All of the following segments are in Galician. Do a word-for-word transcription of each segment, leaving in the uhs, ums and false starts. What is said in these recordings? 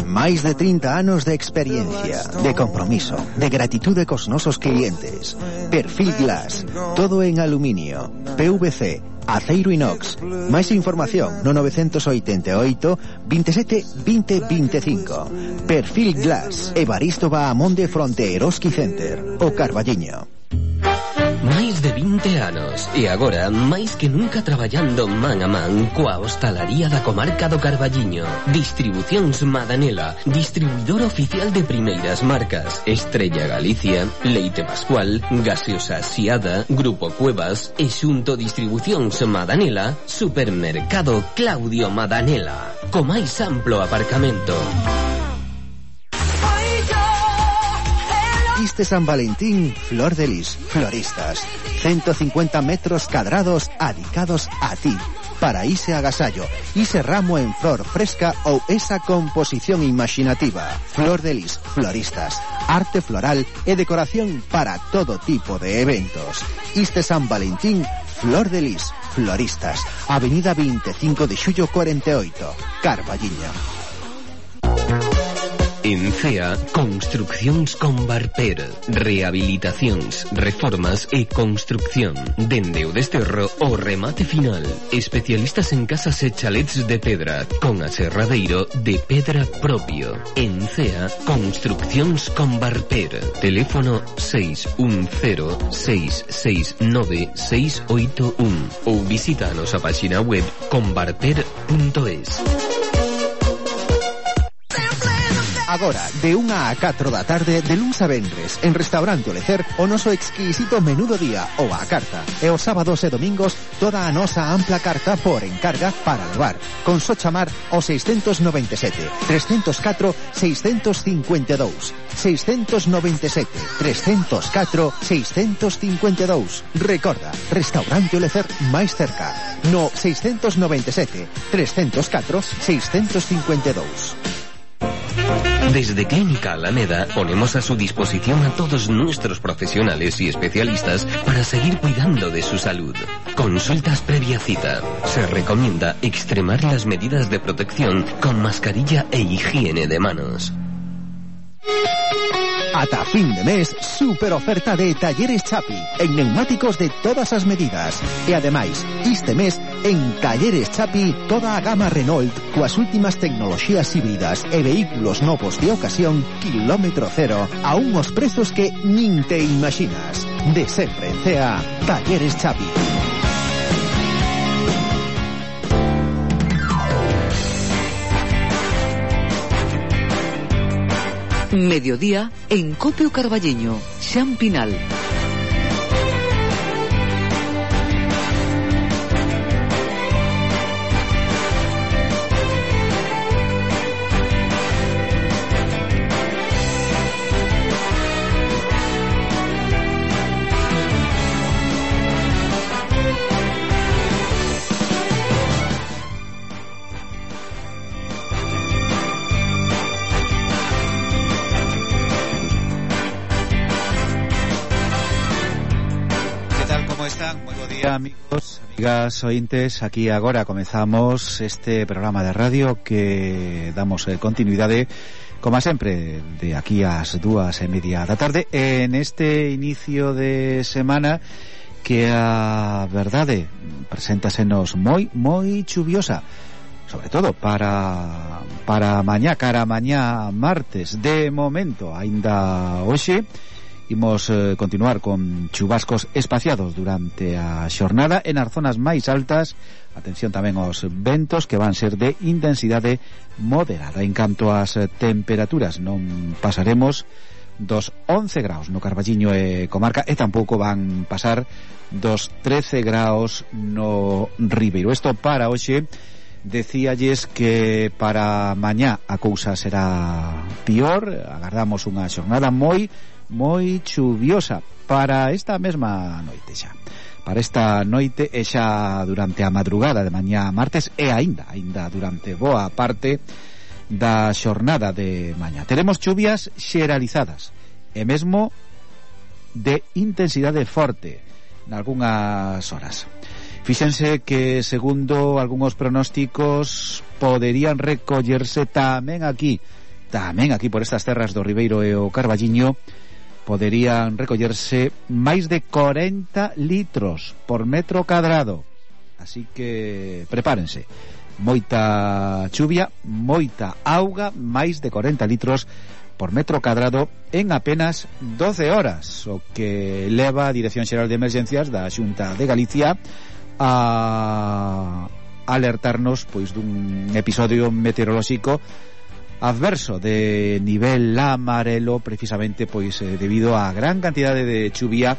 Máis de trinta anos de experiencia, de compromiso, de gratitude cos nosos clientes. Perfil Glass, todo en aluminio, P V C, aceiro inox. Máis información no nove oito oito, veintisiete, veinte, veinticinco. Perfil Glass, Evaristo Bahamonde fronte Eroski Center, o Carballiño. Máis de vinte anos e agora máis que nunca traballando man a man coa hostalaría da comarca do Carballiño. Distribucións Madanela, distribuidor oficial de primeiras marcas Estrella Galicia, Leite Pascual, Gaseosa Siada, Grupo Cuevas e xunto Distribucións Madanela, Supermercado Claudio Madanela, co máis amplo aparcamento. Iste San Valentín, Flor de Lis, floristas. ciento cincuenta metros cuadrados adicados a ti. Para ese agasallo, ese ramo en flor fresca ou esa composición imaginativa. Flor de Lis, floristas. Arte floral e decoración para todo tipo de eventos. Iste San Valentín, Flor de Lis, floristas. Avenida veinticinco de xullo cuarenta e oito, Carballiño. En CEA, construccións con Barper, rehabilitacións, reformas e construcción. Dende o desterro o remate final. Especialistas en casas e chalets de pedra, con aserradeiro de pedra propio. En CEA, construccións con Barper. Teléfono seis uno cero, seis seis nove, seis oito un ou visita a nosa página web conbarper punto es. Agora, de unha a catro da tarde, de luns a vendres, en Restaurante Olecer, o noso exquisito menú do día ou a carta. E os sábados e domingos, toda a nosa ampla carta por encarga para levar. Con só chamar ao seiscentos noventa e sete, trescentos catro, seiscentos cincuenta e dous. seiscentos noventa e sete, trescentos catro, seiscentos cincuenta e dous. Recorda, Restaurante Olecer máis cerca. No seiscentos noventa e sete, trescentos catro, seiscentos cincuenta e dous. Desde Clínica Alameda ponemos a su disposición a todos nuestros profesionales y especialistas para seguir cuidando de su salud. Consultas previa cita. Se recomienda extremar las medidas de protección con mascarilla e higiene de manos. Ata fin de mes, super oferta de Talleres Chapi en neumáticos de todas as medidas. E ademais, este mes, en Talleres Chapi, toda a gama Renault coas últimas tecnoloxías híbridas e vehículos novos de ocasión, kilómetro cero, a unhos prezos que nin te imaginas. De sempre en CEA, Talleres Chapi. Mediodía en Copio Carballiño, Xan Pinal. Amigos, amigas, ointes, aquí agora comezamos este programa de radio que damos eh, continuidade, como sempre, de aquí ás dúas e media da tarde, en este inicio de semana que a verdade preséntasenos moi, moi chuviosa, sobre todo para para mañá, cara mañá martes. De momento, aínda hoxe imos eh, continuar con chubascos espaciados durante a xornada en as zonas máis altas. Atención tamén aos ventos, que van ser de intensidade moderada. En canto ás temperaturas, non pasaremos dos once graus no Carballiño e comarca, e tampouco van pasar dos trece graus no Ribeiro. Isto para hoxe. Decíalles que para mañá a cousa será pior. Agardamos unha xornada moi moi chuviosa para esta mesma noite xa. Para esta noite e xa durante a madrugada de mañá martes e aínda, aínda durante boa parte da xornada de mañá. Teremos chuvias xeralizadas e mesmo de intensidade forte nalgúnas horas. Fíxense que segundo algúns pronósticos poderían recollerse tamén aquí, tamén aquí por estas terras do Ribeiro e o Carballiño, poderían recollerse máis de corenta litros por metro cadrado. Así que prepárense, moita chuvia, moita auga, máis de corenta litros por metro cadrado en apenas doce horas, o que leva a Dirección Xeral de Emergencias da Xunta de Galicia a alertarnos pois dun episodio meteorolóxico adverso de nivel amarelo, precisamente pois eh, debido á gran cantidade de chuvia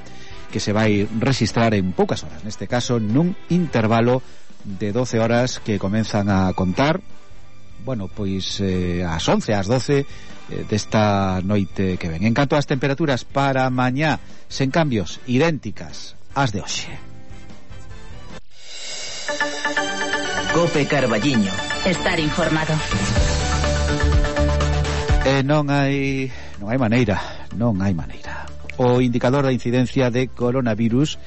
que se vai registrar en poucas horas, neste caso nun intervalo de doce horas que comenzan a contar, bueno, pois eh, ás once, ás doce eh, desta noite que ven. En canto ás temperaturas para mañá, sen cambios, idénticas ás de hoxe. Cope Carballiño. Estar informado. E non hai non hai maneira, non hai maneira. O indicador da incidencia de coronavirus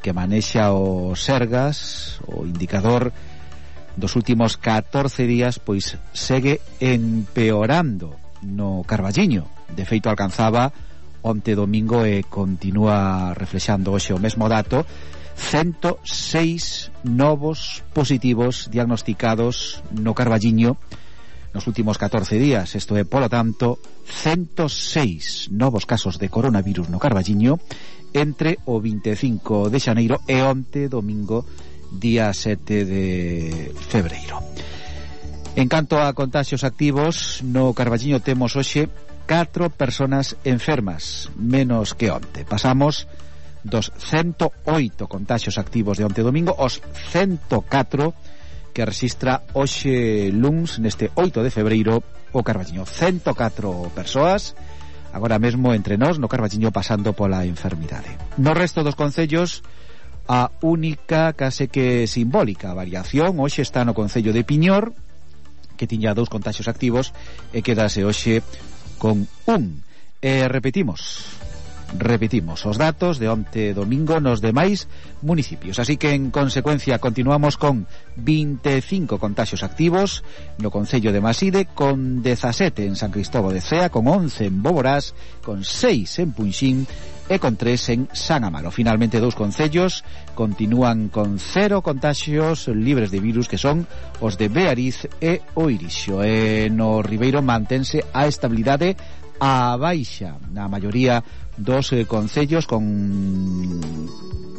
que manexa o Sergas, o indicador dos últimos catorce días, pois segue empeorando no Carballiño. De feito alcanzaba onte domingo e continúa reflexando hoxe o mesmo dato, ciento seis novos positivos diagnosticados no Carballiño nos últimos catorce días. Isto é, polo tanto, ciento seis novos casos de coronavirus no Carballiño entre o vinte e cinco de xaneiro e onte domingo día sete de febreiro. En canto a contaxios activos, no Carballiño temos hoxe catro personas enfermas, menos que onte. Pasamos dos ciento oito contaxios activos de onte domingo aos ciento catro que registra hoxe luns, neste oito de febreiro, o Carballiño. ciento catro persoas agora mesmo entre nós no Carballiño pasando pola enfermidade. No resto dos concellos, a única, case que simbólica variación hoxe está no concello de Piñor, que tiña dous contaxios activos e quedase hoxe con un. E repetimos repetimos os datos de onte domingo nos demais municipios, así que en consecuencia continuamos con vinte e cinco contaxios activos no concello de Maside, con dezasete en San Cristóbal de Cea, con once en Boborás, con seis en Punxín e con tres en San Amaro. Finalmente, dous concellos continúan con cero contaxios libres de virus, que son os de Beariz e o Irixo. E no Ribeiro mantense a estabilidade a baixa na maioría dos eh, concellos, con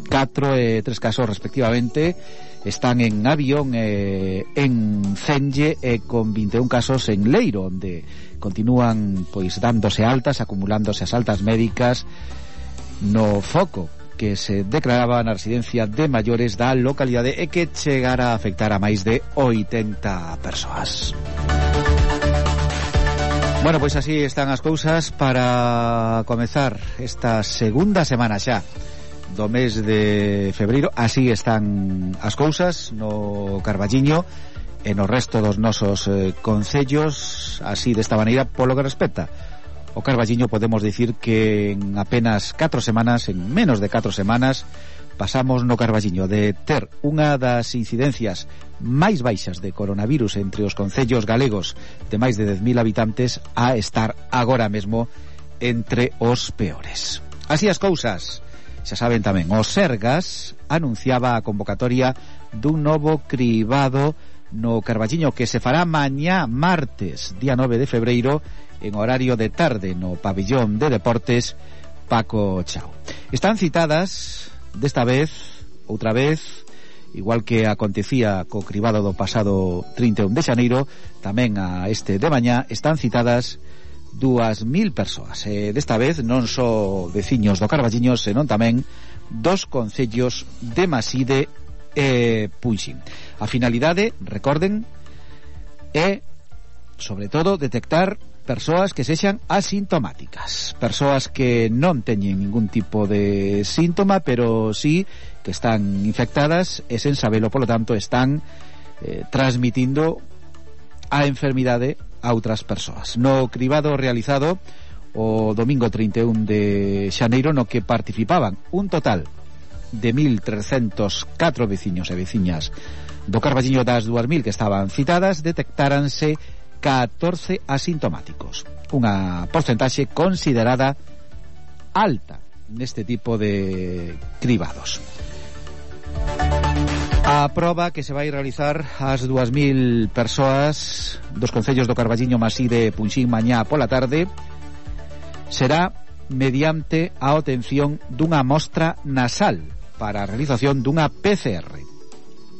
catro e tres casos respectivamente. Están en Avión, eh, en Cenge e con vinte e un casos en Leiro, onde continúan pois dándose altas, acumulándose as altas médicas no foco que se declaraba na residencia de maiores da localidade e que chegara a afectar a máis de oitenta persoas. Bueno, pois así están as cousas para comezar esta segunda semana xa do mes de febreiro. Así están as cousas no Carballiño e no resto dos nosos eh, concellos, así desta maneira. Polo que respecta o Carballiño, podemos dicir que en apenas catro semanas, en menos de catro semanas, pasamos no Carballiño de ter unha das incidencias máis baixas de coronavirus entre os concellos galegos de máis de dez mil habitantes a estar agora mesmo entre os peores. Así as cousas, xa saben tamén, o Sergas anunciaba a convocatoria dun novo cribado no Carballiño que se fará mañá martes, día nove de febreiro, en horario de tarde no pabillón de deportes Paco Chao. Están citadas desta vez, outra vez, igual que acontecía co cribado do pasado trinta e un de xaneiro, tamén a este de mañá están citadas dúas mil persoas. E desta vez non só veciños do Carballiño, senón tamén dos concellos de Maside e Punxín. A finalidade, recorden, é, sobre todo, detectar persoas que sexan asintomáticas, persoas que non teñen ningún tipo de síntoma, pero sí que están infectadas e sen sabelo, polo tanto están eh, transmitindo a enfermidade a outras persoas. No cribado realizado o domingo trinta e un de xaneiro, no que participaban un total de mil trescentos catro veciños e veciñas do Carballiño das dúas mil que estaban citadas, detectáranse catorce asintomáticos, unha porcentaxe considerada alta neste tipo de cribados. A proba que se vai realizar ás dúas mil persoas dos concellos do Carballiño, Masí de Punxín mañá pola tarde será mediante a obtención dunha mostra nasal para a realización dunha P C R.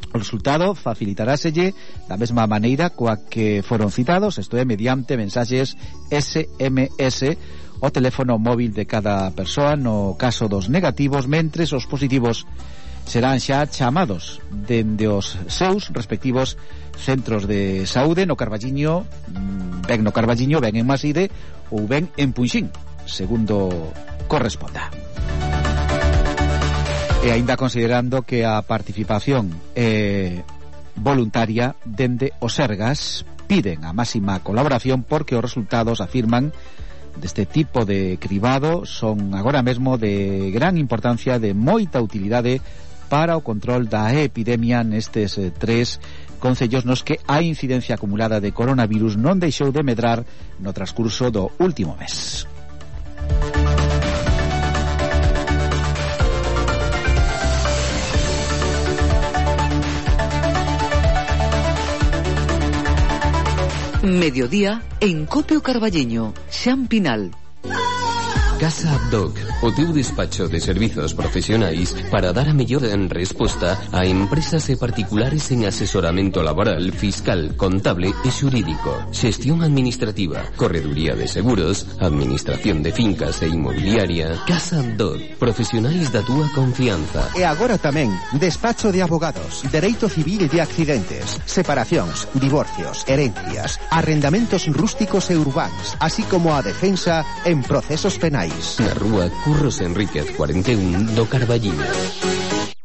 O resultado facilitaráselle da mesma maneira coa que foron citados, isto é, mediante mensaxes S M S o teléfono móvil de cada persoa no caso dos negativos, mentres os positivos serán xa chamados dende os seus respectivos centros de saúde no Carballiño, ben no Carballiño, ben en Maside ou ben en Punxín, segundo corresponda. E aínda considerando que a participación é voluntaria, dende o Sergas piden a máxima colaboración porque os resultados, afirman, deste tipo de cribado son agora mesmo de gran importancia, de moita utilidade para o control da epidemia nestes eh, tres concellos nos que a incidencia acumulada de coronavirus non deixou de medrar no transcurso do último mes. Mediodía en Copio Carballeño, Xampinal. Casa Abdoc, o teu despacho de servizos profesionais para dar a mellor resposta a empresas e particulares en asesoramento laboral, fiscal, contable e xurídico, xestión administrativa, correduría de seguros, administración de fincas e inmobiliaria. Casa Abdoc, profesionais da túa confianza. E agora tamén, despacho de abogados, dereito civil e de accidentes, separacións, divorcios, herencias, arrendamentos rústicos e urbáns, así como a defensa en procesos penais. Na rúa Curros Enríquez cuarenta e un do Carballiño.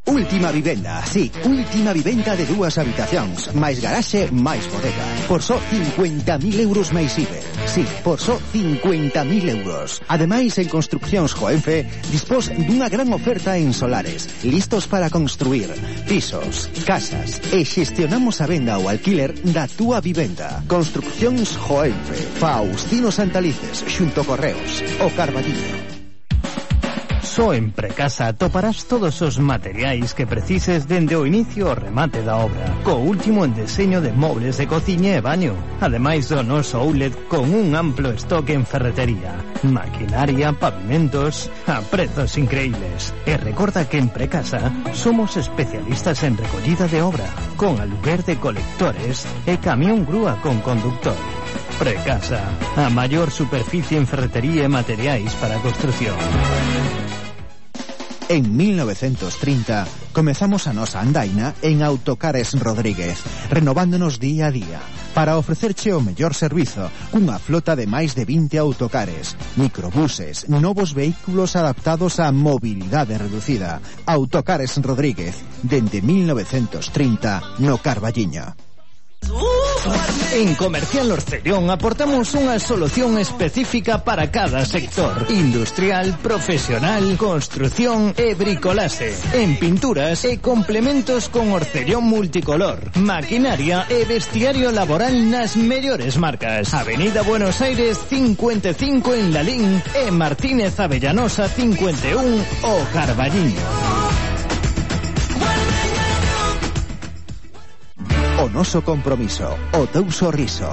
Última vivenda, sí, última vivenda de dúas habitacións, máis garaxe, máis bodega. Por só cincuenta mil euros máis I V E. Sí, por só cincuenta mil euros. Ademais, en Construccións Joenfe dispós dunha gran oferta en solares, listos para construir pisos, casas, e xestionamos a venda ou alquiler da túa vivenda. Construccións Joenfe, Faustino Santalices, xunto Correos, o Carballiño. Só en Precasa toparás todos os materiais que precises dende o inicio ao remate da obra, co último en deseño de mobles de cociña e baño, ademais do noso outlet con un amplo estoque en ferretería, maquinaria, pavimentos, a prezos increíbles. E recorda que en Precasa somos especialistas en recollida de obra, con aluguer de colectores e camión grúa con conductor. Precasa, a maior superficie en ferretería e materiais para a construción. En mil novecientos trinta comezamos a nosa andaina en Autocares Rodríguez, renovándonos día a día para ofrecerche o mellor servizo cunha flota de máis de vinte autocares, microbuses, novos vehículos adaptados á mobilidade reducida. Autocares Rodríguez, dende mil novecientos trinta no Carballiño. En Comercial Orcellón aportamos unha solución específica para cada sector: industrial, profesional, construción e bricolaxe, en pinturas e complementos con Orcellón multicolor, maquinaria e vestiario laboral nas mellores marcas. Avenida Buenos Aires cincuenta e cinco en Lalín e Martínez Avellanosa cincuenta e un o Carballiño. O noso compromiso, o teu sorriso.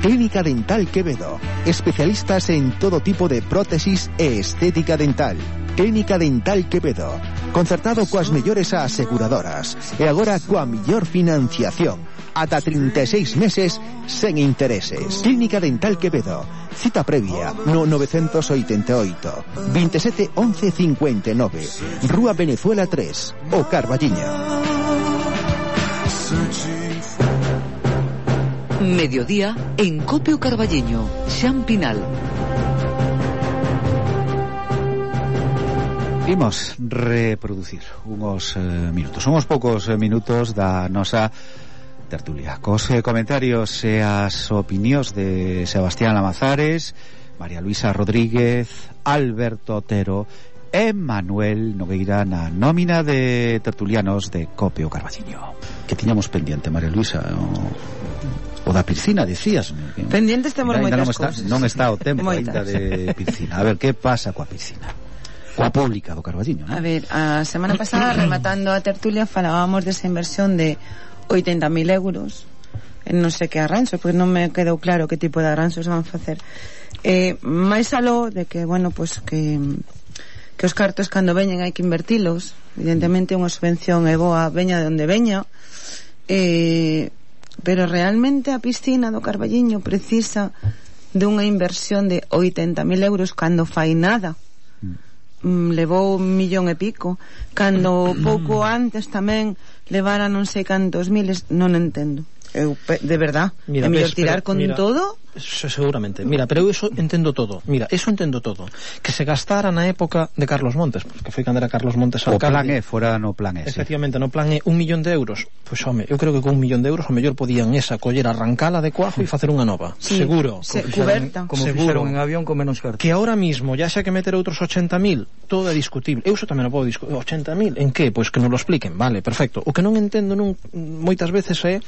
Clínica Dental Quevedo, especialistas en todo tipo de prótesis e estética dental. Clínica Dental Quevedo, concertado coas mellores aseguradoras e agora coa mellor financiación, ata trinta e seis meses sen intereses. Clínica Dental Quevedo, cita previa no novecientos oitenta e oito, veintisiete once cincuenta e nove, Rúa Venezuela tres, o Carballiño. Mediodía en Copio Carballeño, Xampinal. Imos reproducir unos eh, minutos, unhos poucos eh, minutos da nosa tertulia, cos eh, comentarios e as opinións de Sebastián Lamazares, María Luisa Rodríguez, Alberto Otero e Manuel Nogueira na nómina de tertulianos de Copio Carballiño. Que tiñamos pendiente, María Luisa, o, o da piscina, decías. Pendientes temos moitas non está, cousas. non está o tempo ainda de piscina. A ver, que pasa coa piscina? Coa pública do Carballiño, non? A ver, a semana pasada, rematando a tertulia, falábamos desa inversión de oitenta mil euros en non sei que arranxos, porque non me quedou claro que tipo de arranxos van facer. Eh, máis aló de que, bueno, pues que que os cartos cando veñen hai que invertilos. Evidentemente unha subvención é boa, veña de onde veña, eh, pero realmente a piscina do Carballiño precisa de unha inversión de oitenta mil euros cando fai nada. Mm, levou un millón e pico, cando pouco antes tamén levara non sei cantos miles. Non entendo. Eu, de verdad, mira, é mellor ves, tirar con mira, todo. Seguramente, mira, pero eu eso entendo todo. Mira, eso entendo todo. Que se gastara na época de Carlos Montes, porque foi cando era Carlos Montes alcalde. O plan E, fora no plan E. Efectivamente, no plan E, un millón de euros. Pois, pues, home, eu creo que con un millón de euros o mellor podían esa coller, arrancala de cuajo e facer unha nova. Sí, seguro. Se, como cuberta. Fixeron, como seguro. fixeron en avión con menos cartas. Que ahora mismo, ya xa que meter outros ochenta mil, todo é discutible. Eu eso tamén o podo discutir. ochenta mil, en que? Pois pues que nos lo expliquen, vale, perfecto. O que non entendo non, moitas veces é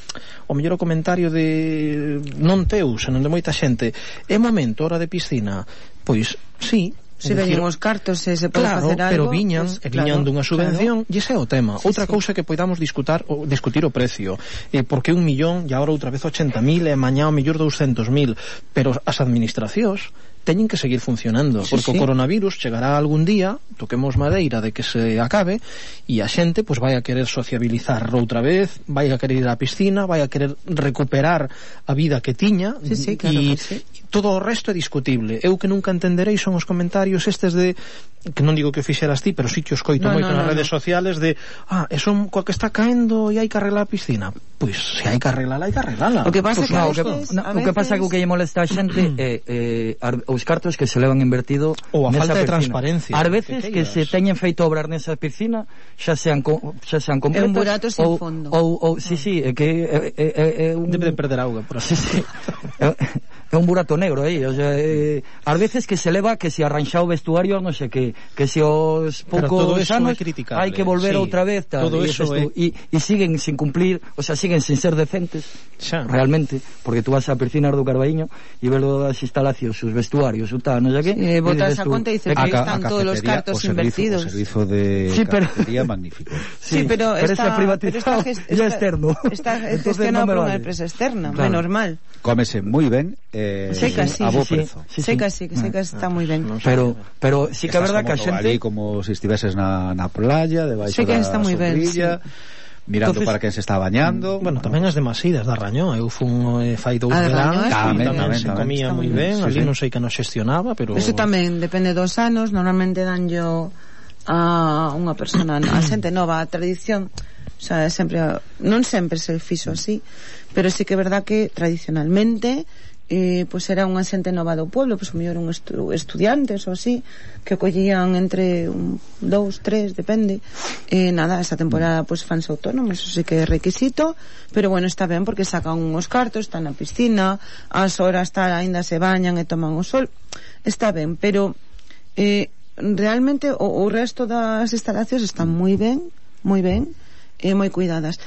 o mellor o comentario de non teu, senón de moita xente. É momento, hora de piscina, pois, sí. Se veñen os cartos, se se pode claro, facer algo, pero viñan, pues, e viñan claro, dunha subvención, claro. E ese é o tema. Sí, outra sí. cousa que podamos discutir o, discutir o precio, eh, porque un millón e agora outra vez ochenta mil e mañá o mellor doscientos mil, pero as administracións teñen que seguir funcionando, sí, porque sí. o coronavirus chegará algún día, toquemos madeira de que se acabe, e a xente pois vai a querer sociabilizar outra vez, vai a querer ir á piscina, vai a querer recuperar a vida que tiña, sí, sí, claro e que sí. todo o resto é discutible. Eu que nunca entenderei son os comentarios estes de, que non digo que o fixeras ti, pero sí que os coito no, moito no, nas no, redes no. sociales de, ah, é son coa que está caendo e hai que arreglar a piscina. Pois, se hai que arreglala, hai que arreglala. O que pasa Pues que no, a o que, veces, no, a o que pasa que o que lle molesta a xente é eh, eh, os cartos que se levan invertido ou a nesa falta de piscina. transparencia. Ás veces que, que se teñen feito obras nesa piscina xa sean co, xa sean completas é un burato sin ou, fondo. ou, ou sí, sí, é que é, é, é, é un... debe de perder auga por así. Sí, sí. é, é un burato negro aí, o sea, eh, ás veces que se leva que se arranxa o vestuario, non sei que que se os poucos anos hai que volver sí, outra vez tal, todo e, eso é... e, e siguen sin cumplir, o sea, siguen sin ser decentes xa. realmente, porque tú vas a piscinas do Carballiño e ves as instalacións, os vestuarios, o tal, non sei que, sí, botas a conta e dices que están todos os cartos o servizo, invertidos. O servizo de sí, pero... cafetería magnífico. Sí, sí, pero, pero está, está privatizado pero está, y ya externo. Está gestionado no por vale. Unha empresa externa, claro. Menos mal. Cómese moi ben, eh, seca, sí, a bo sí, prezo. Sí, sí. Seca, sí, que seca está moi ben. Pero pero sí que é verdad que a xente ali como se si estiveses na, na playa, debaixo seca da está moi ben, sí. Mirando Entonces, para quen se está bañando. Bueno, tamén as demasidas da Rañó. Eu fun eh, fai dous ah, veranos, tamén, tamén, tamén se tamén, comía moi sí, ben, ali sí. non sei que nos xestionaba, pero eso tamén depende dos anos, normalmente dan yo a unha persona, a xente nova, a tradición, o sea, sempre non sempre se fixo así, pero sí que é verdad que tradicionalmente eh, pois era unha xente nova do pueblo, pois o mellor un estu estudiantes ou así, que collían entre un, dous, tres, depende, e eh, nada, esa temporada pois fans autónomos, eso sí que é requisito, pero bueno, está ben porque sacan uns cartos, están na piscina, as horas tal, ainda se bañan e toman o sol, está ben, pero eh, realmente o, o resto das instalacións están moi ben, moi ben, e moi cuidadas.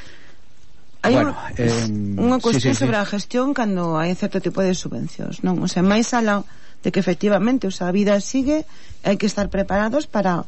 Hai bueno, unha, eh, unha cuestión sí, sí, sobre sí. a gestión cando hai certo tipo de subvencións, non? O sea, máis alá de que efectivamente, o sea, a vida sigue, hai que estar preparados para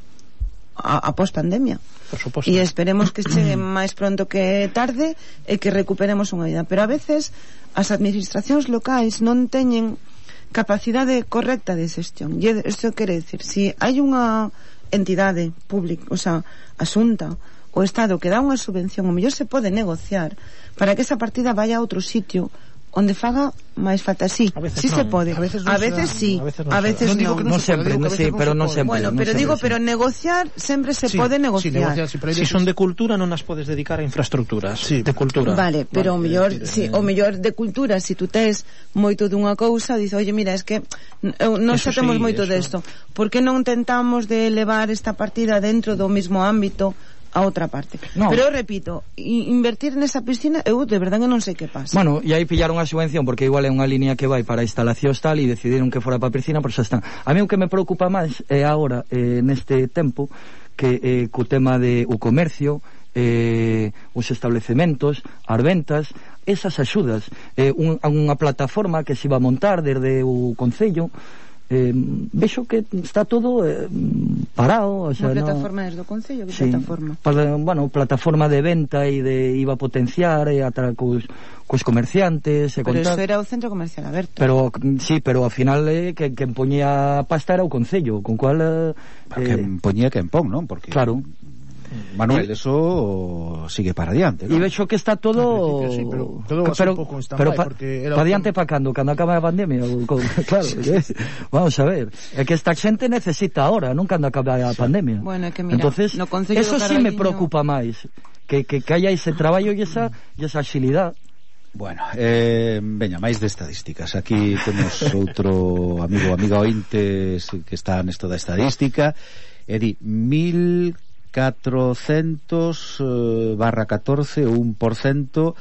a, a post-pandemia. Por suposto. E esperemos que chegue máis pronto que tarde e que recuperemos unha vida. Pero a veces as administracións locais non teñen capacidade correcta de xestión. E isto quere decir, se si hai unha entidade pública, o sea, a Xunta, o Estado que dá unha subvención, o mellor se pode negociar para que esa partida vaya a outro sitio onde faga máis falta, sí, sí non. Se pode, a veces, a veces sí, a veces non, a veces non, non, non, non sempre, non, sí, pero non sempre. Bueno, non pero sempre, digo, sí. pero negociar sempre se sí, pode negociar. Sí, negociar, sí, pero si son de cultura non as podes dedicar a infraestructuras, sí, de cultura. Vale, pero vale, o mellor, eh, sí, o mellor de cultura, si tú tes moito dunha cousa, dices, "Oye, mira, es que non xa temos sí, moito desto. Por que non tentamos de elevar esta partida dentro do mismo ámbito a outra parte. No. Pero eu repito, invertir nesa piscina, eu de verdade non sei que pasa. Bueno, e aí pillaron a subvención porque igual é unha línea que vai para instalacións tal e decidiron que fora para a piscina, pero xa están. A mí o que me preocupa máis é agora, eh, neste tempo, que eh, co tema de o comercio, eh, os establecementos, as ventas, esas axudas, eh, un, unha plataforma que se iba a montar desde o Concello, Eh, vexo que está todo eh, parado, o sea, unha plataforma no... desde o Concello, que sí, plataforma? Para, bueno, plataforma de venta e de iba a potenciar e atra cos, cos comerciantes e pero contar. eso era o centro comercial aberto. Pero sí, pero ao final eh, que quen poñía pasta era o Concello, con cual eh, quen poñía quen pon, non? Porque claro. Manuel, eso sigue para adiante, ¿no? E vexo que está todo sí, pero todo pero, un pouco en pero pa, porque era pa adiante pa cando, cando acaba a pandemia o, con, claro, sí, sí. Vamos a ver, é que esta xente necesita ahora, non cando acaba a pandemia. Bueno, é que mira, entonces, no Concello eso sí me preocupa máis, que, que, que haya ese traballo e esa, e esa axilidade. Bueno, eh, veña, máis de estadísticas. Aquí temos outro amigo, amiga ointes que está nesto da estadística e di mil catrocentos eh, barra catorce ou un por cento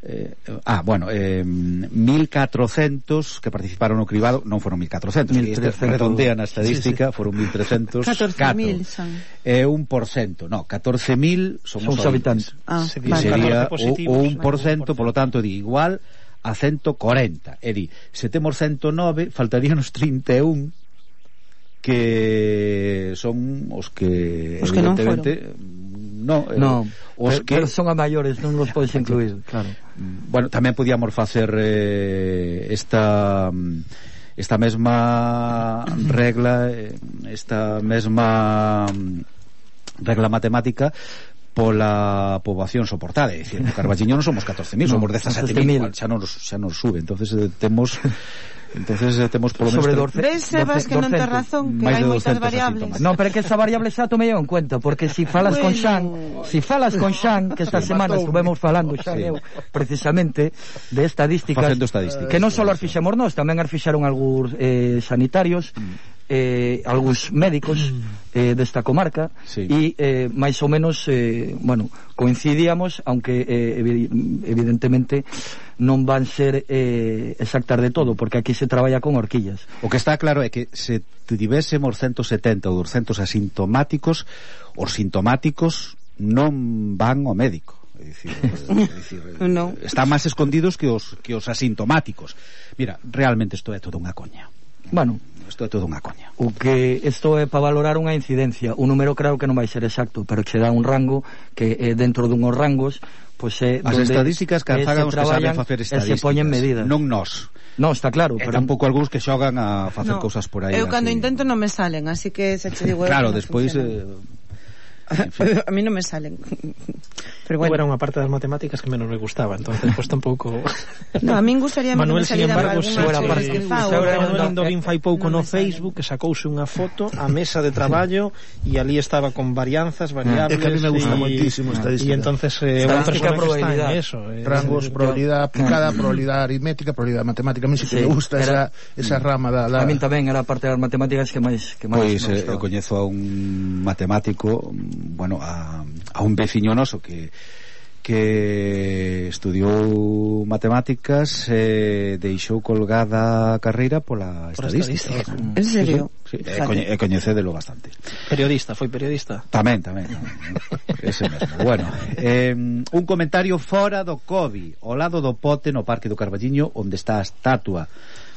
eh, ah, bueno eh, mil catrocentos que participaron no cribado, non foron mil catrocentos, mil trescentos redondean a estadística, sí, sí. Foron mil trescentos catorce mil son é eh, un por cento, no, catorce mil son os habitantes, ah, que vale. sería o, o un por cento, polo tanto di igual a ciento corenta, e di se temos ciento nove, faltaríanos trinta e un que son os que os que non foron. No, eh, no, os pero, que pero son a maiores, non os podes incluir, claro. Bueno, tamén podíamos facer eh, esta esta mesma regla, esta mesma regla matemática pola poboación soportada, é dicir, no Carballiño non somos catorce mil, no, somos dezasete mil, xa non xa non sube, entonces eh, temos entonces eh, temos polo menos sobre doce, ves, Sebas, que non ten razón, que hai moitas variables. Non, pero é que esa variable xa tomei en cuenta, porque si falas bueno. con Xan, si falas con Xan, que esta sí, semana estuvemos falando Xan sí. eu, precisamente de estadísticas, estadísticas que non só as fixemos nós, tamén as fixaron algúns eh, sanitarios, eh, algúns médicos eh, desta comarca e sí. eh, máis ou menos eh, bueno, coincidíamos, aunque eh, evidentemente non van ser eh, exactas de todo, porque aquí se traballa con horquillas. O que está claro é que se tivésemos ciento setenta ou doscientos asintomáticos, os sintomáticos non van ao médico. É dicir, é dicir no. Están máis escondidos que os, que os asintomáticos. Mira, realmente isto é todo unha coña. Bueno, isto é todo unha coña. O que isto é para valorar unha incidencia, un número claro que non vai ser exacto, pero que se dá un rango que eh, dentro dunhos rangos, pois é as estadísticas que fagan os que saben facer estadísticas, se poñen medidas. Non nós. Non, está claro, e pero tampouco algúns que xogan a facer no, cousas por aí. Eu cando así. intento non me salen, así que se che digo claro, eu, despois eh, a mí non me salen. Pero bueno, era unha parte das matemáticas que menos me gustaba, entonces pues tampouco. No, a min gustaría Manuel, que me embargo, algunha parte que fa. Manuel Indovin fai pouco no Facebook que sacouse unha foto a mesa de traballo e ali estaba con varianzas, variables. É que a mí me gusta moitísimo estadística. E entonces eh, unha persona que está en eso, eh, rangos, probabilidade aplicada, probabilidade aritmética, probabilidade matemática. A mí sí que sí, me gusta esa esa rama da, da... A mí tamén era parte das matemáticas que máis que máis pois eh, eu coñezo a un matemático, bueno, a, a un veciño noso que que estudiou matemáticas e eh, deixou colgada a carreira pola Por estadística. estadística. En serio? Sí, sí, e, coñe, e coñecédelo bastante. Periodista, foi periodista? Tamén, tamén, tamén. Ese mesmo. Bueno, eh, un comentario fora do COVID, ao lado do pote no Parque do Carballiño, onde está a estatua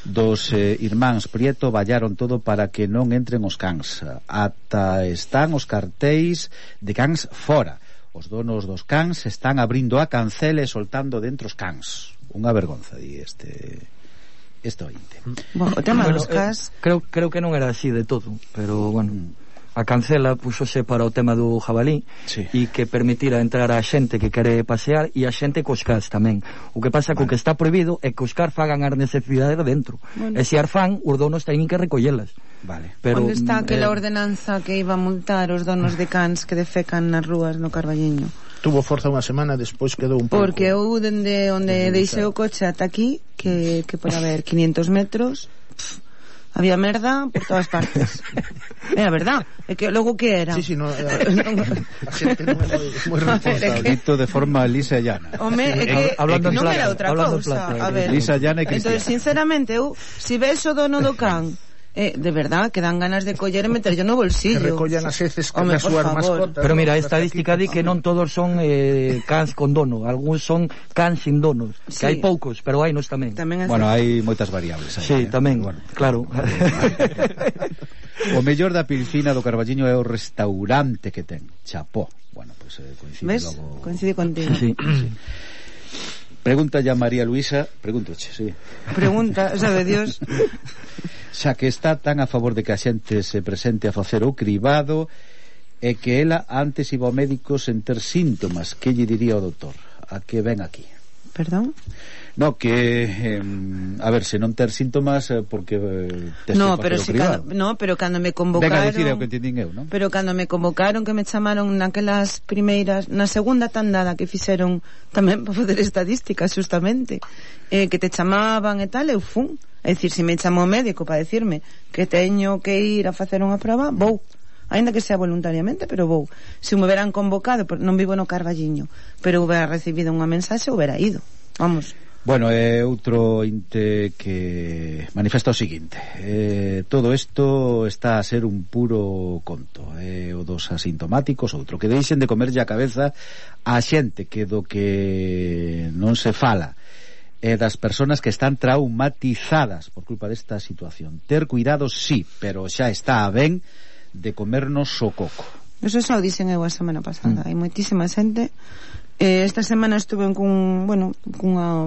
dos eh, irmáns Prieto, vallaron todo para que non entren os cans. Ata están os cartéis de cans fora. Os donos dos cans están abrindo a cancela e soltando dentro os cans. Unha vergonza, di este este ointe. Bueno, o tema bueno, dos cans eh, creo, creo que non era así de todo, pero bueno, a cancela púxose para o tema do jabalí sí. e que permitira entrar a xente que quere pasear e a xente cos cans tamén. O que pasa vale. co que está prohibido é que os cans fagan as necesidades dentro. Bueno. E se ar fan, os donos teñen que recollelas. Vale. Pero, onde está aquela eh, ordenanza que iba a multar os donos de cans que defecan nas rúas no Carballiño? Tuvo forza unha semana, despois quedou un pouco. Porque eu dende onde deixei o coche ata aquí, que, que pode haber quinientos metros, pff, había merda por todas partes. É a verdad, é que logo que era? Sí, sí, no, a xente non é moi responsable. Dito de forma lisa e llana. Home, é que Hablando en non plata, era outra hablando en cousa. plata, A ver, lisa, llana e cristiana. Entón, sinceramente, eu, si ves o dono do can, eh, de verdad, que dan ganas de coller e meterlo no bolsillo. Que recollan as heces que Home, nas súas mascotas. Pero mira, a estadística di que non todos son eh, cans con dono, algúns son cans sin donos, Sí. que hai poucos, pero hai nos tamén. Tamén é Bueno, certo. hai moitas variables aí, Sí, eh? tamén, Bueno, claro. o mellor da Pilcina do Carballiño é o restaurante que ten, Chapó. Bueno, pois pues, eh, coincide ¿Ves? logo... Coincide contigo. Sí. Sí. Pregunta ya María Luisa, pregúntoche, sí. Pregunta, sabe Dios. Xa que está tan a favor de que a xente se presente a facer o cribado e que ela antes iba ao médico sen ter síntomas, que lle diría o doutor? A que ven aquí? Perdón? No, que eh, a ver, se non ter síntomas eh, porque eh, tes No, que pero facer o si cribado. cando, no, pero cando me Venga convocaron, a dicir é o que entendín eu, non? pero cando me convocaron, que me chamaron naquelas primeiras, na segunda tandada que fixeron tamén para fazer estadísticas justamente, eh, que te chamaban e tal, eu fun. É dicir, se me chamou o médico para decirme que teño que ir a facer unha prova, vou. Ainda que sea voluntariamente, pero vou. Se me hubieran convocado, non vivo no Carballiño, pero hubiera recibido unha mensaxe, hubiera ido. Vamos. Bueno, é outro inte que manifesta o seguinte: eh, todo isto está a ser un puro conto, é eh, o dos asintomáticos, outro que deixen de comerlle a cabeza a xente que do que non se fala e das persoas que están traumatizadas por culpa desta situación. Ter cuidado, sí, pero xa está ben de comernos o coco. Eso xa o dixen eu a semana pasada. Mm. Hai moitísima xente. Eh, esta semana estuve cun, bueno, cunha,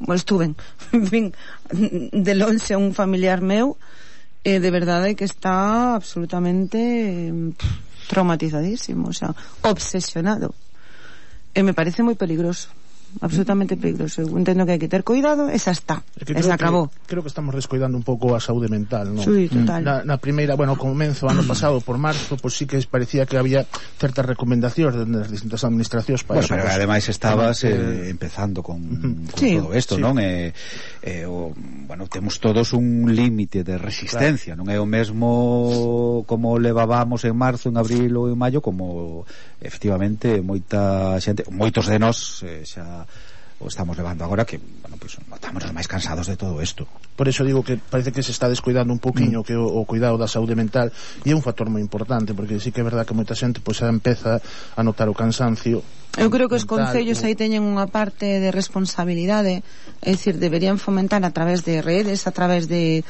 bueno, estuve, en fin, de lonxe a un familiar meu, eh, de verdade que está absolutamente eh, traumatizadísimo, o sea, obsesionado. E me parece moi peligroso. Absolutamente peligroso. Eu entendo que hai que ter cuidado e xa está, É que e xa acabou. Que, creo que estamos descuidando un pouco a saúde mental, non? Sí, total. Na, na primeira, bueno, comenzo ano pasado por marzo, pois pues sí que parecía que había certas recomendacións das distintas administracións para bueno, eso. Pero pues, ademais estabas eh, eh, empezando con, uh-huh. con sí, todo isto, sí. non? Eh, eh, o, bueno, temos todos un límite de resistencia, claro. Non é o mesmo como levábamos en marzo, en abril ou en maio, como efectivamente moita xente, moitos de nós eh, xa o estamos levando agora, que, bueno, pues estamos máis cansados de todo isto. Por eso digo que parece que se está descuidando un poquinho mm. que o, o cuidado da saúde mental, e é un factor moi importante, porque sí que é verdad que moita xente pois xa empeza a notar o cansancio. Eu creo que os mental, concellos o... aí teñen unha parte de responsabilidade, é dicir, deberían fomentar a través de redes, a través de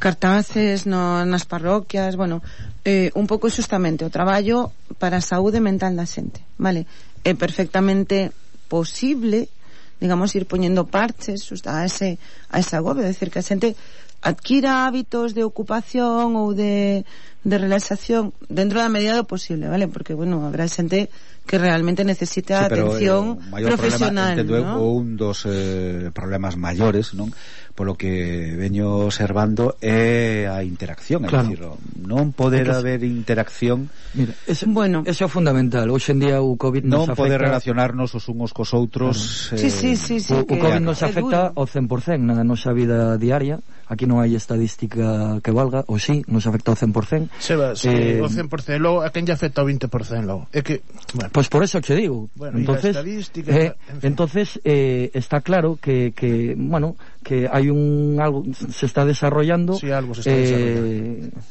cartaces no, nas parroquias, bueno, eh, un pouco xustamente o traballo para a saúde mental da xente, vale? É perfectamente posible, digamos, ir poñendo parches a ese a ese agobio, é dicir, que a xente adquira hábitos de ocupación ou de, de relaxación dentro da medida do posible, vale? Porque, bueno, habrá xente que realmente necesita sí, pero, atención eh, profesional, problema, entendo, ¿no? Un dos eh, problemas maiores, non? Polo que veño observando é a interacción, claro. É dicir, non poder Entonces, haber interacción. Mira, ese, bueno, eso é fundamental. Hoxe en día o COVID nos non afecta... poder relacionarnos os uns cos outros. Claro. Eh, sí, sí, sí, sí, o, que o COVID nos afecta ao cen por cento na nosa vida diaria. Aquí non hai estadística que valga, ou sí, nos afecta ao cen por cento. Sebas, eh, o cen por cento, logo a quen lle afecta ao vinte por cento logo. É que, bueno. Pois pues por eso che digo. Bueno, entonces, estadística, eh, en fin. entonces eh, está claro que, que bueno, que hai un algo se está desarrollando. Sí, algo se está eh, desarrollando.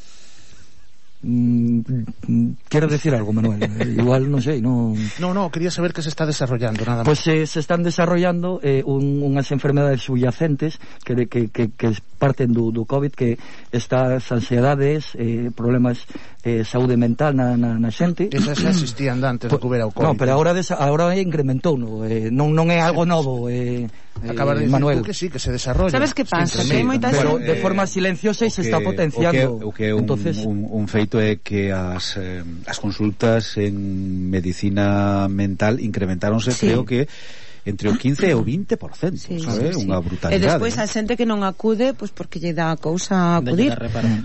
Mm, quero decir algo, Manuel. Igual non sei, non. No, no, quería saber que se está desarrollando, nada máis. Pois pues, eh, se están desarrollando eh, un, unhas enfermedades subyacentes que, de, que, que, que parten do, do COVID, que estas ansiedades, eh, problemas eh, saúde mental na, na, na xente. Esas xa existían antes de que hubiera o COVID. No, pero agora desa, agora incrementou, no, eh, non non é algo novo, eh, acabas de eh, Manuel. decir que sí, que se desarrolla. Sabes que pasa? Sí, que hai moita pero xente de forma silenciosa e se está potenciando. O que é un, Entonces, un, un feito é que as, eh, as consultas en medicina mental incrementáronse, sí. Creo que entre o quince e o vinte por cento, sí, sabe? Sí, sí. Unha brutalidade. E despois a xente que non acude, pois porque lle dá a cousa acudir.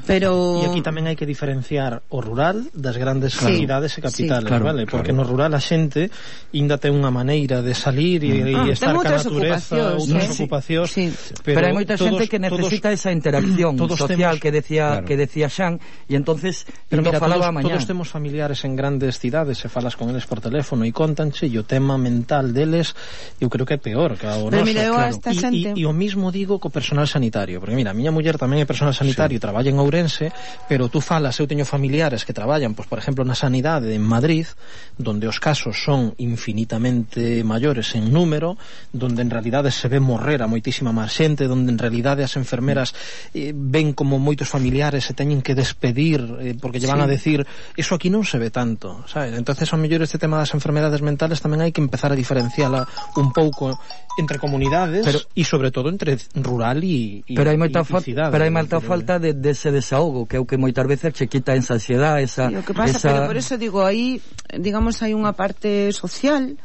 Pero e aquí tamén hai que diferenciar o rural das grandes sí. cidades e capitales, sí, claro, vale? Porque claro. no rural a xente ainda ten unha maneira de salir e, ah, e estar ca natureza, outras sí. ocupacións, sí. pero, pero hai moita xente que necesita todos, esa interacción social temos, que decía claro. que decía Xan, e entonces pero mira, falaba todos, todos temos familiares en grandes cidades e falas con eles por teléfono e contanche, e o tema mental deles eu creo que é peor que o noso, mira, claro. E, xente... e, e o mismo digo co personal sanitario, porque mira, a miña muller tamén é personal sanitario, sí. traballa en Ourense, pero tú falas, eu teño familiares que traballan, pois por exemplo na sanidade en Madrid, donde os casos son infinitamente maiores en número, donde en realidade se ve morrer a moitísima máis xente, donde en realidade as enfermeras eh, ven como moitos familiares se teñen que despedir eh, porque lle van sí. a decir, eso aquí non se ve tanto, sabes? Entonces ao mellor este tema das enfermedades mentales tamén hai que empezar a diferenciala un pouco entre comunidades e sobre todo entre rural e pero hai moita fa cidade, pero hai moita falta de, de ese desahogo que é o que moitas veces che quita esa ansiedade, esa, sí, o que pasa, esa... pero por eso digo, aí digamos hai unha parte social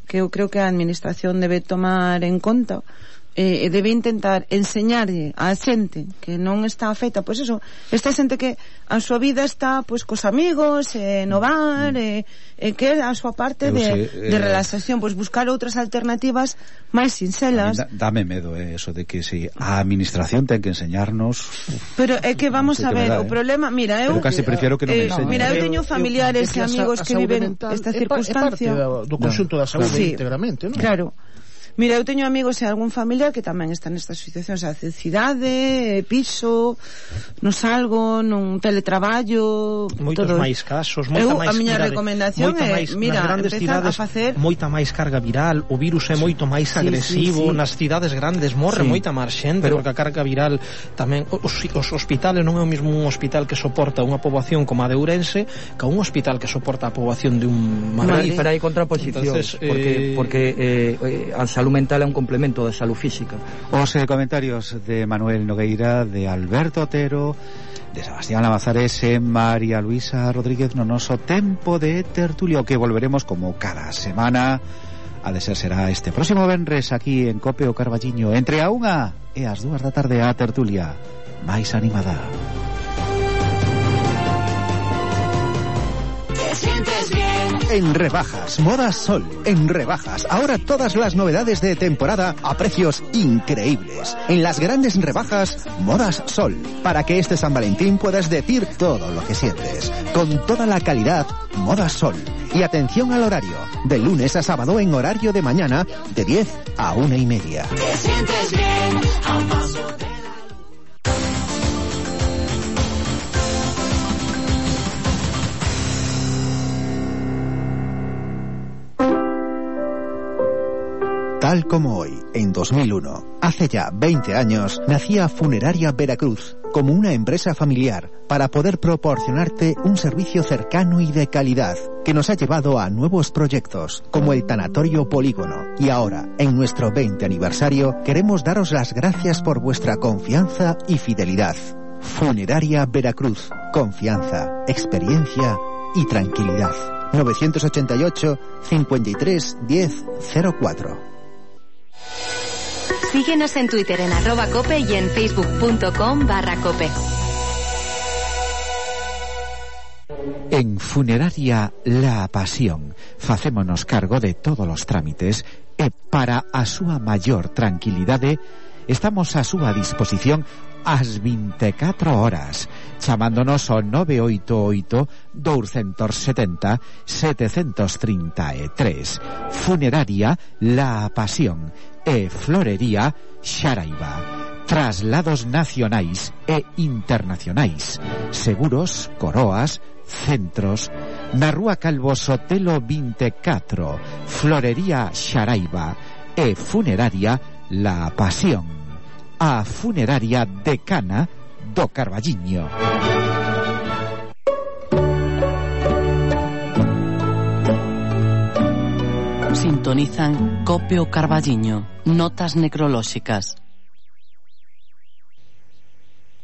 que eu creo que a administración debe tomar en conta e eh, debe intentar enseñarlle á xente que non está afecta, pois eso, esta xente que a súa vida está pois cos amigos, eh, no bar, e eh, eh, que a súa parte de, sei, eh, de relaxación, pois buscar outras alternativas máis sincelas. Da, dame medo eh, eso de que si a administración ten que enseñarnos. Pero é que vamos no a ver, verdad, o problema, mira, eu pero casi prefiero que non eh, me enseñen. Mira, eu teño familiares e amigos que viven esta circunstancia. É parte do conxunto da saúde sí, íntegramente, non? Claro. Mira, eu teño amigos e algún familiar que tamén está nestas situacións, a cidade, piso, non salgo, non teletraballo, moitos todo. máis casos, moita eu, máis, a miña mirade, recomendación é, máis, mira, empezar cidades, a facer moita máis carga viral, o virus é moito máis sí, agresivo, sí, sí. nas cidades grandes morre sí. moita máis xente, pero porque a carga viral tamén, os, os hospitales non é o mesmo un hospital que soporta unha poboación como a de Ourense que un hospital que soporta a poboación de un Madrid. Pero hai contraposicións, porque, eh... porque eh, a salud mental é un complemento da salud física. Os eh, comentarios de Manuel Nogueira, de Alberto Otero, de Sebastián Lamazares e María Luisa Rodríguez no noso tempo de tertulio, que volveremos como cada semana. A de ser será este próximo venres aquí en Cope o Carballiño, entre a unha e as dúas da tarde, a tertulia máis animada. En rebajas, Modas Sol. En rebajas, ahora todas las novedades de temporada a precios increíbles. En las grandes rebajas, Modas Sol. Para que este San Valentín puedas decir todo lo que sientes. Con toda la calidad, Modas Sol. Y atención al horario. De lunes a sábado en horario de mañana, de diez a una y media. Te sientes bien a un paso de... Tal como hoy, en dos mil uno, hace ya veinte años, nacía Funeraria Veracruz como una empresa familiar para poder proporcionarte un servicio cercano y de calidad que nos ha llevado a nuevos proyectos como el Tanatorio Polígono. Y ahora, en nuestro veinte aniversario, queremos daros las gracias por vuestra confianza y fidelidad. Funeraria Veracruz. Confianza, experiencia y tranquilidad. novecientos ochenta y ocho, cincuenta y tres, diez, cero cuatro. Síguenos en Twitter en arroba cope y en facebook.com barra cope. En Funeraria La Pasión facémonos cargo de todos os trámites e para a súa maior tranquilidade estamos a súa disposición ás vinte e catro horas, chamándonos ao nove oito oito, dous sete zero, sete tres tres. Funeraria La Pasión e Florería Xaraiba. Traslados nacionais e internacionais, seguros, coroas, centros. Na Rúa Calvo Sotelo vinte e catro, Florería Xaraiba e Funeraria La Pasión, a funeraria decana do Carballiño. Sintonizan Cope o Carballiño, notas necrolóxicas.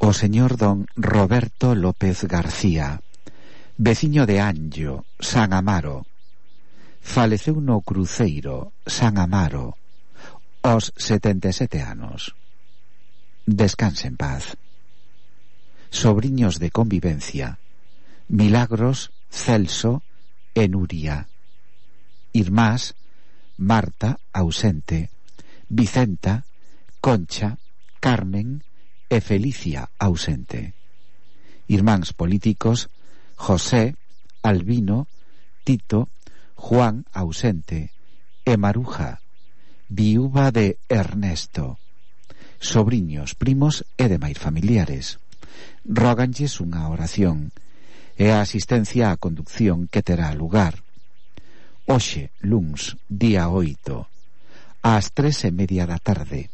O señor don Roberto López García, veciño de Anllo, San Amaro, faleceu no cruceiro San Amaro Os setenta e sete anos. Descanse en paz. Sobriños de convivencia: Milagros, Celso e Nuria. Irmás: Marta, ausente; Vicenta, Concha, Carmen e Felicia, ausente. Irmáns políticos: José, Albino, Tito, Juan, ausente, e Maruja, viúva de Ernesto. Sobriños, primos e demais familiares róganlles unha oración e a asistencia á conducción que terá lugar hoxe, luns, día oito, ás tres e media da tarde,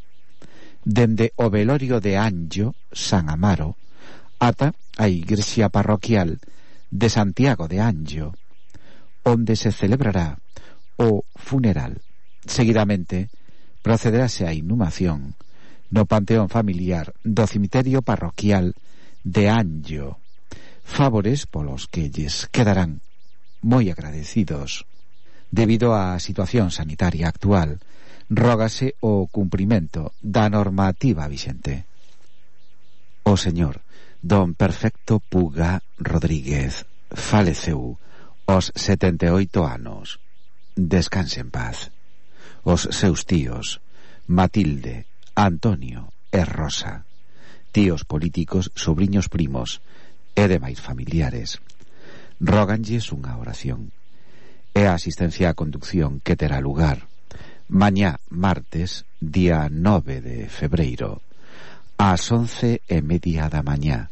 dende o velorio de Anllo, San Amaro, ata a igrexa parroquial de Santiago de Anllo, onde se celebrará o funeral. Seguidamente procederase a inhumación no panteón familiar do cemiterio parroquial de Anllo, favores polos que lles quedarán moi agradecidos. Debido á situación sanitaria actual, rógase o cumprimento da normativa vixente. O señor don Perfecto Puga Rodríguez faleceu aos setenta e oito anos. Descanse en paz. Os seus tíos Matilde, Antonio e Rosa, tíos políticos, sobriños primos e demais familiares róganlles unha oración e a asistencia á conducción que terá lugar mañá martes, día nove de febreiro, ás once e media da mañá,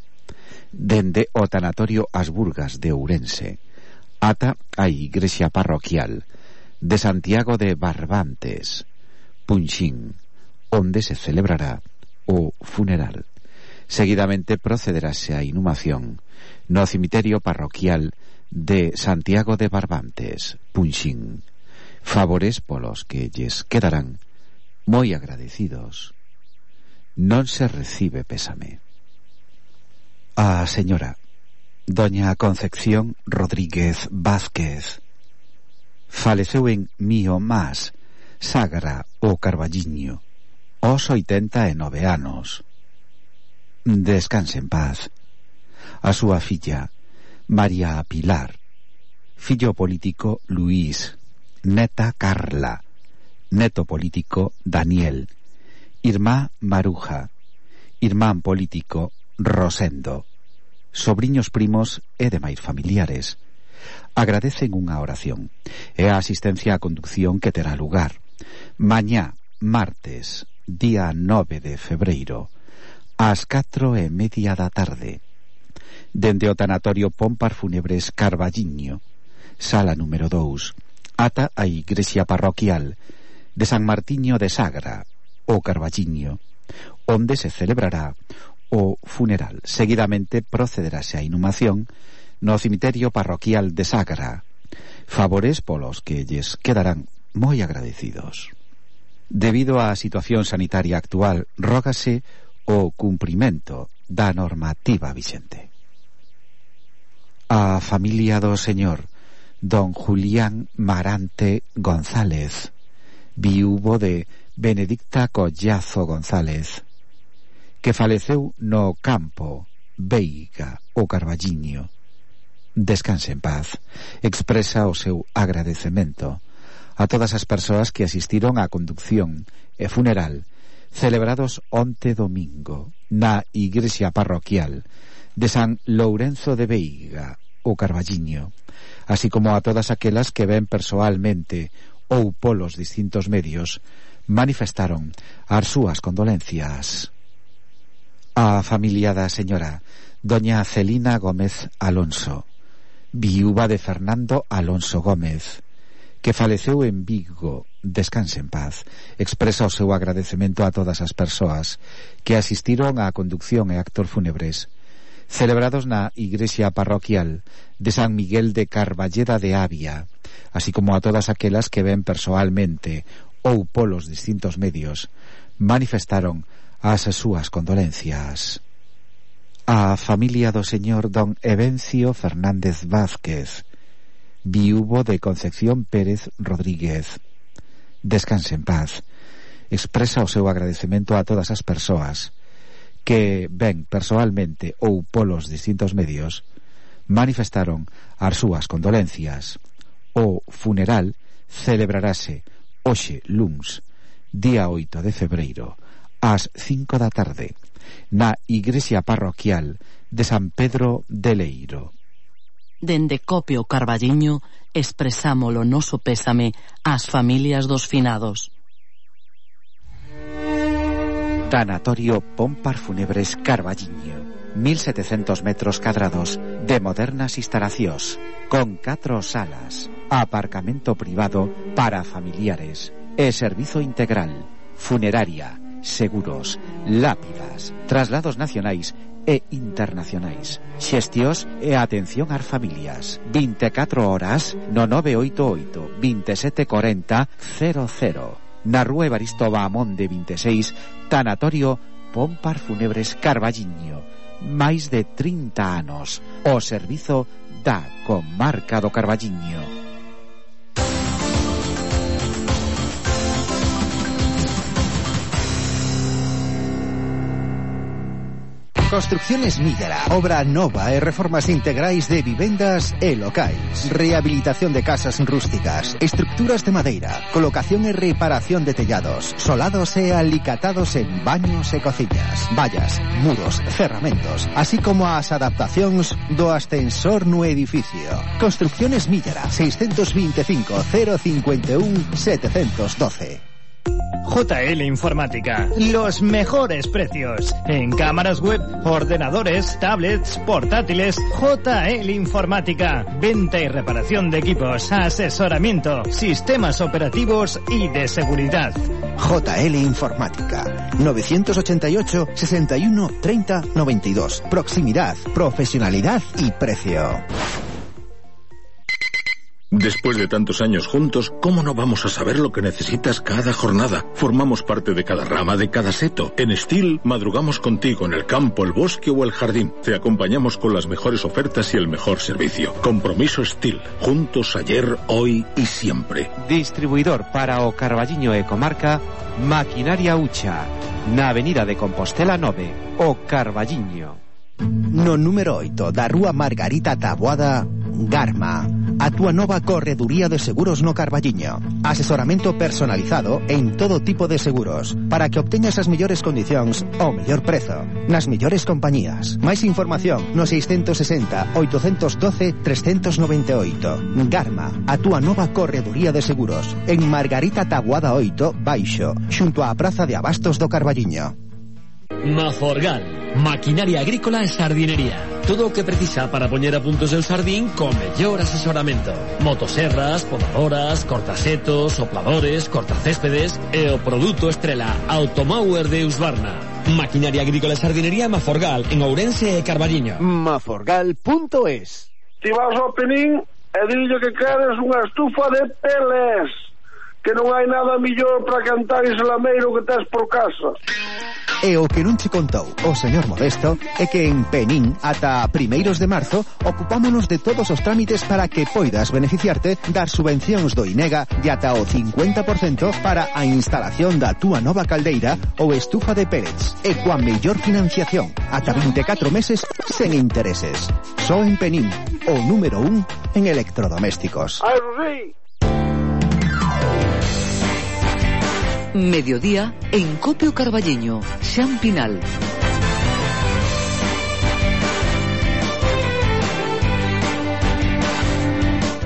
dende o tanatorio As Burgas de Ourense ata a igrexa parroquial de Santiago de Barbantes, Punxín, onde se celebrará o funeral. Seguidamente procederase a inhumación no cemiterio parroquial de Santiago de Barbantes, Punxín, favores polos que lles quedarán moi agradecidos. Non se recibe pésame. A señora doña Concepción Rodríguez Vázquez faleceu en Mío Más, Sagra o Carballiño, aos oitenta e nove anos. Descanse en paz. A súa filla María Pilar, fillo político Luís, neta Carla, neto político Daniel, irmá Maruja, irmán político Rosendo, sobriños primos e demais familiares agradecen unha oración e a asistencia á conducción que terá lugar mañá martes, día nove de febreiro, ás catro e media da tarde, dende o tanatorio Pompar Fúnebres Carballiño, sala número dous, ata a igrexa parroquial de San Martiño de Sagra o Carballiño, onde se celebrará o funeral. Seguidamente procederase a inhumación no cemiterio parroquial de Sagra, favores polos que lles quedarán moi agradecidos. Debido á situación sanitaria actual, rógase o cumprimento da normativa vixente. A familia do señor don Julián Marante González, viúvo de Benedicta Collazo González, que faleceu no campo Veiga o Carballiño. Descanse en paz. Expresa o seu agradecemento a todas as persoas que asistiron á conducción e funeral celebrados onte domingo na igrexa parroquial de San Lourenzo de Veiga o Carballiño, así como a todas aquelas que ven persoalmente ou polos distintos medios manifestaron as súas condolencias. A familia da señora doña Celina Gómez Alonso, viúva de Fernando Alonso Gómez, que faleceu en Vigo, descanse en paz, expresa o seu agradecemento a todas as persoas que asistiron á conducción e actos fúnebres celebrados na igrexa parroquial de San Miguel de Carballeda de Avia, así como a todas aquelas que ven persoalmente ou polos distintos medios manifestaron as súas condolencias. A familia do señor don Evencio Fernández Vázquez, viúvo de Concepción Pérez Rodríguez, descanse en paz, expresa o seu agradecemento a todas as persoas que ven persoalmente ou polos distintos medios manifestaron as súas condolencias. O funeral celebrarase hoxe luns, día oito de febreiro, ás cinco da tarde, na igrexa parroquial de San Pedro de Leiro. Dende Copio Carballiño expresamos o noso pésame ás familias dos finados. Tanatorio Pompar Funebres Carballiño, mil setecentos metros cadrados de modernas instalacións, con catro salas, aparcamento privado para familiares e servizo integral, funeraria, seguros, lápidas, traslados nacionais e internacionais, xestións e atención ás familias. vinte e catro horas no nove oito oito, veintisiete cuarenta, cero cero. Na rúa Evaristo Bahamonde vinte e seis, Tanatorio Pompar Funebres Carballiño. Máis de trinta anos o servizo da comarca do Carballiño. Construcciones Millera, obra nova e reformas integrais de vivendas e locais, rehabilitación de casas rústicas, estructuras de madeira, colocación e reparación de tellados, solados e alicatados en baños e cociñas, vallas, muros, cerramentos, así como as adaptacións do ascensor no edificio. Construcciones Millera, seiscentos veinticinco, cero cincuenta y uno, setecientos doce. J L Informática, los mejores precios en cámaras web, ordenadores, tablets, portátiles. J L Informática, venta y reparación de equipos, asesoramiento, sistemas operativos y de seguridad. J L Informática, novecientos ochenta y ocho, sesenta y uno, treinta, noventa y dos. Proximidad, profesionalidad y precio. Después de tantos años juntos, ¿cómo no vamos a saber lo que necesitas cada jornada? Formamos parte de cada rama, de cada seto. En Steel, madrugamos contigo en el campo, el bosque o el jardín. Te acompañamos con las mejores ofertas y el mejor servicio. Compromiso Steel. Juntos ayer, hoy y siempre. Distribuidor para o Carballiño e comarca, Maquinaria Ucha, na Avenida de Compostela nove, o Carballiño. No número oito da Rúa Margarita Taboada, Garma, a túa nova correduría de seguros no Carballiño. Asesoramento personalizado en todo tipo de seguros para que obteñas as mellores condicións ao mellor prezo nas mellores compañías. Máis información no seiscentos sesenta, oitocentos doce, trescentos noventa e oito. Garma, a túa nova correduría de seguros en Margarita Taboada oito, baixo, xunto á Praza de Abastos do Carballiño. Maforgal, maquinaria agrícola e sardinería. Todo o que precisa para poñer a punto o seu sardín con mellor asesoramento. Motoserras, podadoras, cortasetos, sopladores, cortacéspedes e o produto estrela Automower de Husqvarna. Maquinaria agrícola e sardinería Maforgal en Ourense e Carballiño. Maforgal punto es. Ti vas ao Penín e dillo que queres unha estufa de peles, que non hai nada millor para cantar ese lameiro que tes por casa. E o que non che contou o señor Modesto é que en Penín ata primeiros de marzo ocupámonos de todos os trámites para que poidas beneficiarte das subvencións do INEGA de ata o cincuenta por cento para a instalación da túa nova caldeira ou estufa de pellets e coa mellor financiación ata vinte e catro meses sen intereses. Só en Penín, o número un en electrodomésticos. Ai, sí. Mediodía en Copio Carballiño, Xan Pinal.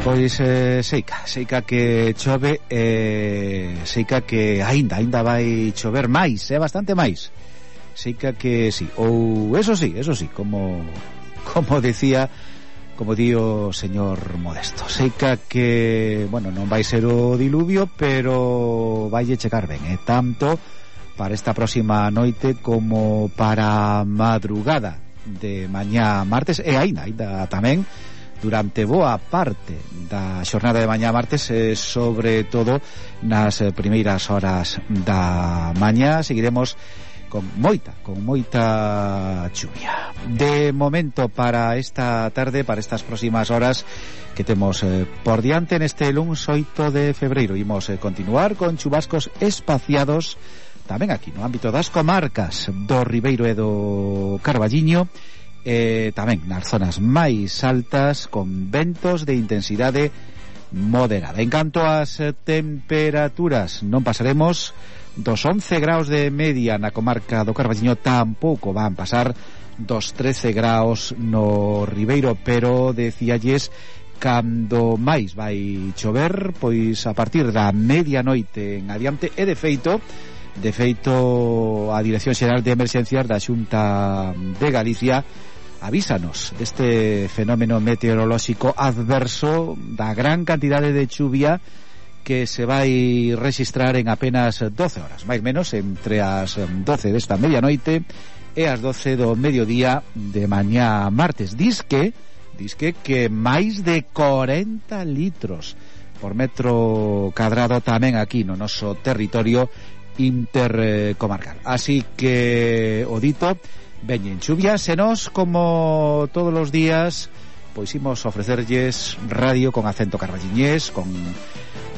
Pois eh, seica, seica que chove eh, seica que aínda, aínda vai chover máis, é eh, bastante máis. Seica que sí, ou eso sí, eso sí, como como decía como di o señor Modesto. Seica que, bueno, non vai ser o diluvio, pero vai chegar ben, eh? Tanto para esta próxima noite como para a madrugada de mañá martes, e aínda, aínda tamén durante boa parte da xornada de mañá martes, eh, sobre todo nas primeiras horas da mañá. Seguiremos con moita, con moita chuvia. De momento, para esta tarde, para estas próximas horas que temos eh, por diante neste luns oito de febreiro, imos eh, continuar con chubascos espaciados tamén aquí no ámbito das comarcas do Ribeiro e do Carballiño, eh, tamén nas zonas máis altas, con ventos de intensidade moderada. En canto ás eh, temperaturas, non pasaremos dos once graus de media na comarca do Carballiño, tampouco van pasar dos trece graus no Ribeiro, pero decíalles cando máis vai chover, pois a partir da medianoite en adiante, e de feito de feito a Dirección Xeral de Emerxencias da Xunta de Galicia avísanos deste fenómeno meteorolóxico adverso, da gran cantidade de chuvia que se vai registrar en apenas doce horas, máis menos entre as doce desta medianoite e as doce do mediodía de mañá martes. Disque, disque que máis de corenta litros por metro cadrado tamén aquí no noso territorio intercomarcal. Así que, o dito, veñen chuvias e nos, como todos os días, pois imos ofrecerlles radio con acento carballiñés, con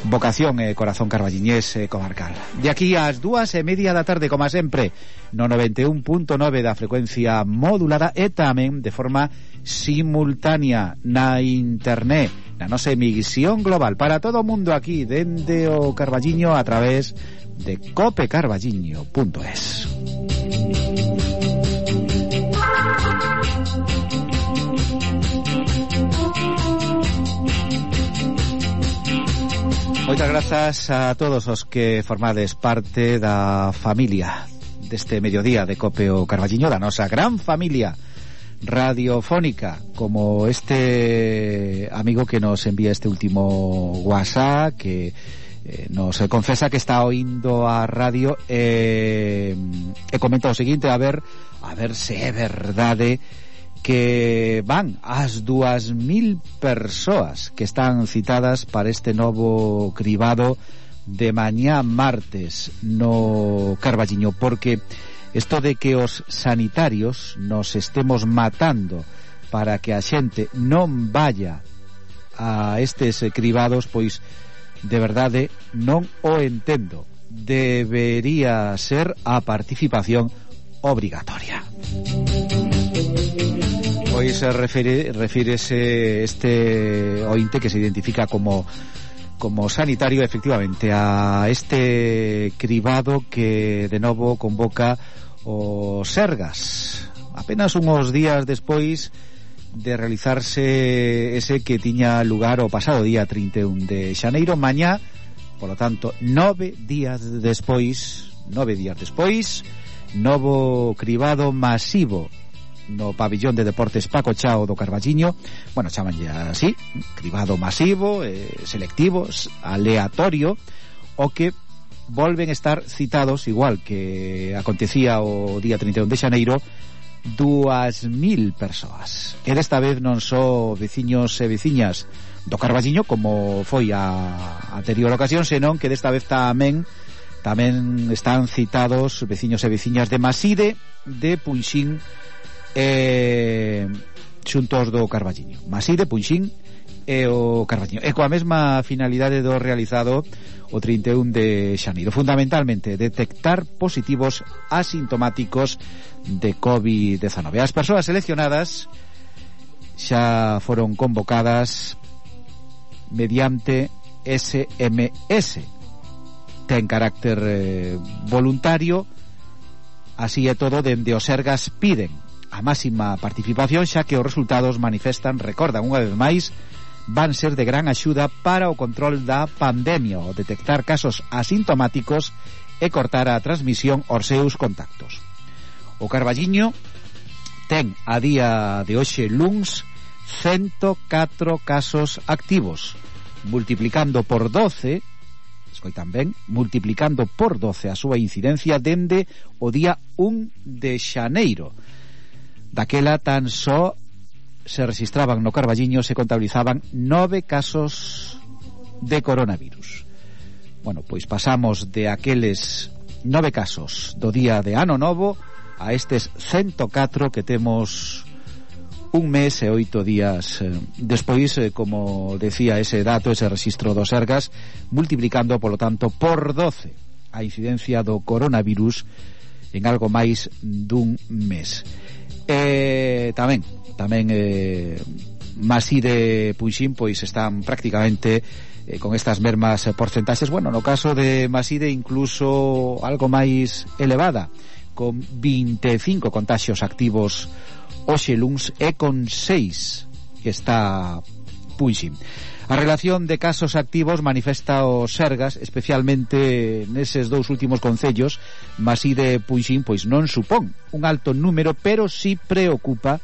vocación e corazón carballiñés e comarcal. De aquí ás dúas e media da tarde, como sempre, no noventa e un punto nove da frecuencia modulada, e tamén de forma simultánea na internet, na nosa emisión global para todo o mundo aquí dende o Carballiño a través de cope carballiño punto es. Moitas grazas a todos os que formades parte da familia deste mediodía de Cope o Carballiño, da nosa gran familia radiofónica, como este amigo que nos envía este último WhatsApp, que eh, nos confesa que está oindo a radio e, e comenta o seguinte, a ver a ver se é verdade que van as dúas mil persoas que están citadas para este novo cribado de mañá martes no Carballiño, porque isto de que os sanitarios nos estemos matando para que a xente non vaya a estes cribados, pois de verdade non o entendo. Debería ser a participación obrigatoria. Pois refire, refírese este ointe que se identifica como como sanitario, efectivamente, a este cribado que de novo convoca o Sergas apenas uns días despois de realizarse ese que tiña lugar o pasado día trinta e un de xaneiro. Mañá, polo tanto, nove días despois nove días despois novo cribado masivo no pabillón de deportes Paco Chao do Carballiño. Bueno, chamanlle así, cribado masivo, eh, selectivo, aleatorio, o que volven estar citados, igual que acontecía o día trinta e un de xaneiro, dúas mil persoas. E desta vez non só veciños e veciñas do Carballiño, como foi a anterior ocasión, senón que desta vez tamén tamén están citados veciños e veciñas de Maside, de Punxín e xuntos do Carballiño. Maside, Punxín e o Carballiño, e coa mesma finalidade do realizado o trinta e un de xaneiro, fundamentalmente detectar positivos asintomáticos de covid dezanove. As persoas seleccionadas xa foron convocadas mediante S M S, ten carácter eh, voluntario. Así é todo, dende os Sergas piden a máxima participación, xa que os resultados manifestan, recordan unha vez máis, van ser de gran axuda para o control da pandemia, o detectar casos asintomáticos e cortar a transmisión aos seus contactos. O Carballiño ten a día de hoxe luns ciento catro casos activos, multiplicando por doce, escoitan ben, multiplicando por doce a súa incidencia dende o día un de xaneiro. Daquela tan só se registraban no Carballiño, se contabilizaban nove casos de coronavirus. Bueno, pois pasamos de aqueles nove casos do día de ano novo a estes ciento catro que temos un mes e oito días eh, despois, eh, como decía ese dato, ese registro do Sergas, multiplicando, polo tanto, por doce a incidencia do coronavirus en algo máis dun mes. Eh, tamén, tamén eh, Maside, Puixín, pois están prácticamente eh, con estas mermas porcentaxes. Bueno, no caso de Maside incluso algo máis elevada, con vinte e cinco contaxios activos hoxe luns e con seis que está Puixín. A relación de casos activos manifesta o Sergas, especialmente neses dous últimos concellos, Maside e Puixín, pois non supón un alto número, pero si preocupa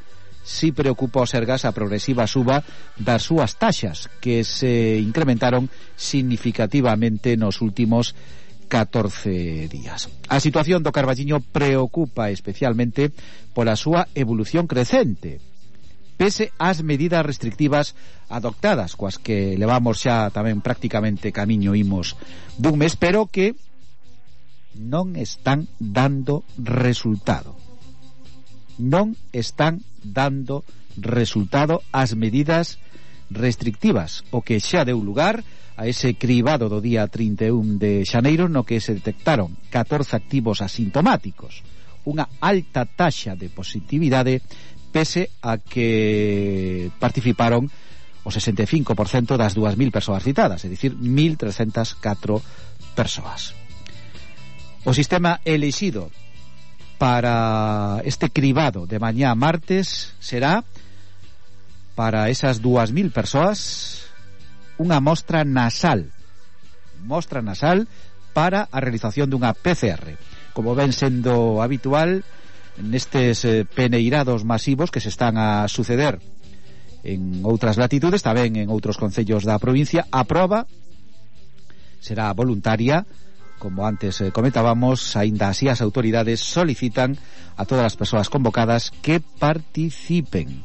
si preocupa o Sergas a progresiva suba das súas taxas, que se incrementaron significativamente nos últimos catorce días. A situación do Carballiño preocupa especialmente pola súa evolución crecente, pese ás medidas restrictivas adoptadas, coas que levamos xa tamén prácticamente camiño imos dun mes, pero que non están dando resultado. Non están dando resultado as medidas restrictivas, o que xa deu lugar a ese cribado do día trinta e un de xaneiro, no que se detectaron catorce activos asintomáticos, unha alta taxa de positividade, pese a que participaron o sesenta e cinco por cento das dúas mil persoas citadas, é dicir, mil trescentas catro persoas. O sistema elixido para este cribado de mañá martes será, para esas dúas mil persoas, unha mostra nasal mostra nasal para a realización dunha P C R, como ven sendo habitual nestes eh, peneirados masivos que se están a suceder en outras latitudes, tamén en outros concellos da provincia. A proba será voluntaria, como antes eh, comentábamos, aínda así as autoridades solicitan a todas as persoas convocadas que participen.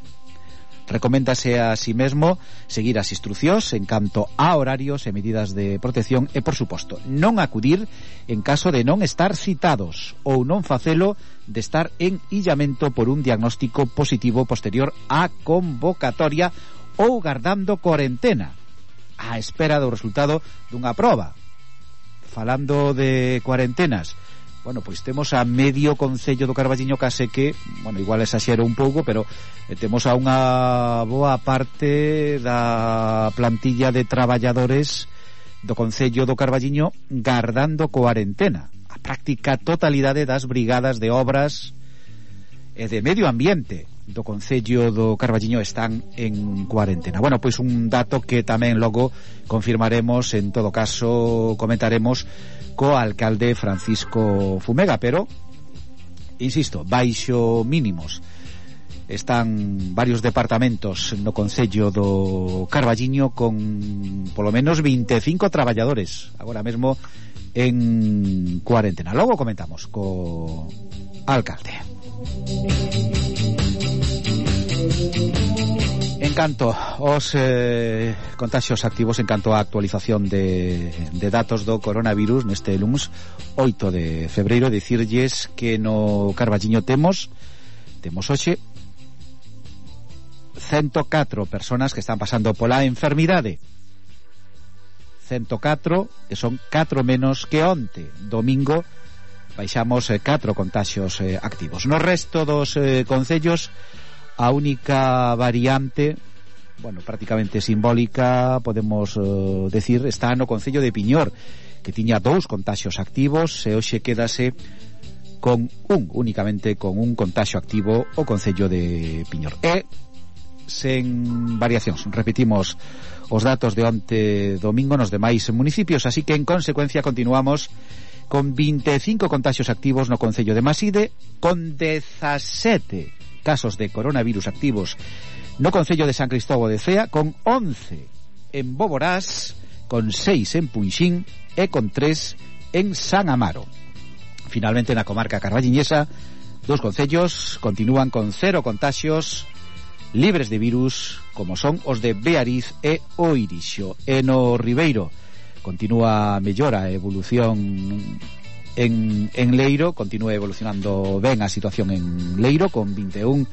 Recoméndase a si mesmo seguir as instruccións en canto a horarios e medidas de protección e, por suposto, non acudir en caso de non estar citados ou non facelo de estar en illamento por un diagnóstico positivo posterior á convocatoria ou gardando cuarentena á espera do resultado dunha proba. Falando de cuarentenas, bueno, pois temos a medio concello do Carballiño case que, bueno, igual exaxero un pouco, pero eh, temos a unha boa parte da plantilla de traballadores do concello do Carballiño gardando cuarentena. A práctica totalidade das brigadas de obras e de medio ambiente do concello do Carballiño están en cuarentena. Bueno, pois un dato que tamén logo confirmaremos, en todo caso comentaremos co alcalde Francisco Fumega, pero insisto, baixo mínimos están varios departamentos no concello do Carballiño con polo menos vinte e cinco traballadores agora mesmo en cuarentena. Logo comentamos co alcalde. En canto aos eh, contaxios activos, en canto á actualización de, de datos do coronavirus neste luns oito de febreiro, dicirlles que no Carballiño temos temos hoxe ciento catro personas que están pasando pola enfermidade, ciento catro que son catro menos que onte domingo. Baixamos eh, catro contaxios eh, activos. No resto dos eh, concellos, a única variante, bueno, prácticamente simbólica, podemos uh, decir, está no concello de Piñor, que tiña dous contaxios activos e hoxe quédase con un, únicamente con un contaxio activo o concello de Piñor. E sen variacións, repetimos os datos de onte domingo nos demais municipios, así que en consecuencia continuamos con vinte e cinco contaxios activos no concello de Maside, con dezasete casos de coronavirus activos no concello de San Cristóbal de Cea, con once en Boborás, con seis en Punxín e con tres en San Amaro. Finalmente, na comarca carballiñesa, dos concellos continúan con cero contaxios libres de virus, como son os de Beariz e Oirixo. E no Ribeiro continúa mellora a evolución en, en Leiro. Continúa evolucionando ben a situación en Leiro, con vinte e un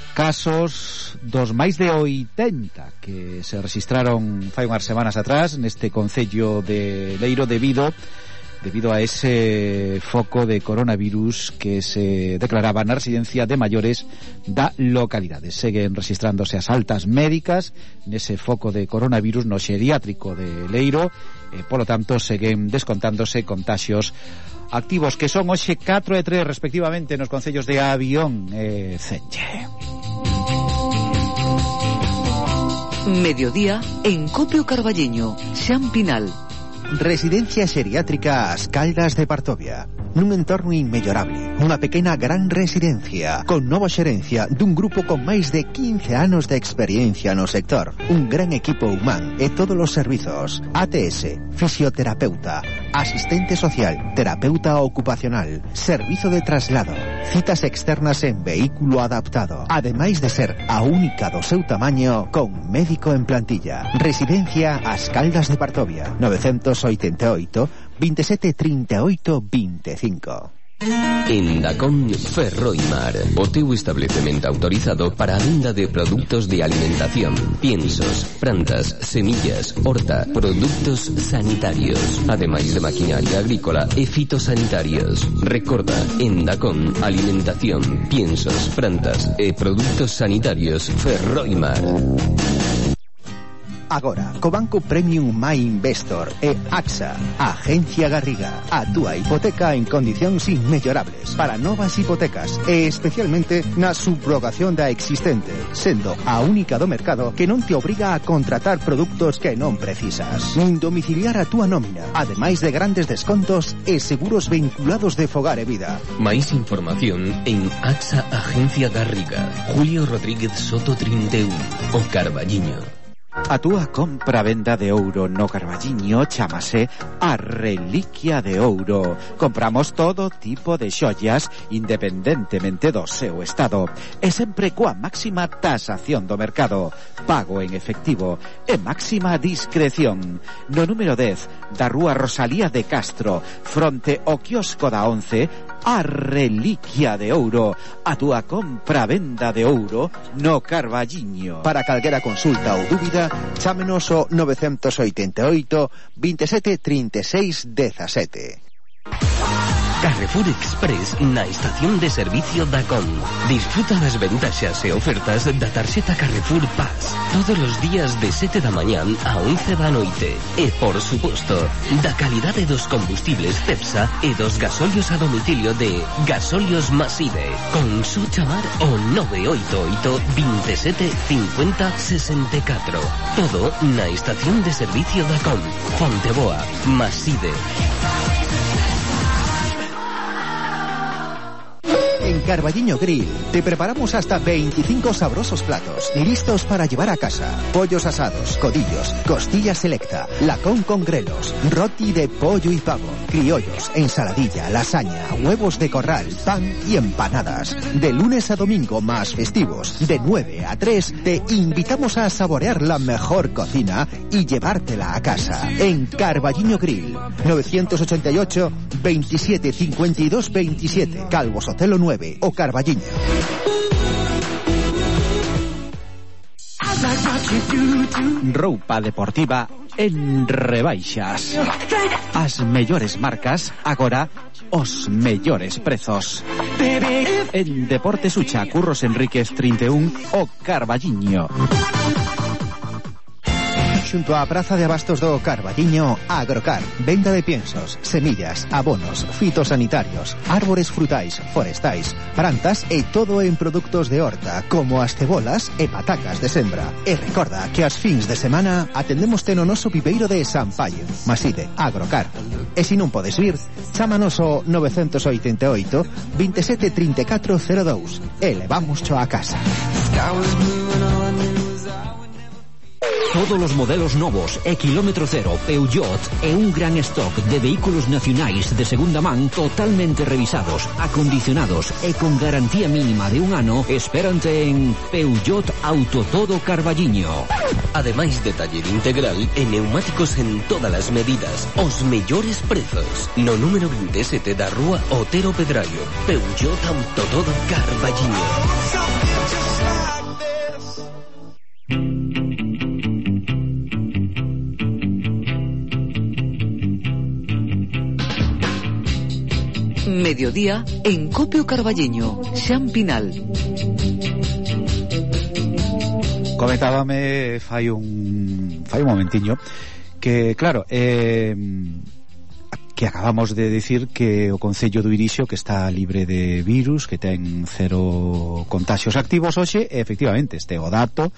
casos dos máis de oitenta que se registraron fai unhas semanas atrás neste concello de Leiro debido debido a ese foco de coronavirus que se declaraba na residencia de maiores da localidade. Seguen registrándose as altas médicas nese foco de coronavirus no xeriátrico de Leiro e, polo tanto, seguen descontándose contaxios activos, que son hoxe catro e tres respectivamente nos concellos de Avión e Cenlle. Mediodía en Copio Carballiño, Xan Pinal. Residencia xeriátrica As Caldas de Partovia. Nun entorno inmellorable, unha pequena gran residencia con nova xerencia dun grupo con máis de quince anos de experiencia no sector, un gran equipo humán e todos os servizos: A T S, fisioterapeuta, asistente social, terapeuta ocupacional, servizo de traslado, citas externas en vehículo adaptado, ademais de ser a única do seu tamaño con médico en plantilla. Residencia As Caldas de Partovia, novecientos oitenta e oito, veintisiete treinta e oito veinticinco. En Dacón Ferroimar, o teu establecemento autorizado para a venda de produtos de alimentación, piensos, plantas, semillas, horta, productos sanitarios, ademais de maquinaria agrícola e fitosanitarios. Recorda, en Dacón, alimentación, piensos, plantas e produtos sanitarios Ferroimar. Agora, co Banco Premium My Investor e AXA, Agencia Garriga, a túa hipoteca en condicións inmellorables para novas hipotecas e especialmente na subrogación da existente, sendo a única do mercado que non te obriga a contratar produtos que non precisas, nin domiciliar a túa nómina, ademais de grandes descontos e seguros vinculados de fogar e vida. Máis información en AXA Agencia Garriga. Julio Rodríguez Soto trinta e un, o Carballiño. A túa compra-venda de ouro no Carballiño chámase a Reliquia de Ouro. Compramos todo tipo de xoias independentemente do seu estado e sempre coa máxima tasación do mercado, pago en efectivo e máxima discreción. No número dez da rúa Rosalía de Castro, fronte ao quiosco da once, a Reliquia de Ouro, a túa compra-venda de ouro no Carballiño. Para calquera consulta ou dúbida, chámenos o novecientos oitenta e oito, veintisiete treinta e seis dezasete. Carrefour Express na estación de servicio Dacón. Disfruta das ventaxas e ofertas da tarxeta Carrefour Pass todos os días de sete da mañán a once da noite. E, por suposto, da calidade dos combustibles Cepsa e dos gasolios a domicilio de Gasolios Maside. Con su chamar o nove oito oito, veintisiete cincuenta sesenta e catro. Todo na estación de servicio Dacón. Fonteboa, Maside. En Carballiño Grill te preparamos hasta veinticinco sabrosos platos listos para llevar a casa. Pollos asados, codillos, costilla selecta, lacón con grelos, roti de pollo y pavo, criollos, ensaladilla, lasaña, huevos de corral, pan y empanadas. De lunes a domingo más festivos, de nueve a tres, te invitamos a saborear la mejor cocina y llevártela a casa. En Carballiño Grill, novecientos ochenta y ocho, veintisiete cincuenta y dos veintisiete, Calvo Sotelo nueve, o Carballiño. Roupa deportiva en rebaixas. As mellores marcas, agora os mellores prezos. En Deportes Ucha, Curros Enríquez trinta e un, o Carballiño. Xunto á Praza de Abastos do Carballiño, Agrocar, venda de piensos, semillas, abonos, fitosanitarios, árbores frutais, forestais, plantas e todo en produtos de horta, como as cebolas e patacas de sembra. E recorda que as fins de semana atendemos no noso pipeiro de San Paio, Maside, Agrocar. E se non podes vir, chámanos o novecientos oitenta e oito, veintisiete treinta e catro cero dous e levamos cho a casa. Todos os modelos novos e kilómetro cero Peugeot e un gran stock de vehículos nacionais de segunda man totalmente revisados, acondicionados e con garantía mínima de un ano espérante en Peugeot Auto Todo Carballiño. Ademais de taller integral e neumáticos en todas as medidas, os mellores prezos. No número veintisiete da rúa Otero Pedrallo, Peugeot Auto Todo Carballiño. Mediodía en Copio Carballiño, Xan Pinal. Comentábame fai un fai un momentiño que, claro, eh, que acabamos de dicir que o Concello do Irixo que está libre de virus, que ten cero contaxios activos hoxe, e efectivamente este é o dato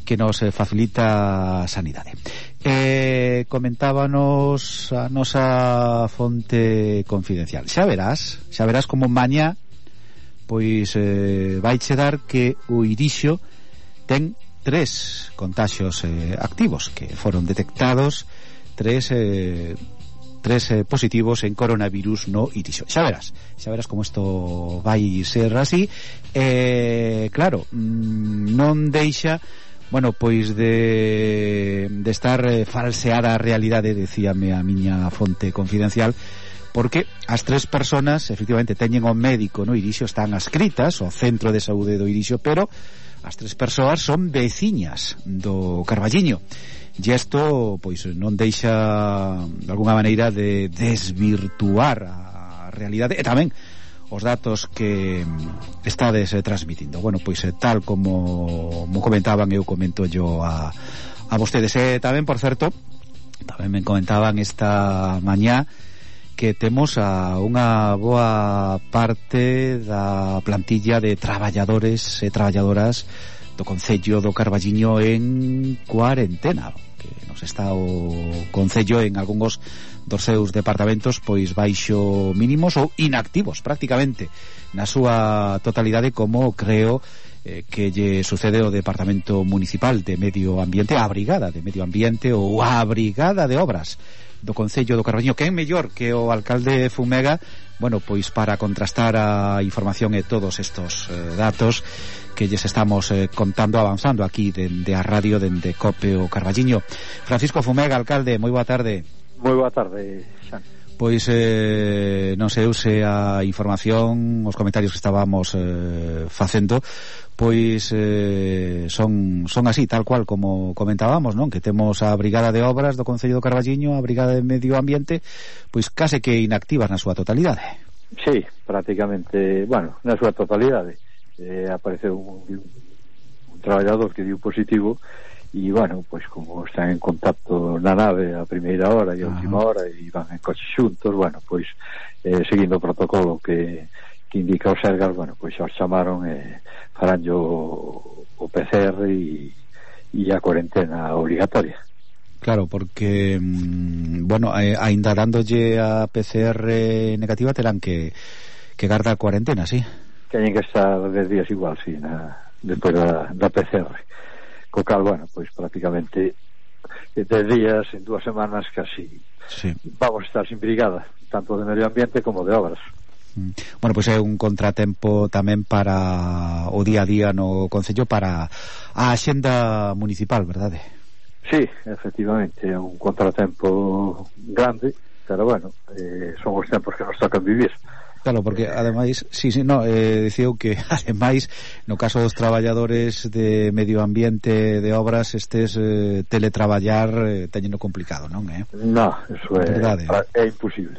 que nos facilita a sanidade. Eh, comentábanos a nosa fonte confidencial. Xa verás, xa verás como mañá pois eh, vai che dar que o Irixo ten tres contaxios eh, activos que foron detectados, tres eh, tres eh, positivos en coronavirus no Irixo. Xa verás, xa verás como isto vai ser así. Eh, claro, mmm, non deixa, bueno, pois de, de estar eh, falseada a realidade, decíame a miña fonte confidencial, porque as tres personas efectivamente teñen o médico no Irixo, están ascritas ao centro de saúde do Irixo, pero as tres persoas son veciñas do Carballiño, e isto pois non deixa de alguna maneira de desvirtuar a realidade e tamén os datos que estades eh, transmitindo. Bueno, pois eh, tal como mo comentaban, eu comento yo a, a vostedes. E tamén, por certo, tamén me comentaban esta mañá que temos a unha boa parte da plantilla de traballadores e traballadoras do Concello do Carballiño en cuarentena, que nos está o Concello en algúns dos seus departamentos pois baixo mínimos ou inactivos prácticamente na súa totalidade, como creo eh, que lle sucede ao Departamento Municipal de Medio Ambiente, a Brigada de Medio Ambiente ou a Brigada de Obras do Concello do Carballiño, que é mellor que o alcalde Fumega, bueno, pois para contrastar a información e todos estos eh, datos que lles estamos eh, contando, avanzando aquí dende a radio, dende Cope o Carballiño. Francisco Fumega, alcalde, moi boa tarde. Moi boa tarde, Xan. Pois eh, non sei se a información, os comentarios que estábamos eh, facendo, pois eh, son son así, tal cual como comentábamos, non? Que temos a Brigada de Obras do Concello do Carballiño, a Brigada de Medio Ambiente, pois case que inactivas na súa totalidade. Sí, prácticamente, bueno, na súa totalidade. Eh, apareceu un, un traballador que dio positivo e, bueno, pois como están en contacto na nave a primeira hora e a última hora e van en coche xuntos, bueno, pois eh, seguindo o protocolo que, que indica o Sergas, bueno, pois xa os chamaron e eh, farán o, o P C R e, e a cuarentena obligatoria. Claro, porque mmm, bueno, eh, ainda dándolle a P C R negativa terán que, que guardar cuarentena, sí? Teñen que estar dez días igual, sí, na, despois da, da P C R. Co cal, bueno, pois prácticamente dez días en dúas semanas casi sí. Vamos a estar sin brigada, tanto de medio ambiente como de obras. Bueno, pois é un contratempo tamén para o día a día no Concello, para a axenda municipal, verdade? Sí, efectivamente, é un contratempo grande, pero bueno, eh, son os tempos que nos tocan vivir. Claro, porque ademais, sí, sí, no, eh, diceu que ademais no caso dos traballadores de medio ambiente de obras estes eh, teletraballar eh, teñeno complicado, non, eh? No, eso é, verdade, é, é imposible.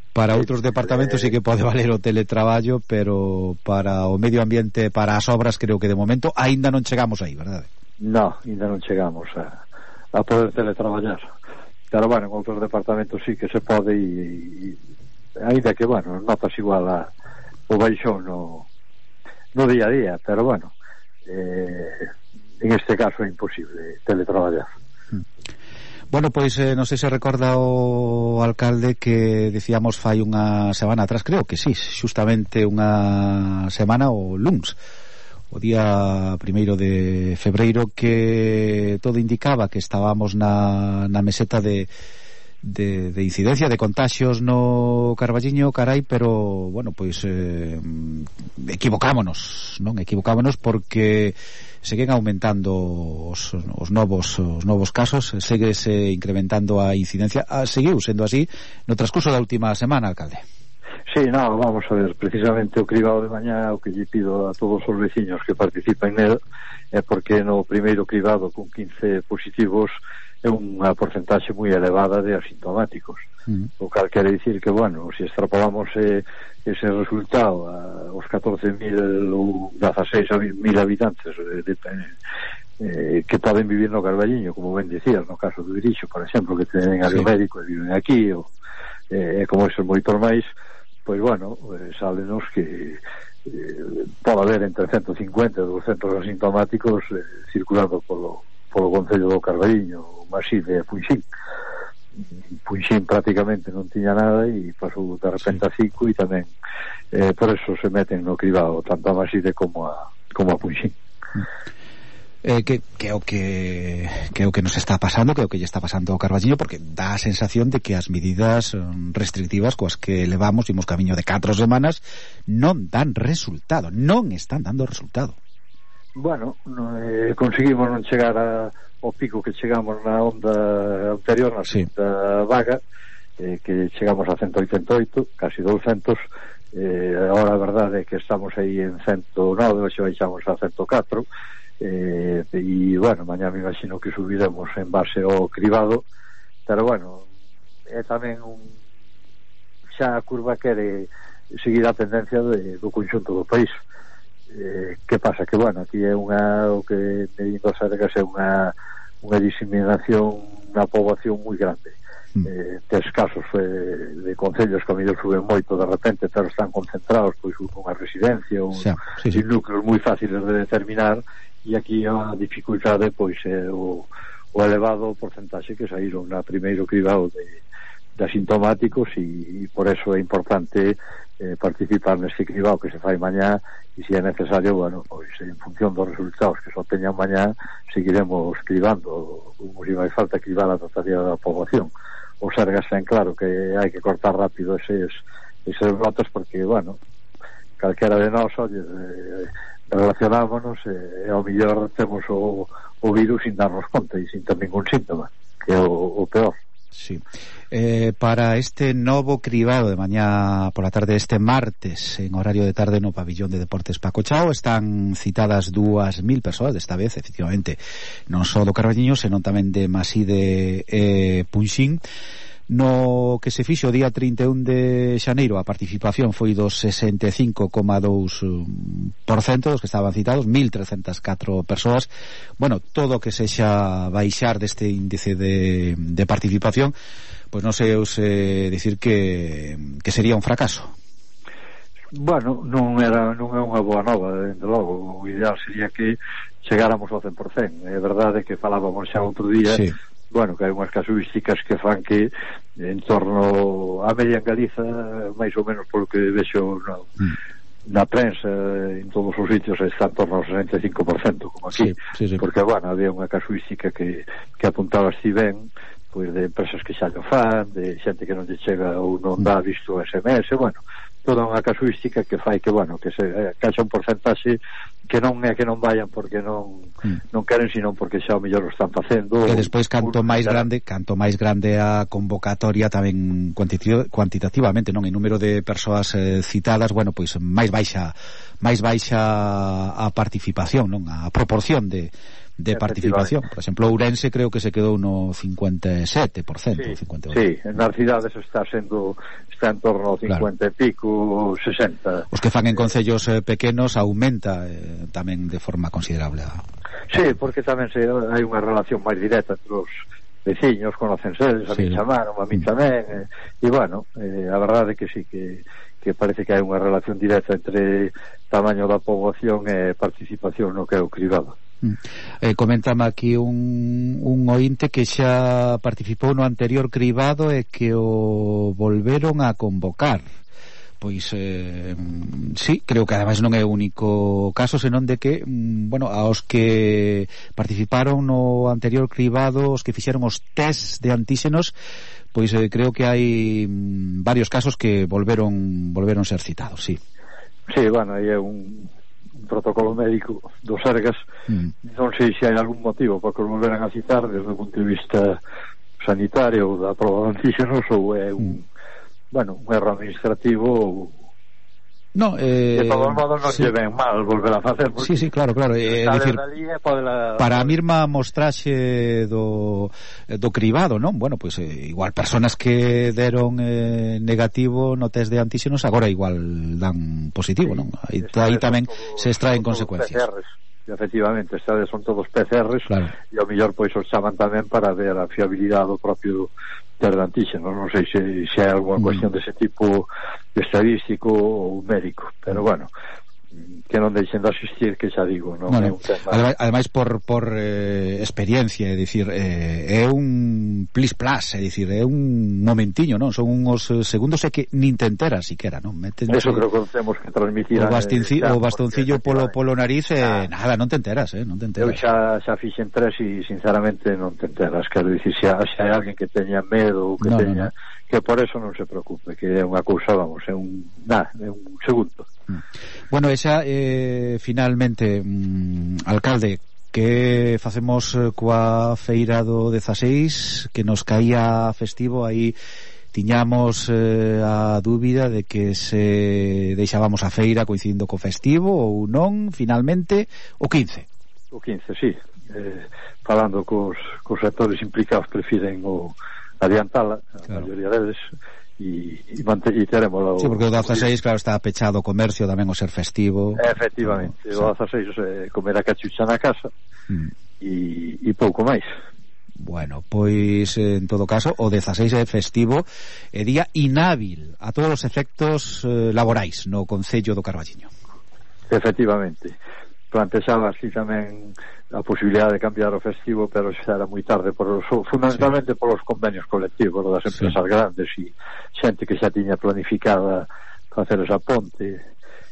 Para outros departamentos sí que pode valer o teletraballo, pero para o medio ambiente, para as obras, creo que de momento aínda non chegamos aí, verdade? No, aínda non chegamos a, a poder teletraballar. Pero bueno, en outros departamentos sí que se pode e, e ainda que, bueno, notas igual a, o baixón no, no día a día, pero bueno, eh, en este caso é imposible teletraballar. Bueno, pois eh, non sei se recorda o alcalde que decíamos fai unha semana atrás, creo que sí, xustamente unha semana o luns, o día primeiro de febreiro, que todo indicaba que estábamos na, na meseta de De, de incidencia, de contagios no Carballiño, carai, pero bueno, pois eh, equivocámonos, non? Equivocámonos porque seguen aumentando os, os novos os novos casos, seguese incrementando a incidencia. Ah, seguiu sendo así no transcurso da última semana, alcalde. Sí, no, vamos a ver, precisamente o cribado de mañá, o que lle pido a todos os veciños que participen nel, é porque no primeiro cribado con quince positivos é unha porcentaxe moi elevada de asintomáticos, mm. o cal quere dicir que, bueno, se extrapolamos eh, ese resultado a, aos catorce mil ou dieciséis mil habitantes de, de, eh, que poden vivir no Carballiño, como ben dicías, no caso do Irixo, por exemplo, que tenen área sí. médico e viven aquí, ou eh, como esos moitos máis, pois, bueno, eh, sálenos que eh, pode haber entre ciento cincuenta e doscientos asintomáticos eh, circulando polo polo Concello do Carballiño, Maside e Punxín. Punxín prácticamente non tiña nada e pasou de repente a cinco, e tamén eh, por eso se meten no cribado tanto a Maside como a, como a Punxín. Eh, que, que o que que o que nos está pasando, que o que lle está pasando ao Carballiño, porque dá a sensación de que as medidas restrictivas coas que levamos, imos camiño de catro semanas, non dan resultado, non están dando resultado. Bueno, no, eh, conseguimos non chegar a, ao pico que chegamos na onda anterior, na sí. segunda vaga, eh, que chegamos a ciento oitenta e oito, casi doscientos. Eh, agora a verdade é que estamos aí en ciento nove, hoxe baixamos a ciento catro, eh, e bueno, mañá me imagino que subiremos en base ao cribado, pero bueno, é tamén un, xa a curva quere seguir a tendencia de, do conxunto do país. Eh, que pasa? Que, bueno, aquí é unha, o que medindo Sergas é unha unha diseminación na poboación moi grande. Mm. Eh, tes casos eh, de concellos que a mellor suben moito de repente, pero están concentrados pois unha residencia, un, sí, sí, sí. núcleos moi fáciles de determinar, e aquí a dificultade pois é o, o elevado porcentaxe que saíron na primeiro cribado de, de asintomáticos, e, e por eso é importante eh, participar neste cribado que se fai mañá, e se é necesario, bueno, pois en función dos resultados que se obteñan mañá, seguiremos cribando, como se vai falta cribar a totalidade da poboación. O Sergas ten claro que hai que cortar rápido eses, eses brotes, porque, bueno, calquera de nós, oye, eh, relacionámonos e eh, ao mellor temos o, o virus sin darnos conta e sin ter ningún síntoma, que é o, o peor. Sí. Eh, para este novo cribado de mañá pola tarde, este martes, en horario de tarde no pabillón de Deportes Paco Chao, están citadas dúas mil persoas, desta vez, efectivamente, non só do Carballiño, senón tamén de Maside e Punxín. No que se fixo o día trinta e un de xaneiro, a participación foi do sesenta e cinco coma dous por cento dos que estaban citados, mil trescentas e catro persoas. Bueno, todo o que sexa baixar deste índice de, de participación, pois non sei eu se dicir que, que sería un fracaso. Bueno, non era non é unha boa nova, dende logo. O ideal sería que chegáramos ao cen por cento. É verdade que falábamos xa outro día, sí. Bueno, que hai unhas casuísticas que fan que en torno a media en Galiza, máis ou menos polo que vexo na, mm. na prensa, en todos os sitios está en torno ao sesenta e cinco por cento, como aquí, sí, sí, sí. Porque, bueno, había unha casuística que, que apuntaba si ben, pois de empresas que xa lo fan, de xente que non lle chega ou non dá visto o S M S, bueno, toda unha casuística que fai que, bueno, que se caixa un porcentaxe que non é que non vayan porque non mm. non queren, sino porque xa o mellor o están facendo. E despois canto máis grande, canto máis grande a convocatoria tamén cuantitativamente, non, en número de persoas eh, citadas, bueno, pois máis baixa máis baixa a participación, non, a proporción de de participación. Por exemplo, Ourense creo que se quedou no cincuenta e sete por cento, sí, cincuenta e oito. Sí, nas cidades está sendo está en torno ao cincuenta claro. E pico, sesenta. Os que fan en concellos eh, pequenos aumenta eh, tamén de forma considerable. A... Sí, porque tamén se, hai unha relación máis directa entre os veciños, conocense, a sí. Min chamaron, a min tamén, e, e bueno, eh, a verdade é que sí, que que parece que hai unha relación directa entre tamaño da poboación e participación no que é o cribado. Eh, coméntame aquí un, un ointe que xa participou no anterior cribado e que o volveron a convocar. pois eh, sí, creo que ademais non é o único caso, senón de que bueno, aos que participaron no anterior cribado, os que fixeron os test de antíxenos, pois eh, creo que hai varios casos que volveron volveron ser citados, sí. Sí, bueno, aí é un, un protocolo médico dos Sergas, mm. non sei se hai algún motivo para que os volveran a citar desde o punto de vista sanitario ou da prova de antíxenos, ou é un mm. bueno, un erro administrativo. No, eh, de todos modos non sí. lle ven mal volver a facer. Sí, sí, claro, claro. Eh, decir, podela... para a mesma mostraxe do, do cribado, non? Bueno, pois pues, eh, igual personas que deron eh, negativo no test de antíxenos agora igual dan positivo, non? Aí, aí tamén todo, se extraen consecuencias. P C Rs. Efectivamente, estas son todos P C Rs, claro. E ao mellor pois os chaman tamén para ver a fiabilidade do propio test de antíxenos. Non sei se, se hai alguna mm. cuestión dese tipo estadístico ou médico, pero bueno, que non deixen de asistir, que xa digo, non no, é no. un tema. Ademais, ademais por, por eh, experiencia, é dicir, eh, é un plis plas, é dicir, é un momentiño, non? Son uns segundos e que nin te enteras siquera, non? Métense, eso creo que temos que transmitir o, bastinci, eh, o bastoncillo polo, polo nariz e eh, nada, non te enteras, eh? Non te enteras. Eu xa, xa fixen tres e sinceramente non te enteras, quero dicir, xa, xa hai alguén que teña medo ou que no, teña, no, no. que por eso non se preocupe, que é unha cousa, vamos, é un, nada, é un segundo. Bueno, esa eh, finalmente mm, alcalde, que facemos coa feira do dezaseis, que nos caía festivo, aí tiñamos eh, a dúbida de que se deixábamos a feira coincidindo co festivo ou non, finalmente o quince. O quince, sí, eh, falando cos, cos sectores implicados prefiren o adiantala, a claro. maioría deles, e, e, mante, e teremos o, sí, porque o dezaseis, claro, está pechado o comercio tamén o ser festivo. Efectivamente, o, o dezaseis é comer a cachucha na casa mm. e, e pouco máis. Bueno, pois en todo caso o dezaseis é festivo e día inhábil a todos os efectos eh, laborais no Concello do Carballiño. Efectivamente, plantexaba así tamén a posibilidade de cambiar o festivo, pero xa era moi tarde, por os, fundamentalmente sí. polos convenios colectivos das empresas sí. grandes e xente que xa tiña planificada facer esa ponte,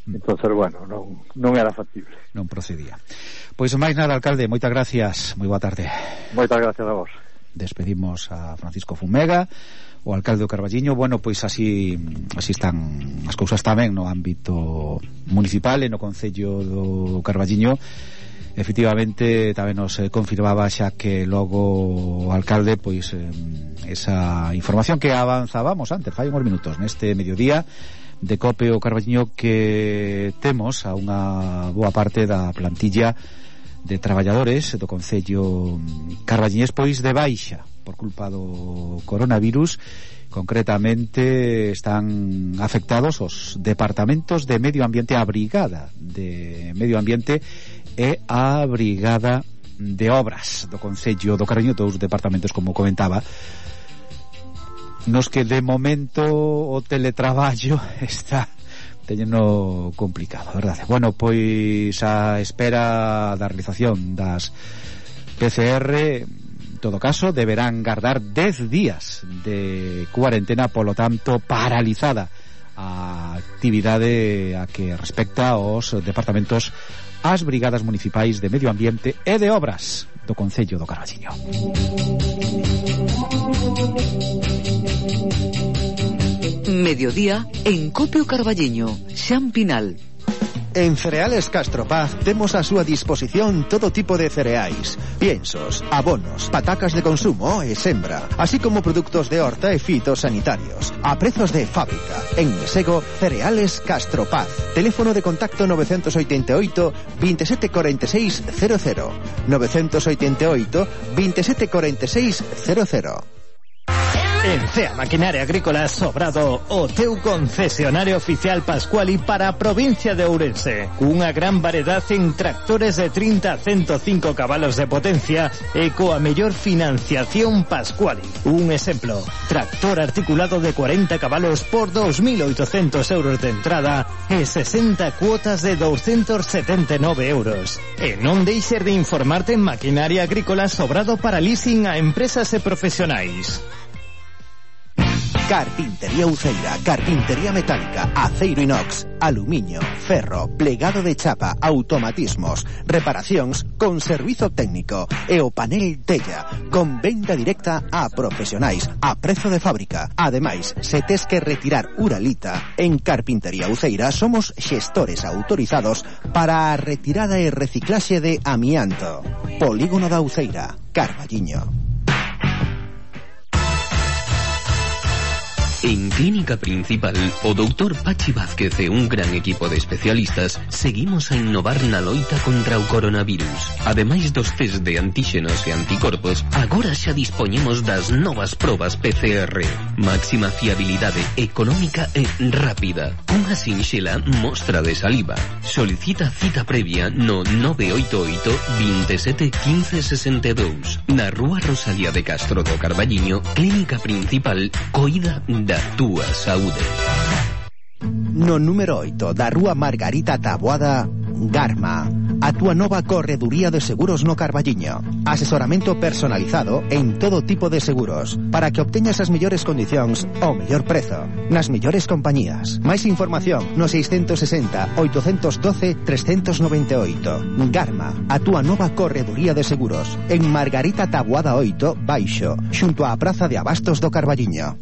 mm. entonces, bueno, non, non era factible. Non procedía. Pois máis nada, alcalde, moitas gracias, moi boa tarde. Moitas gracias a vos. Despedimos a Francisco Fumega, o alcalde do Carballiño. Bueno, pois así así están as cousas tamén no ámbito municipal e no Concello do Carballiño. Efectivamente tamén nos eh, confirmaba xa que logo o alcalde pois eh, esa información que avanzábamos antes, fai uns minutos neste mediodía de Cope o Carballiño, que temos a unha boa parte da plantilla de traballadores do Concello carballiñés pois de baixa por culpa do coronavirus. Concretamente están afectados os departamentos de Medio Ambiente, a Brigada de Medio Ambiente e a Brigada de Obras do Concello do Carballiño, dous departamentos, como comentaba, nos que de momento o teletraballo está teñeno complicado, verdade? Bueno, pois a espera da realización das P C R, en todo caso, deberán guardar dez días de cuarentena, polo tanto, paralizada a actividade a que respecta aos departamentos, as brigadas municipais de Medio Ambiente e de Obras do Concello do Carballiño. Mediodía en Cope o Carballiño, Xan Pinal. En Cereales Castro Paz temos a súa disposición todo tipo de cereais, piensos, abonos, patacas de consumo e sembra, así como produtos de horta e fitosanitarios, a prezos de fábrica. En Mesego, Cereales Castro Paz. Teléfono de contacto nove oito oito, veintisiete cuarenta y seis cero cero, nove oito oito, veintisiete cuarenta y seis cero cero. En Cea Maquinaria Agrícola Sobrado, o teu concesionario oficial Pascuali para a provincia de Ourense. Unha gran variedade en tractores de trinta a ciento cinco cabalos de potencia e coa mellor financiación Pascuali. Un exemplo, tractor articulado de cuarenta cabalos por dos mil oitocentos euros de entrada e sesenta cuotas de doscientos setenta y nueve euros. E non deixes de informarte en Maquinaria Agrícola Sobrado para leasing a empresas e profesionais. Carpintería Uceira, carpintería metálica, aceiro inox, aluminio, ferro, plegado de chapa, automatismos, reparacións con servizo técnico e o panel tella, con venda directa a profesionais, a prezo de fábrica. Ademais, se tes que retirar uralita, en Carpintería Uceira somos xestores autorizados para a retirada e reciclaxe de amianto. Polígono da Uceira, Carballiño. En Clínica Principal, o doutor Pachi Vázquez e un gran equipo de especialistas seguimos a innovar na loita contra o coronavirus. Ademais dos test de antíxenos e anticorpos, agora xa dispoñemos das novas probas P C R. Máxima fiabilidade, económica e rápida. Unha sinxela mostra de saliva. Solicita cita previa no nove oito oito, veintisiete, quince, sesenta e dous. Na Rúa Rosalía de Castro do Carballiño, Clínica Principal, coida da túa saúde. No número oito da Rúa Margarita Taboada, Garma, a túa nova correduría de seguros no Carballiño. Asesoramento personalizado en todo tipo de seguros para que obteñas as mellores condicións ao mellor prezo nas mellores compañías. Máis información no seiscentos sesenta, oitocentos doce, trescentos noventa e oito. Garma, a túa nova correduría de seguros en Margarita Taboada oito, Baixo, xunto á Praza de Abastos do Carballiño.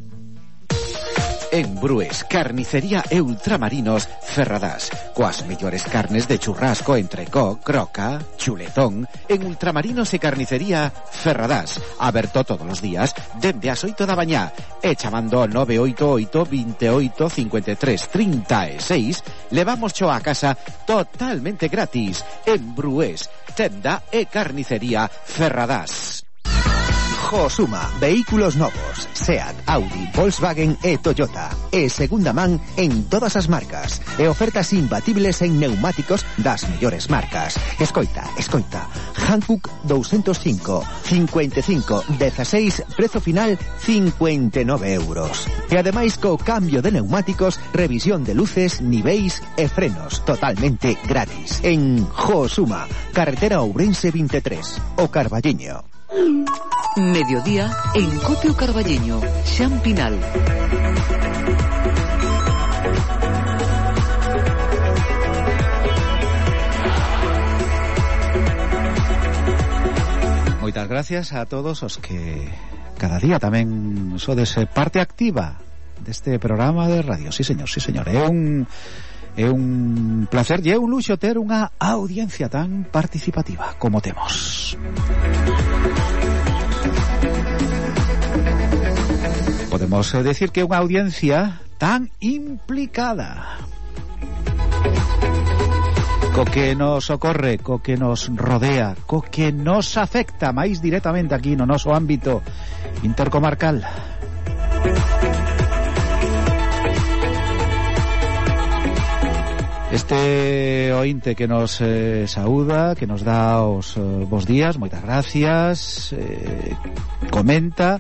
En Brues, carnicería e ultramarinos Ferradás, coas mellores carnes de churrasco, entrecó, croca, chuletón. En ultramarinos e carnicería Ferradás, aberto todos os días dende as oito da mañá e chamando nove oito oito, veintioito, cincuenta e tres, treinta e seis, levamos cho a casa totalmente gratis. En Brues, tenda e carnicería Ferradás. Josuma, vehículos novos, Seat, Audi, Volkswagen e Toyota. E segunda man en todas as marcas. E ofertas imbatibles en neumáticos das mellores marcas. Escoita, escoita. Hankook doscientos cinco, cincuenta e cinco, dieciséis, prezo final cincuenta e nove euros. E ademais co cambio de neumáticos, revisión de luces, niveis e frenos totalmente gratis. En Josuma, carretera Ourense veintitrés, o Carballiño. Mediodía en Copio Carballiño, Xampinal. Moitas gracias a todos os que cada día tamén sodes parte activa deste programa de radio. Sí, señor, sí, señor. É un é un placer e é un luxo ter unha audiencia tan participativa como temos. Podemos decir que é unha audiencia tan implicada co que nos ocorre, co que nos rodea, co que nos afecta máis directamente aquí no noso ámbito intercomarcal. Este ointe que nos eh, saúda, que nos dá os eh, bos días, moitas gracias, eh, comenta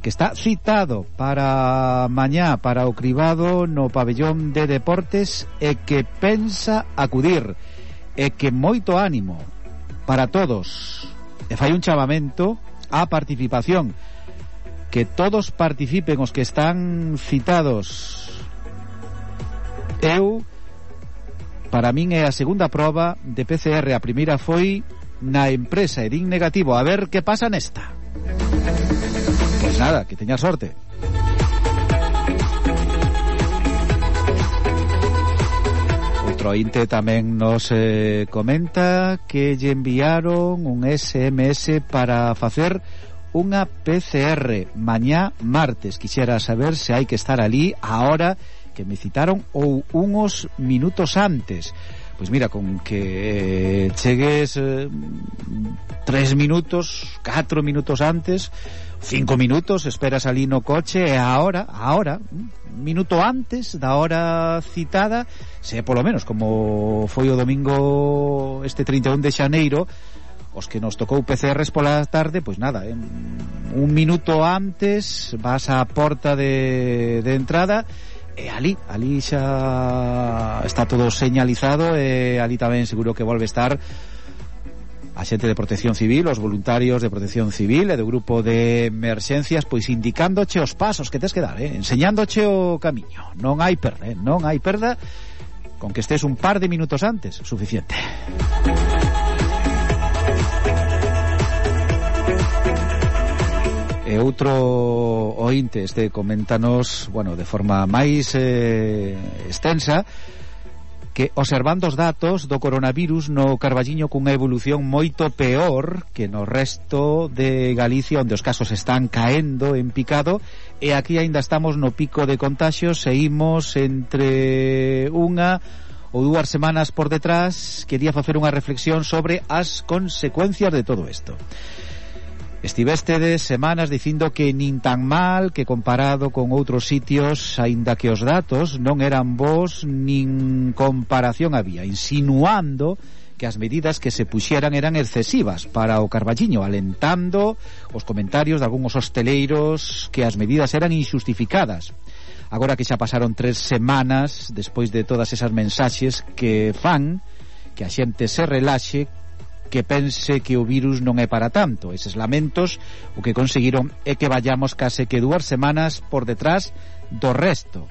que está citado para mañá para o cribado no pabellón de deportes e que pensa acudir, e que moito ánimo para todos, e fai un chamamento á participación, que todos participen os que están citados. Eu, para min é a segunda proba de P C R, a primeira foi na empresa e din negativo, a ver que pasa nesta. Pues nada, que teña sorte. Outro ointe tamén nos eh, comenta que lle enviaron un S M S para facer unha P C R mañá martes. Quixera saber se hai que estar ali a hora que me citaron ou unos minutos antes. Pois mira, con que eh, chegues eh, tres minutos, catro minutos antes, cinco minutos, esperas ali no coche e a hora, a hora, un minuto antes da hora citada, se polo menos como foi o domingo este trinta e un de xaneiro, os que nos tocou P C Rs pola tarde, pois nada, eh, un minuto antes vas á porta de, de entrada e ali, ali xa está todo señalizado e ali tamén seguro que volve a estar a xente de Protección Civil, os voluntarios de Protección Civil e do grupo de emerxencias, pois indicándoche os pasos que tes que dar, eh? enseñándoche o camiño. Non hai perda, eh? non hai perda, con que estés un par de minutos antes, suficiente. E outro ointe, este coméntanos, bueno, de forma máis eh, extensa, que observando os datos do coronavirus no Carballiño cunha evolución moito peor que no resto de Galicia, onde os casos están caendo en picado, e aquí aínda estamos no pico de contaxios, seguimos entre unha ou dúas semanas por detrás. Quería facer unha reflexión sobre as consecuencias de todo isto. Estivestedes semanas dicindo que nin tan mal, que comparado con outros sitios, aínda que os datos non eran bons, nin comparación había, insinuando que as medidas que se puxeran eran excesivas para o Carballiño, alentando os comentarios de algúns hosteleiros que as medidas eran injustificadas. Agora que xa pasaron tres semanas despois de todas esas mensaxes que fan que a xente se relaxe, que pense que o virus non é para tanto. Eses lamentos o que conseguiron é que vayamos case que dúas semanas por detrás do resto.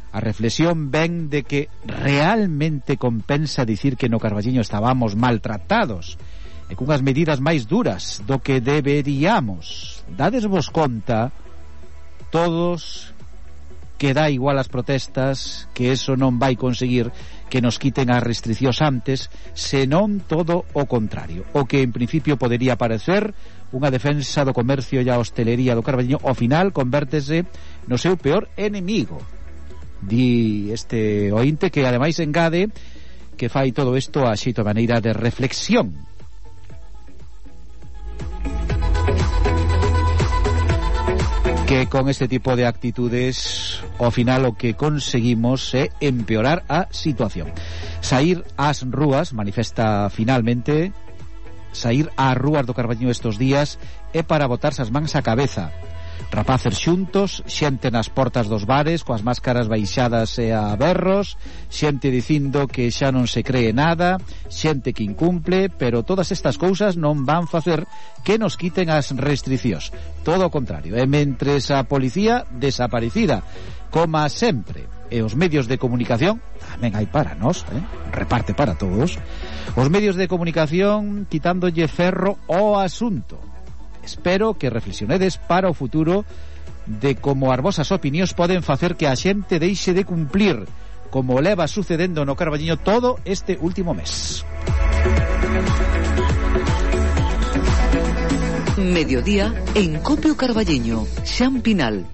A reflexión ven de que realmente compensa dicir que no Carballiño estábamos maltratados e cunhas medidas máis duras do que deberíamos. Dadesvos conta todos que dá igual as protestas, que eso non vai conseguir que nos quiten as restriccións antes, senón todo o contrario. O que en principio podería parecer unha defensa do comercio e a hostelería do Carballiño, ao final convértese no seu peor enemigo. Di este ointe, que ademais engade que fai todo isto a xeito de maneira de reflexión. Que con este tipo de actitudes ao final o que conseguimos é empeorar a situación. Saír ás rúas, manifesta finalmente, saír ás rúas do Carballiño estes días é para botarse as mans á cabeza. Rapaces xuntos, xente nas portas dos bares coas máscaras baixadas e a berros, xente dicindo que xa non se cree nada, xente que incumple, pero todas estas cousas non van facer que nos quiten as restriccións. Todo o contrario, e mentres a policía desaparecida, como sempre, e os medios de comunicación tamén hai para nós, eh? reparte para todos, os medios de comunicación quitándolle ferro ao asunto. Espero que reflexionedes para o futuro de como as vosas opinións poden facer que a xente deixe de cumplir, como leva sucedendo no Carballiño todo este último mes. Mediodía en Copio Carballiño, Xan Pinal.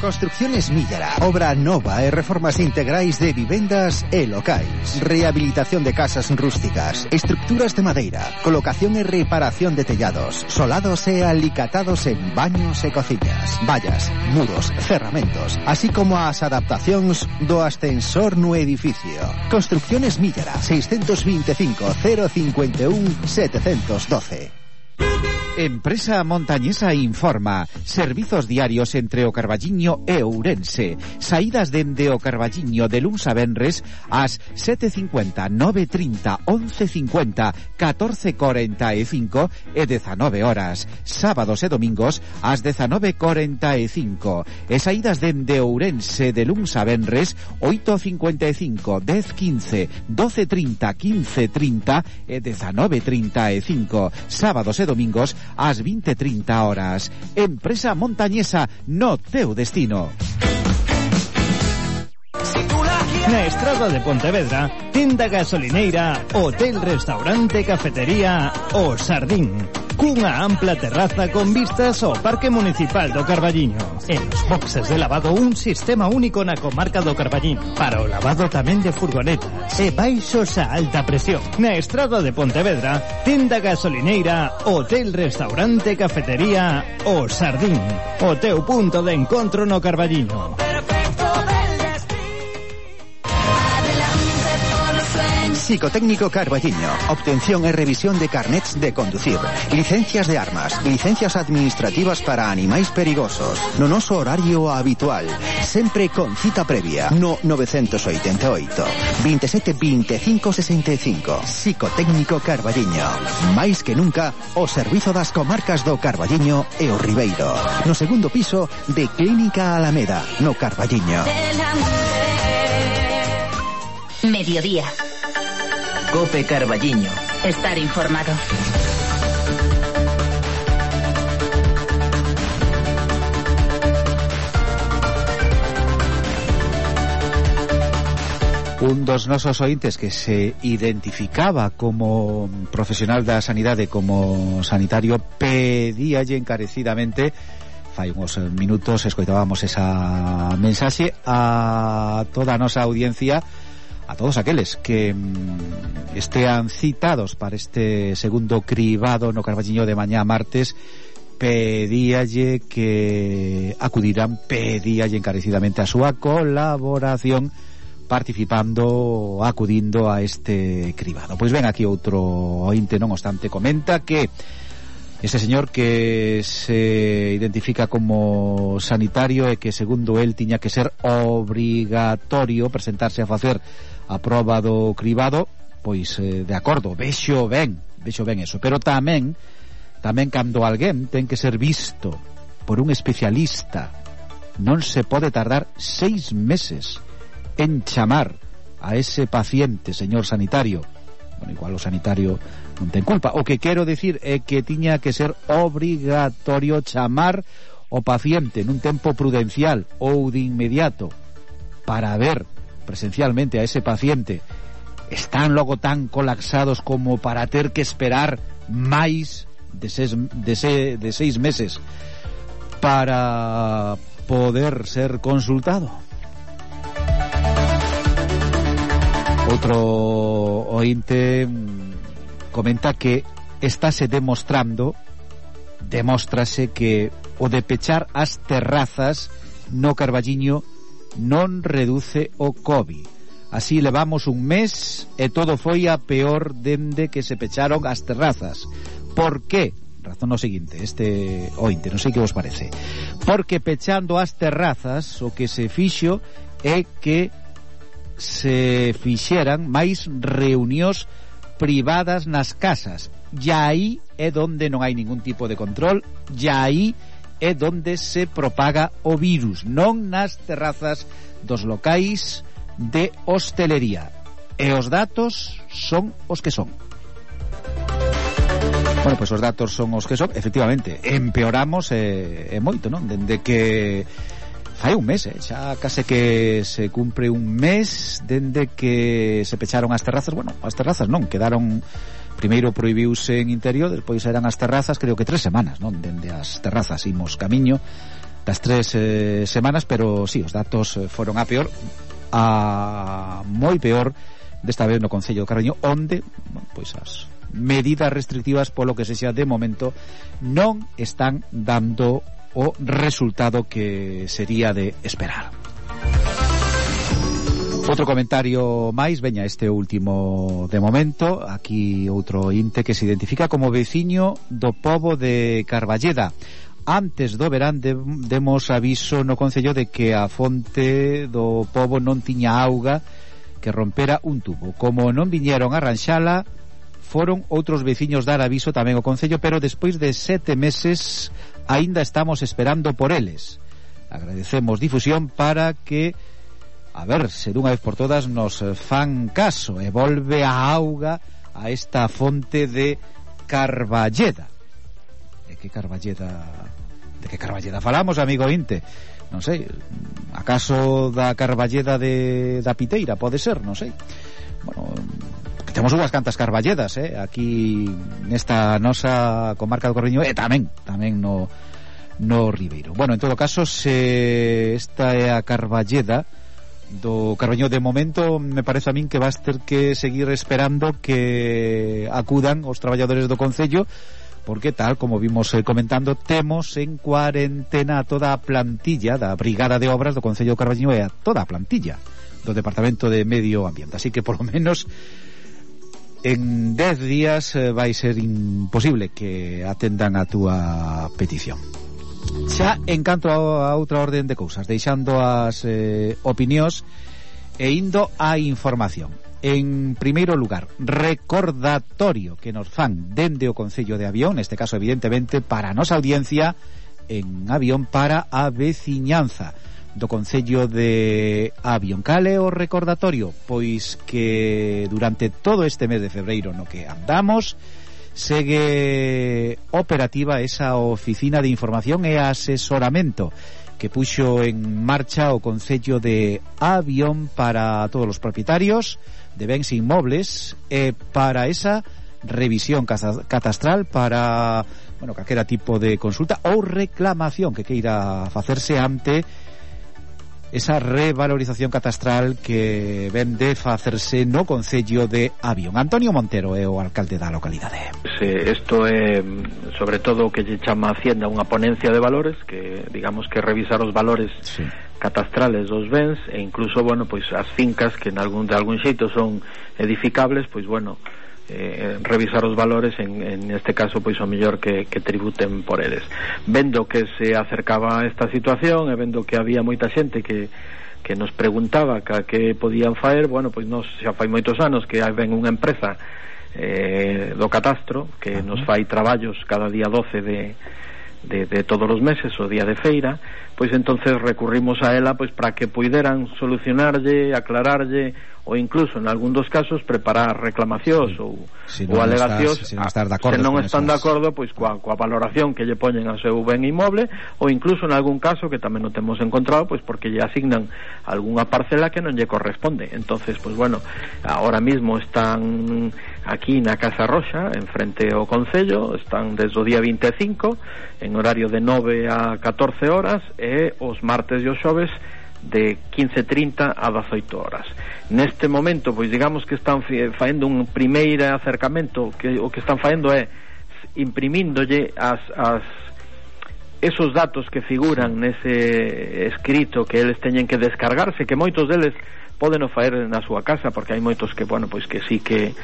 Construcciones Millara, obra nova e reformas integrais de vivendas e locais, rehabilitación de casas rústicas, estructuras de madeira, colocación e reparación de tellados, solados e alicatados en baños e cociñas, vallas, muros, cerramentos, así como as adaptacións do ascensor no edificio. Construcciones Millara, seiscentos veinticinco, cero cincuenta y uno, setecientos doce. Empresa Montañesa informa. Servizos diarios entre o Carballiño e Ourense. Saídas dende o Carballiño de luns a venres ás sete cincuenta, nove trinta, once cincuenta, catorce cuarenta e cinco e dezanove horas. Sábados e domingos ás dezanove cuarenta e cinco. E saídas dende Ourense de luns a venres oito cincuenta e cinco, dez quince, doce trinta, quince trinta e dezanove trinta e cinco. Sábados e domingos ás veinte trinta horas. Empresa Montañesa, no teu destino. Na estrada de Pontevedra, tenda gasolineira, hotel, restaurante, cafetería O Sardín, cunha ampla terraza con vistas ao Parque Municipal do Carballiño. En os boxes de lavado, un sistema único na comarca do Carballiño, para o lavado tamén de furgonetas e baixos a alta presión. Na estrada de Pontevedra, tenda gasolineira, hotel, restaurante, cafetería O Sardín, o teu punto de encontro no Psicotécnico Carballiño. Obtención e revisión de carnets de conducir, licencias de armas, licencias administrativas para animais perigosos. No noso horario habitual, sempre con cita previa. No novecientos ochenta e oito, veintisiete veinticinco sesenta e cinco. Psicotécnico Carballiño. Máis que nunca, o servizo das comarcas do Carballiño e o Ribeiro. No segundo piso de Clínica Alameda, no Carballiño. Mediodía. Cope Carballiño. Estar informado. Un dos nosos ointes que se identificaba como profesional da sanidade, como sanitario, pedíalle encarecidamente, fai uns minutos escoitábamos esa mensaxe a toda a nosa audiencia, a todos aqueles que mm, estean citados para este segundo cribado no Carballiño de mañá martes, pedíalle que acudirán, pedíalle encarecidamente a súa colaboración participando, acudindo a este cribado. Pois ven aquí outro ointe, non obstante, comenta que este señor que se identifica como sanitario e que segundo el tiña que ser obrigatorio presentarse a facer a proba do cribado, pois eh, de acordo, vexo ben, vexo ben eso, pero tamén tamén cando alguén ten que ser visto por un especialista, non se pode tardar seis meses en chamar a ese paciente, señor sanitario. Bueno, igual o sanitario non ten culpa. O que quero decir é que tiña que ser obrigatorio chamar o paciente nun tempo prudencial ou de inmediato para ver presencialmente a ese paciente. Están logo tan colapsados como para ter que esperar máis de seis, de, se, de seis meses para poder ser consultado. Outro ointe comenta que estáse demostrando, demóstrase que o de pechar as terrazas no Carballiño non reduce o COVID. Así levamos un mes e todo foi a peor dende que se pecharon as terrazas. Por qué? Razón o seguinte, este ointe, non sei que vos parece. Porque pechando as terrazas o que se fixo é que se fixeran máis reunións privadas nas casas. E aí é donde non hai ningún tipo de control, e aí é donde se propaga o virus, non nas terrazas dos locais de hostelería. E os datos son os que son. Bueno, pois os datos son os que son. Efectivamente, empeoramos e, e moito, non? Dende que fai un mes, eh? Xa case que se cumpre un mes dende que se pecharon as terrazas. Bueno, as terrazas non, quedaron, primeiro prohibiuse en interior, despois eran as terrazas, creo que tres semanas, non? Dende as terrazas imos camiño das tres eh, semanas, pero sí, os datos foron a peor, a moi peor desta vez no Concello do Carballiño, onde, bueno, pois as medidas restrictivas, polo que sexa de momento, non están dando o resultado que sería de esperar. Outro comentario máis, veña este último de momento. Aquí outro inte que se identifica como veciño do pobo de Carballeda. Antes do verán de, demos aviso no Concello de que a fonte do pobo non tiña auga, que rompera un tubo. Como non viñeron a arranxala, foron outros veciños dar aviso tamén ao Concello, pero despois de sete meses aínda estamos esperando por eles. Agradecemos difusión para que, a ver, se dunha vez por todas nos fan caso e volve a auga a esta fonte de Carballeda. De que Carballeda de que Carballeda falamos, amigo Inte? Non sei, acaso da Carballeda de da Piteira, pode ser, non sei. Bueno, que temos unhas cantas Carballedas, eh, aquí nesta nosa comarca do Carballiño e tamén, tamén no no Ribeiro. Bueno, en todo caso, se esta é a Carballeda do Carballiño, de momento me parece a min que vas ter que seguir esperando que acudan os traballadores do Concello, porque tal como vimos eh, comentando, temos en cuarentena a toda a plantilla da Brigada de Obras do Concello do Carballiño e a toda a plantilla do Departamento de Medio Ambiente, así que por lo menos en dez días eh, vai ser imposible que atendan a túa petición. Xa en canto a, a outra orden de cousas, deixando as eh, opinións e indo á información. En primeiro lugar, recordatorio que nos fan dende o Concello de Avión, neste caso evidentemente para a nosa audiencia en Avión, para a veciñanza do Concello de Avión. Cale o recordatorio? Pois que durante todo este mes de febreiro no que andamos segue operativa esa oficina de información e asesoramento que puxo en marcha o Concello de Avión para todos os propietarios de bens inmobles e para esa revisión catastral para, bueno, calquera tipo de consulta ou reclamación que queira facerse ante esa revalorización catastral que ven de facerse no Concello de Avión. Antonio Montero é o alcalde da localidade. Sí, isto é sobre todo o que lle chama a Hacienda unha ponencia de valores, que digamos que revisar os valores sí. catastrales dos bens e incluso, bueno, pois as fincas que en algún, de algún xeito son edificables, pois bueno, eh, revisar os valores en, en este caso pois o mellor que, que tributen por eles. Vendo que se acercaba a esta situación e vendo que había moita xente que que nos preguntaba que, que podían faer, bueno, pois nos xa fai moitos anos que hai ben unha empresa eh, do catastro que uh-huh. nos fai traballos cada día doce de De, de todos os meses, o día de feira, pois entonces recurrimos a ela pois para que puideran solucionarlle, aclararlle ou incluso en algún dos casos preparar reclamacións sí. ou, si ou alegacións se non, estás de acordo se non están esas... de acordo pois coa, coa valoración que lle poñen ao seu ben inmoble ou incluso en algún caso que tamén non temos encontrado pois porque lle asignan algunha parcela que non lle corresponde. Entonces pois bueno, ahora mismo están aquí na Casa Roxa en frente ao Concello, están desde o día vinte e cinco en horario de nove a catorce horas e os martes e os xoves de quince trinta a dezoito horas. Neste momento, pois digamos que están faendo un primeiro acercamento, que o que están faendo é imprimíndolle as, as esos datos que figuran nese escrito que eles teñen que descargarse, que moitos deles poden o faer na súa casa, porque hai moitos que, bueno, pois que sí que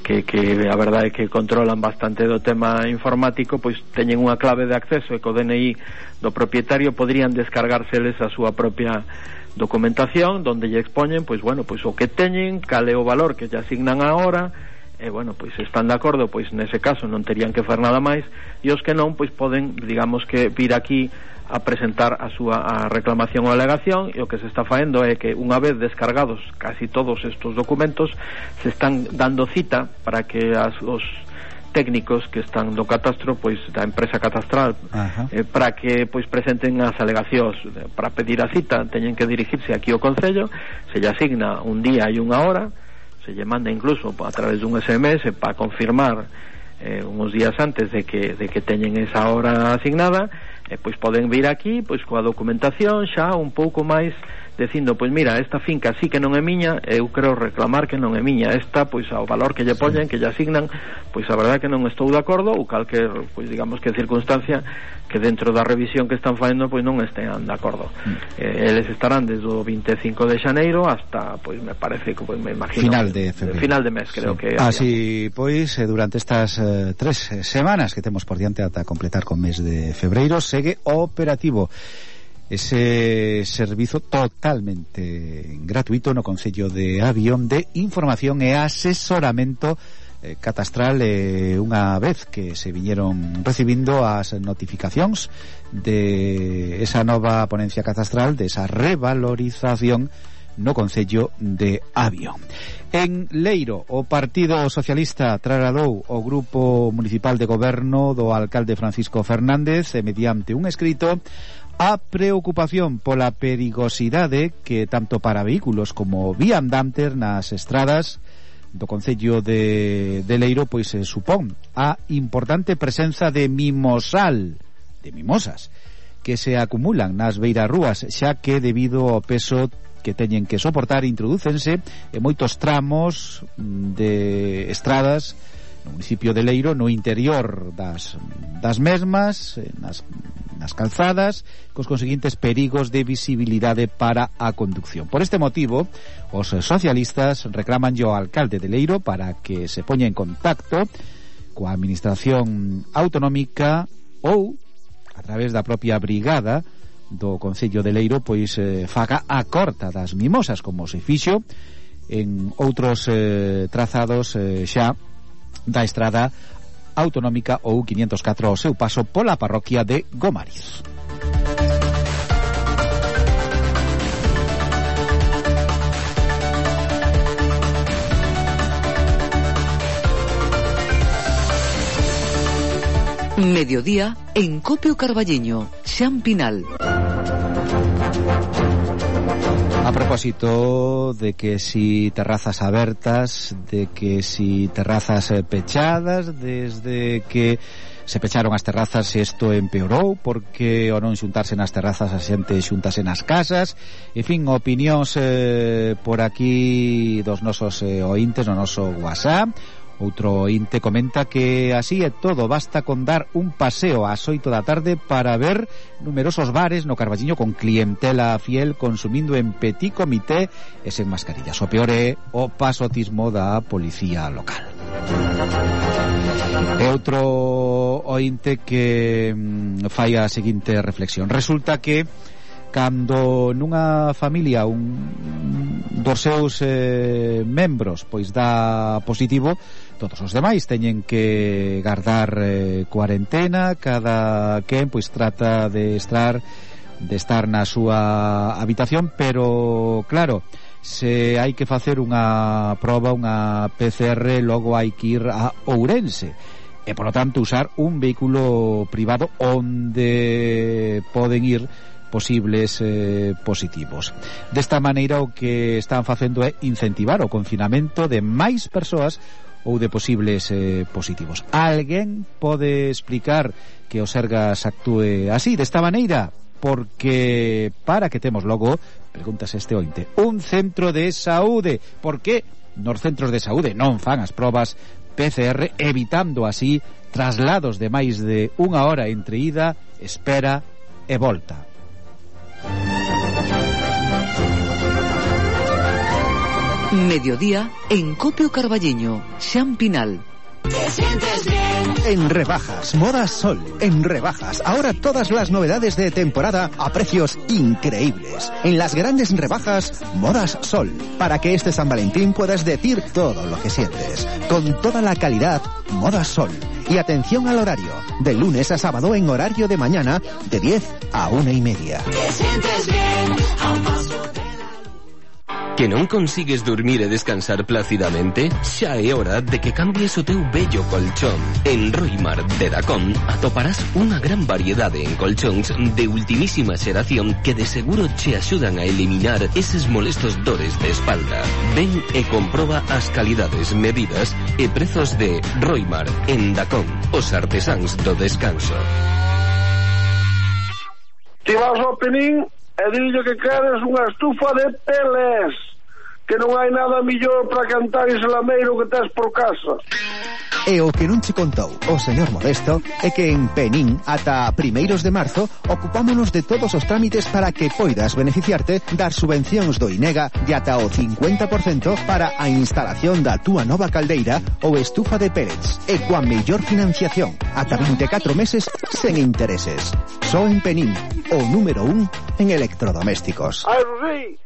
que, que a verdade é que controlan bastante do tema informático, pois teñen unha clave de acceso e co D N I do propietario podrían descargárseles a súa propia documentación donde lle expoñen, pois bueno, pois o que teñen, cal é o valor que lle asignan agora e bueno, pois están de acordo, pois nese caso non terían que facer nada máis e os que non, pois poden, digamos que vir aquí a presentar a súa a reclamación ou alegación e o que se está faendo é que unha vez descargados casi todos estos documentos se están dando cita para que as, os técnicos que están do catastro pois da empresa catastral eh, para que pois presenten as alegacións. Para pedir a cita teñen que dirigirse aquí ao Concello, se lle asigna un día e unha hora, se lle manda incluso a través dun S M S para confirmar eh, uns días antes de que, de que teñen esa hora asignada e pois poden vir aquí pois coa documentación xa un pouco máis dicindo, pois mira, esta finca sí que non é miña, eu quero reclamar que non é miña, esta pois ao valor que lle poñen, que lle asignan, pois a verdade que non estou de acordo ou calquer, pois digamos que circunstancia que dentro da revisión que están facendo pois non estean de acordo. Mm. Eh, eles estarán desde o vinte e cinco de xaneiro hasta, pois me parece que, pois me imagino final de febreiro. Final de mes, creo sí. que así, pois, eh, durante estas eh, tres semanas que temos por diante ata completar con mes de febreiro, segue operativo ese servizo totalmente gratuito no Concello de Avión de información e asesoramento eh, catastral eh, unha vez que se viñeron recibindo as notificacións de esa nova ponencia catastral, de esa revalorización no Concello de Avión. En Leiro, o Partido Socialista trasladou o Grupo Municipal de Goberno do alcalde Francisco Fernández e mediante un escrito a preocupación pola perigosidade que tanto para vehículos como viandantes nas estradas do Concello de, de Leiro pois se supón a importante presenza de mimosal, de mimosas, que se acumulan nas beirarrúas, xa que debido ao peso que teñen que soportar introdúcense en moitos tramos de estradas no municipio de Leiro, no interior das, das mesmas, nas nas calzadas, cos conseguintes perigos de visibilidade para a conducción. Por este motivo, os socialistas reclaman ao alcalde de Leiro para que se poña en contacto coa administración autonómica ou a través da propia brigada do Concello de Leiro, pois eh, faga a corta das mimosas, como se fixo en outros eh, trazados eh, xa da estrada autonómica ou quinientos catro ao seu paso pola parroquia de Gomariz. Mediodía en Copio Carballeño, Xampinal. A propósito de que si terrazas abertas, de que si terrazas pechadas, desde que se pecharon as terrazas isto empeorou, porque ao non xuntarse nas terrazas a xente xuntase nas casas. En fin, opinións eh, por aquí dos nosos eh, ointes no noso WhatsApp. Outro ointe comenta que así é todo, basta con dar un paseo ás oito da tarde para ver numerosos bares no Carballiño con clientela fiel consumindo en petit comité e sen mascarillas. O peor é o pasotismo da policía local. E outro ointe que mm, fai a seguinte reflexión. Resulta que cando nunha familia un dos seus eh, membros pois dá positivo, todos os demais teñen que guardar eh, cuarentena, cada quen pois trata de estar de estar na súa habitación, pero claro, se hai que facer unha proba, unha P C R, logo hai que ir a Ourense e polo tanto usar un vehículo privado onde poden ir posibles eh, positivos. Desta maneira o que están facendo é incentivar o confinamento de máis persoas ou de posibles eh, positivos. Alguén pode explicar que o Sergas actúe así, desta maneira? Porque para que temos logo, pregúntase este ointe, un centro de saúde. Por que nos centros de saúde non fan as probas P C R, evitando así traslados de máis de unha hora entre ida, espera e volta? Mediodía en Copio Carballeño, Xampinal. En rebajas, Modas Sol, en rebajas, ahora todas las novedades de temporada a precios increíbles. En las grandes rebajas, Modas Sol, para que este San Valentín puedas decir todo lo que sientes. Con toda la calidad, Modas Sol. Y atención al horario, de lunes a sábado en horario de mañana, de diez a una y media. Que non consigues dormir e descansar plácidamente? Xa é hora de que cambies o teu bello colchón. En Roimar de Dacón atoparás unha gran variedade en colchóns de ultimísima xeración que de seguro che axudan a eliminar eses molestos dores de espalda. Ven e comproba as calidades, medidas e prezos de Roimar en Dacón, os artesáns do descanso. Ti vas ao Penín e dillo que queres unha estufa de peles, que non hai nada millor para cantar ese lameiro que tes por casa. E o que non che contou o señor Modesto é que en Penín ata primeiros de marzo ocupámonos de todos os trámites para que poidas beneficiarte das subvencións do INEGA de ata o cincuenta por cento para a instalación da túa nova caldeira ou estufa de pellets e coa mellor financiación ata vinte e catro meses sen intereses. Só en Penín, o número un en electrodomésticos. Ai, Rosí!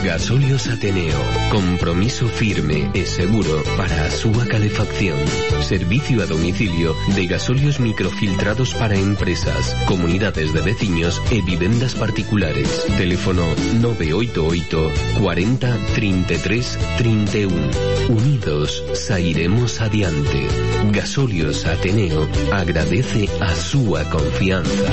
Gasolios Ateneo, compromiso firme e seguro para a súa calefacción. Servicio a domicilio de gasolios microfiltrados para empresas, comunidades de veciños e vivendas particulares. Teléfono nove oito oito, cuarenta, treinta e tres, treinta e un. Unidos sairemos adiante. Gasolios Ateneo agradece a súa confianza.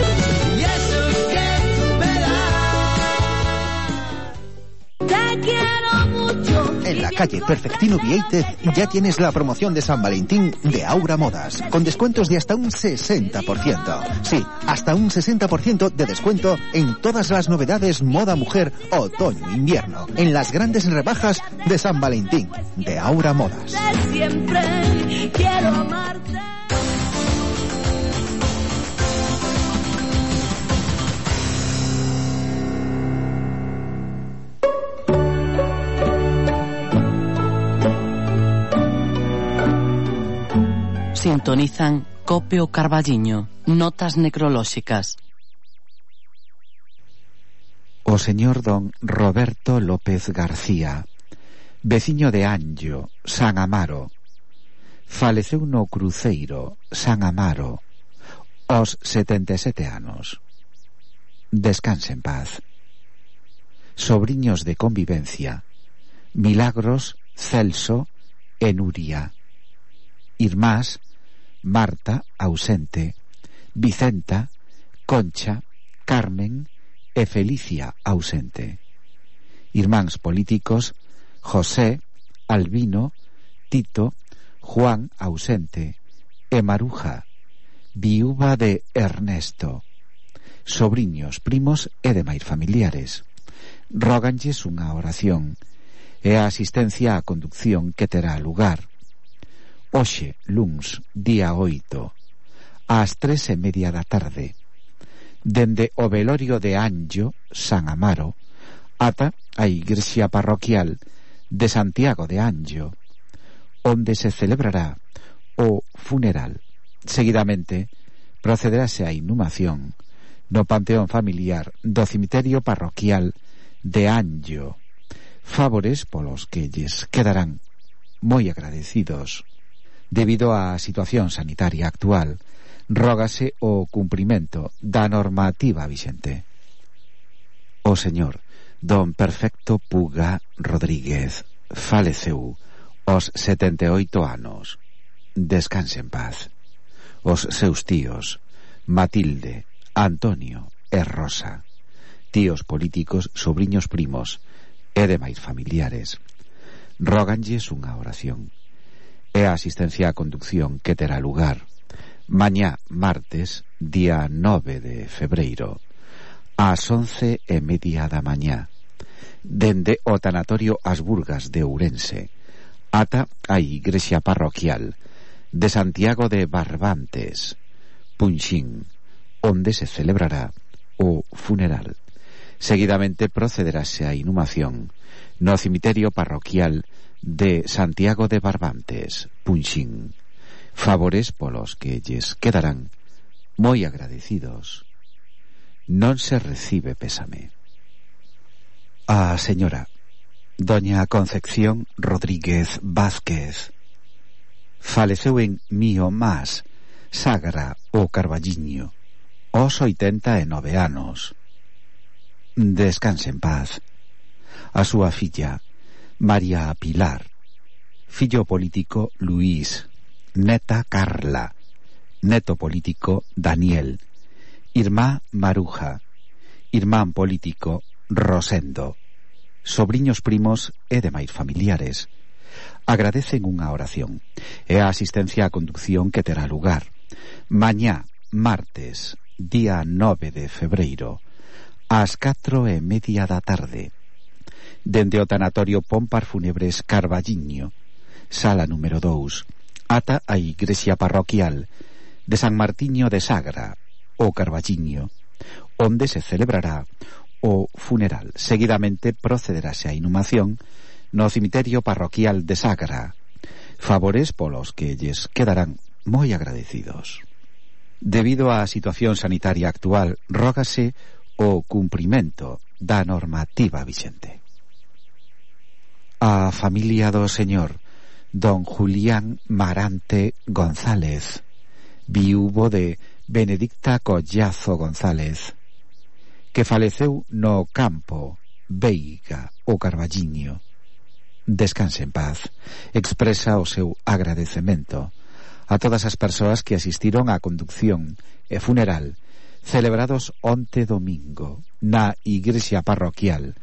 En la calle Perfectino Vieitez ya tienes la promoción de San Valentín de Aura Modas, con descuentos de hasta un sesenta por ciento. Sí, hasta un sesenta por ciento de descuento en todas las novedades moda mujer, otoño-invierno, en las grandes rebajas de San Valentín de Aura Modas. Siempre quiero amarte. Sintonizan Copio Carballiño, notas necrolóxicas. O señor don Roberto López García, veciño de Anllo, San Amaro, faleceu no cruceiro San Amaro aos setenta e sete anos. Descanse en paz. Sobriños de convivencia: Milagros, Celso e Nuria. Irmás: Marta, ausente; Vicenta, Concha, Carmen e Felicia, ausente. Irmáns políticos: José, Albino, Tito, Juan, ausente, e Maruja, viúva de Ernesto. Sobriños, primos e demais familiares róganlles unha oración e a asistencia á conducción que terá lugar hoxe, luns, día oito, ás tres e media da tarde, dende o velorio de Anllo, San Amaro, ata a igrexa parroquial de Santiago de Anllo, onde se celebrará o funeral. Seguidamente procederase a inhumación no panteón familiar do cemiterio parroquial de Anllo, favores polos que lles quedarán moi agradecidos. Debido á situación sanitaria actual, rógase o cumprimento da normativa vixente. O señor don Perfecto Puga Rodríguez faleceu aos setenta e oito anos. Descanse en paz. Os seus tíos Matilde, Antonio e Rosa, tíos políticos, sobriños primos e demais familiares róganlles unha oración e a asistencia á conducción que terá lugar mañá martes, día nove de febreiro, ás once e media da mañá, dende o tanatorio As Burgas de Ourense ata a igrexa parroquial de Santiago de Barbantes, Punxín, onde se celebrará o funeral. Seguidamente procederase a inhumación no cemiterio parroquial de Santiago de Barbantes, Punxín, favores polos que lles quedarán moi agradecidos. Non se recibe pésame. A señora doña Concepción Rodríguez Vázquez faleceu en Mío Más, Sagra o Carballiño, aos oitenta e nove anos. Descanse en paz. A súa filla María Pilar, fillo político Luís, neta Carla, neto político Daniel, irmá Maruja, irmán político Rosendo, sobriños primos e demais familiares agradecen unha oración e a asistencia á conducción que terá lugar mañá martes, día nove de febreiro, ás catro e media da tarde, dende o tanatorio Pompar Fúnebres Carballiño, sala número dous, ata a igrexa parroquial de San Martiño de Sagra o Carballiño, onde se celebrará o funeral. Seguidamente procederase a inhumación no cemiterio parroquial de Sagra, favores polos que lles quedarán moi agradecidos. Debido á situación sanitaria actual, rógase o cumprimento da normativa vixente. A familia do señor don Julián Marante González, viúvo de Benedicta Collazo González, que faleceu no campo Veiga o Carballiño. Descanse en paz. Expresa o seu agradecemento a todas as persoas que asistiron á conducción e funeral celebrados onte domingo na igrexa parroquial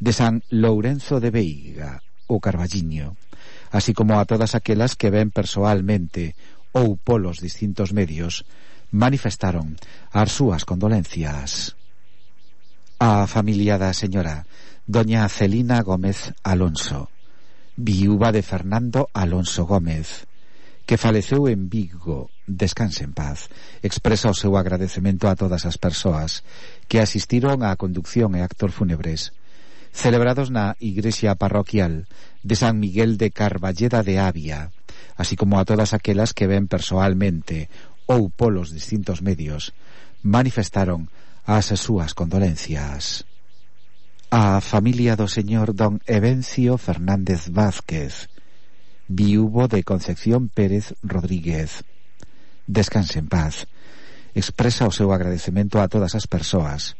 de San Lourenzo de Veiga o Carballiño, así como a todas aquelas que ven persoalmente ou polos distintos medios manifestaron as súas condolencias. A familia da señora doña Celina Gómez Alonso, viúva de Fernando Alonso Gómez, que faleceu en Vigo, descanse en paz, expresa o seu agradecemento a todas as persoas que asistiron á conducción e actos fúnebres celebrados na igrexa parroquial de San Miguel de Carballeda de Avia, así como a todas aquelas que ven persoalmente ou polos distintos medios, manifestaron as súas condolencias. A familia do señor don Evencio Fernández Vázquez, viúvo de Concepción Pérez Rodríguez, descanse en paz, expresa o seu agradecemento a todas as persoas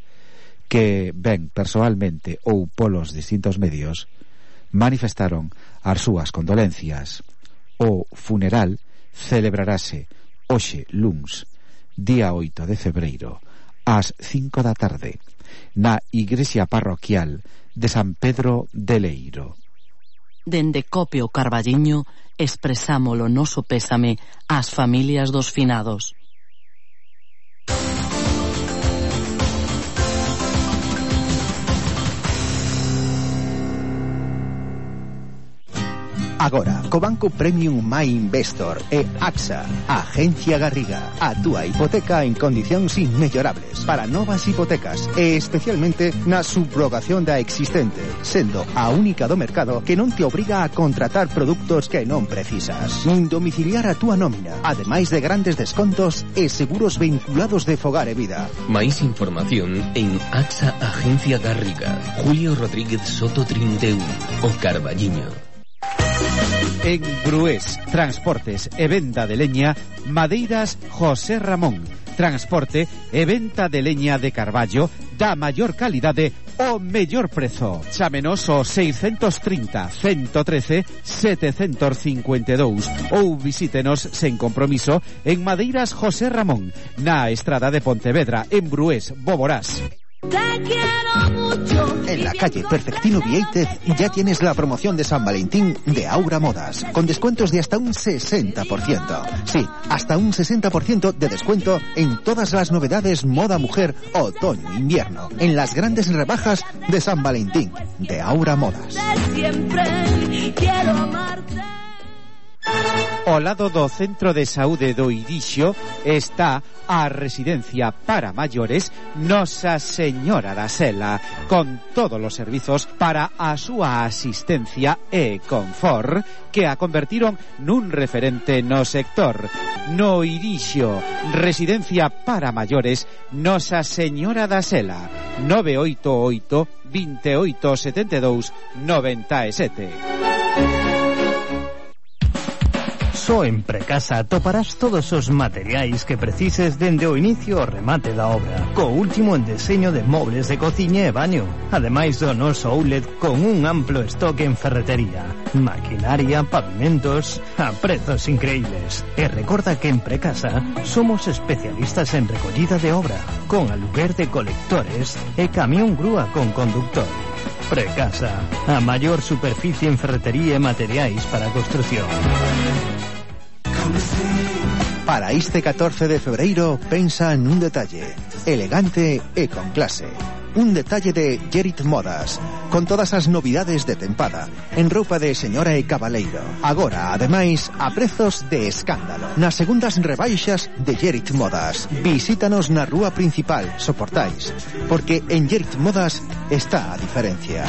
que ven persoalmente ou polos distintos medios, manifestaron as súas condolencias. O funeral celebrarase hoxe luns, día oito de febreiro, ás cinco da tarde, na igrexa parroquial de San Pedro de Leiro. Dende Copio Carballiño expresamos o noso pésame ás familias dos finados. Agora, co Banco Premium My Investor e AXA, Agencia Garriga, a túa hipoteca en condicións inmellorables para novas hipotecas e especialmente na subrogación da existente, sendo a única do mercado que non te obriga a contratar produtos que non precisas, nin domiciliar a túa nómina, ademais de grandes descontos e seguros vinculados de Fogar e Vida. Máis información en AXA Agencia Garriga, Julio Rodríguez Soto treinta y uno, o Carballiño. En Brués, transportes e venda de leña, Madeiras José Ramón, transporte e venta de leña de carballo da maior calidade o mellor prezo. Chámenos o seiscentos trinta, ciento trece, setecientos cincuenta y dos ou visítenos sen compromiso en Madeiras José Ramón, na estrada de Pontevedra, en Brués, Boborás. En la calle Perfectino Vieitez ya tienes la promoción de San Valentín de Aura Modas, con descuentos de hasta un sesenta por ciento. Sí, hasta un sesenta por ciento de descuento en todas las novedades moda mujer, otoño-invierno, en las grandes rebajas de San Valentín de Aura Modas. Ao lado do Centro de Saúde do Irixo está a residencia para maiores Nosa Señora da Sela, con todos os servizos para a súa asistencia e confort que a convertiron nun referente no sector. No Irixo, residencia para maiores Nosa Señora da Sela, nove oito oito, veintiocho setenta y dos, noventa y siete. Só en Precasa toparás todos os materiais que precises dende o inicio ao remate da obra, co último en deseño de mobles de cociña e baño, ademais do noso outlet con un amplo stock en ferretería, maquinaria, pavimentos, a prezos increíbles. E recorda que en Precasa somos especialistas en recollida de obra, con aluguer de colectores e camión grúa con conductor. Precasa, a maior superficie en ferretería e materiais para a construción. Para este catorce de febreiro, pensa en un detalle elegante e con clase. Un detalle de Gerit Modas, con todas as novidades de tempada, en roupa de señora e cabaleiro. Agora, ademais, a prezos de escándalo. Nas segundas rebaixas de Gerit Modas. Visítanos na rúa principal, Soportais, porque en Gerit Modas está a diferencia.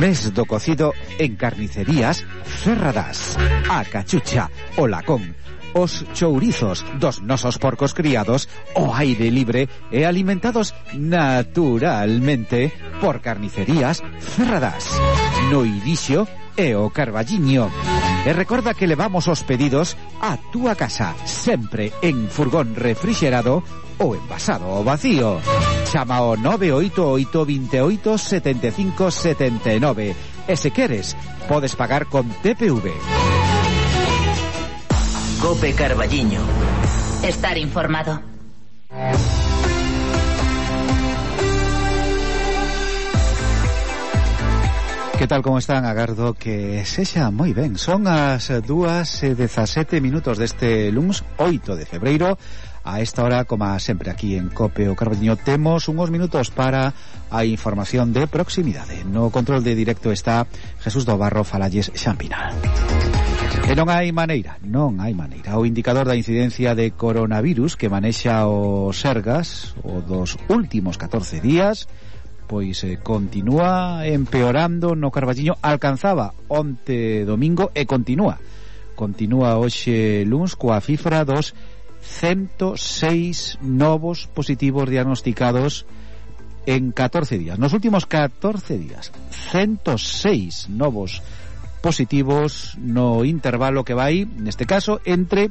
Mes do cocido en carnicerías Ferradas, a cachucha, o lacón, os chourizos dos nosos porcos criados ao aire libre e alimentados naturalmente por carnicerías Ferradas, no Irixo e o Carballiño. E recorda que levamos os pedidos a túa casa, sempre en furgón refrigerado ou envasado ao vacío. Chama ao nove oito oito, veintiocho, setenta y cinco, setenta y nueve e se queres, podes pagar con T P V. Cope Carballiño. Estar informado. Que tal, como están? Agardo que sexa moi ben. Son as dúas e dezasete minutos deste luns oito de febreiro. A esta hora, como sempre aquí en Cope o Carballiño, temos uns minutos para a información de proximidade. No control de directo está Jesús do Barro, falalles Xampinal. E non hai maneira, non hai maneira. O indicador da incidencia de coronavirus que manexa o Sergas o dos últimos catorce días pois eh, continúa empeorando no Carballiño. Alcanzaba onte domingo e continúa continúa hoxe luns coa cifra dos ciento seis novos positivos diagnosticados en catorce días. Nos últimos catorce días, ciento seis novos positivos no intervalo que vai, neste caso, entre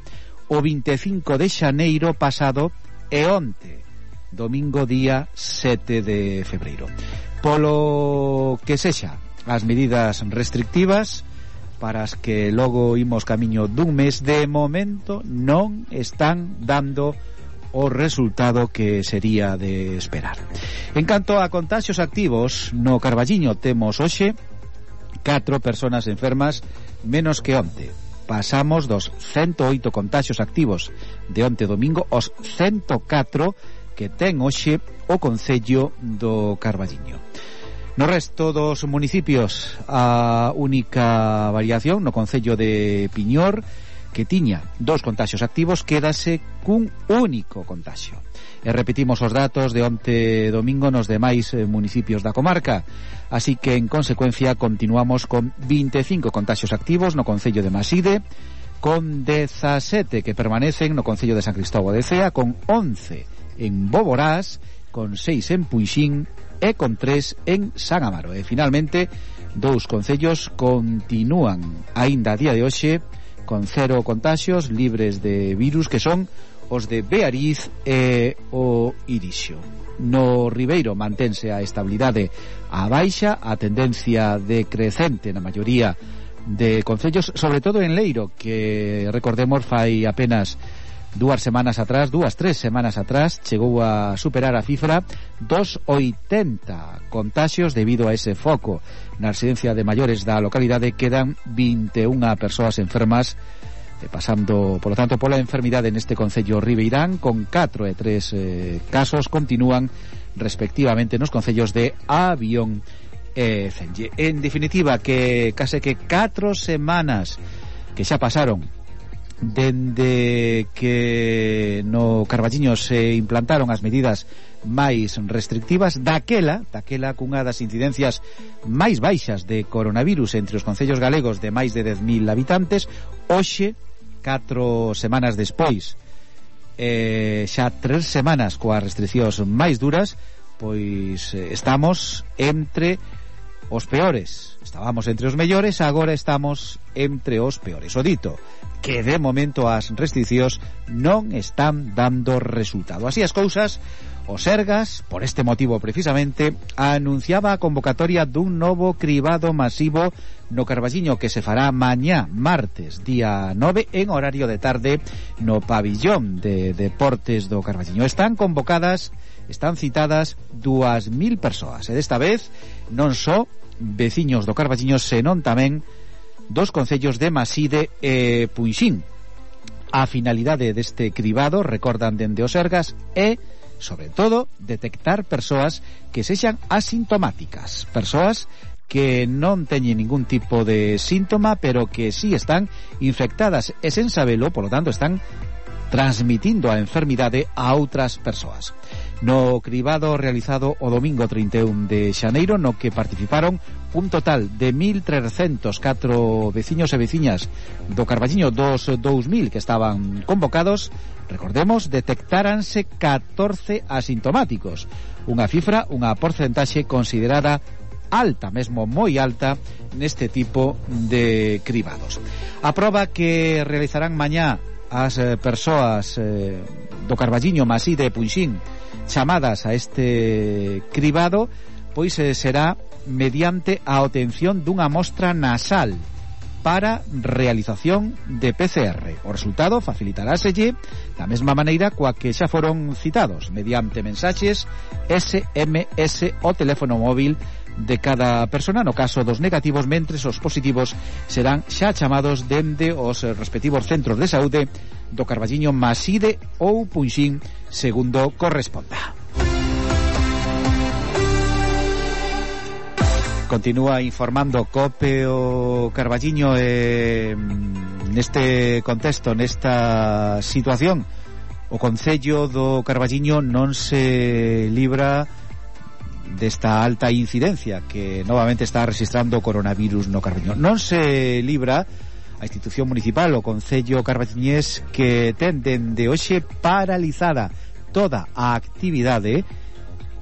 o vinte e cinco de xaneiro pasado e onte, domingo día sete de febreiro. Polo que sexa as medidas restrictivas para as que logo imos camiño dun mes, de momento non están dando o resultado que sería de esperar. En canto a contaxios activos, no Carballiño temos hoxe catro persoas enfermas menos que onte. Pasamos dos ciento oito contaxios activos de onte domingo aos ciento catro que ten hoxe o Concello do Carballiño. No resto dos municipios, a única variación no Concello de Piñor, que tiña dos contaxios activos, quédase cun único contaxio. E repetimos os datos de onte domingo nos demais municipios da comarca, así que en consecuencia continuamos con vinte e cinco contaxios activos no Concello de Maside, con dezasete que permanecen no Concello de San Cristóbal de Cea, con once en Boborás, con seis en Punxín e con tres en San Amaro. E finalmente dous concellos continúan aínda a día de hoxe con cero contaxios libres de virus, que son os de Beariz e o Irixo. No Ribeiro mantense a estabilidade á baixa, a tendencia decrecente na maioría de concellos, sobre todo en Leiro, que recordemos fai apenas dúas semanas atrás, dúas, tres semanas atrás, chegou a superar a cifra dos oitenta contaxios debido a ese foco na residencia de maiores da localidade. Quedan vinte e unha persoas enfermas, pasando, por lo tanto, pola enfermidade neste concello ribeirán, con catro e tres eh, casos continúan respectivamente nos concellos de Avión e Cenlle. En definitiva, que case que catro semanas que xa pasaron dende que no Carballiño se implantaron as medidas máis restrictivas, daquela, daquela cunha das incidencias máis baixas de coronavirus entre os concellos galegos de máis de dez mil habitantes. Hoxe, catro semanas despois, eh, xa tres semanas coas restriccións máis duras, pois eh, estamos entre os peores. Estábamos entre os mellores, agora estamos entre os peores. O dito, que de momento as restriccións non están dando resultado. Así as cousas, o Sergas, por este motivo precisamente, anunciaba a convocatoria dun novo cribado masivo no Carballiño, que se fará mañá, martes, día nove, en horario de tarde, no pabillón de deportes do Carballiño. Están convocadas, están citadas dúas mil persoas, e desta vez non só veciños do Carballiño, senón tamén dos concellos de Maside e Punxín. A finalidade deste cribado, recordan dende o Sergas, é, sobre todo, detectar persoas que sexan asintomáticas, persoas que non teñen ningún tipo de síntoma, pero que sí están infectadas e sen sabelo, por lo tanto, están transmitindo a enfermidade a outras persoas. No cribado realizado o domingo trinta e un de xaneiro, no que participaron un total de mil trescentos catro veciños e veciñas do Carballiño dos dous mil que estaban convocados, recordemos, detectáranse catorce asintomáticos, unha cifra, unha porcentaxe considerada alta, mesmo moi alta, neste tipo de cribados. A proba que realizarán mañá as eh, persoas eh, do Carballiño, Maside e Punxín chamadas a este cribado, pois eh, será mediante a obtención dunha mostra nasal para realización de P C R. O resultado facilitaráselle da mesma maneira coa que xa foron citados, mediante mensaxes S M S o teléfono móvil de cada persona. No caso dos negativos, mentres os positivos serán xa chamados dende os respectivos centros de saúde do Carballiño, Maside ou Punxín, segundo corresponda. Continúa informando COPE o Carballiño eh, neste contexto, nesta situación. O Concello do Carballiño non se libra desta alta incidencia que novamente está registrando o coronavirus no Carballiño. Non se libra a institución municipal, o Concello carballiñés, que ten dende hoxe paralizada toda a actividade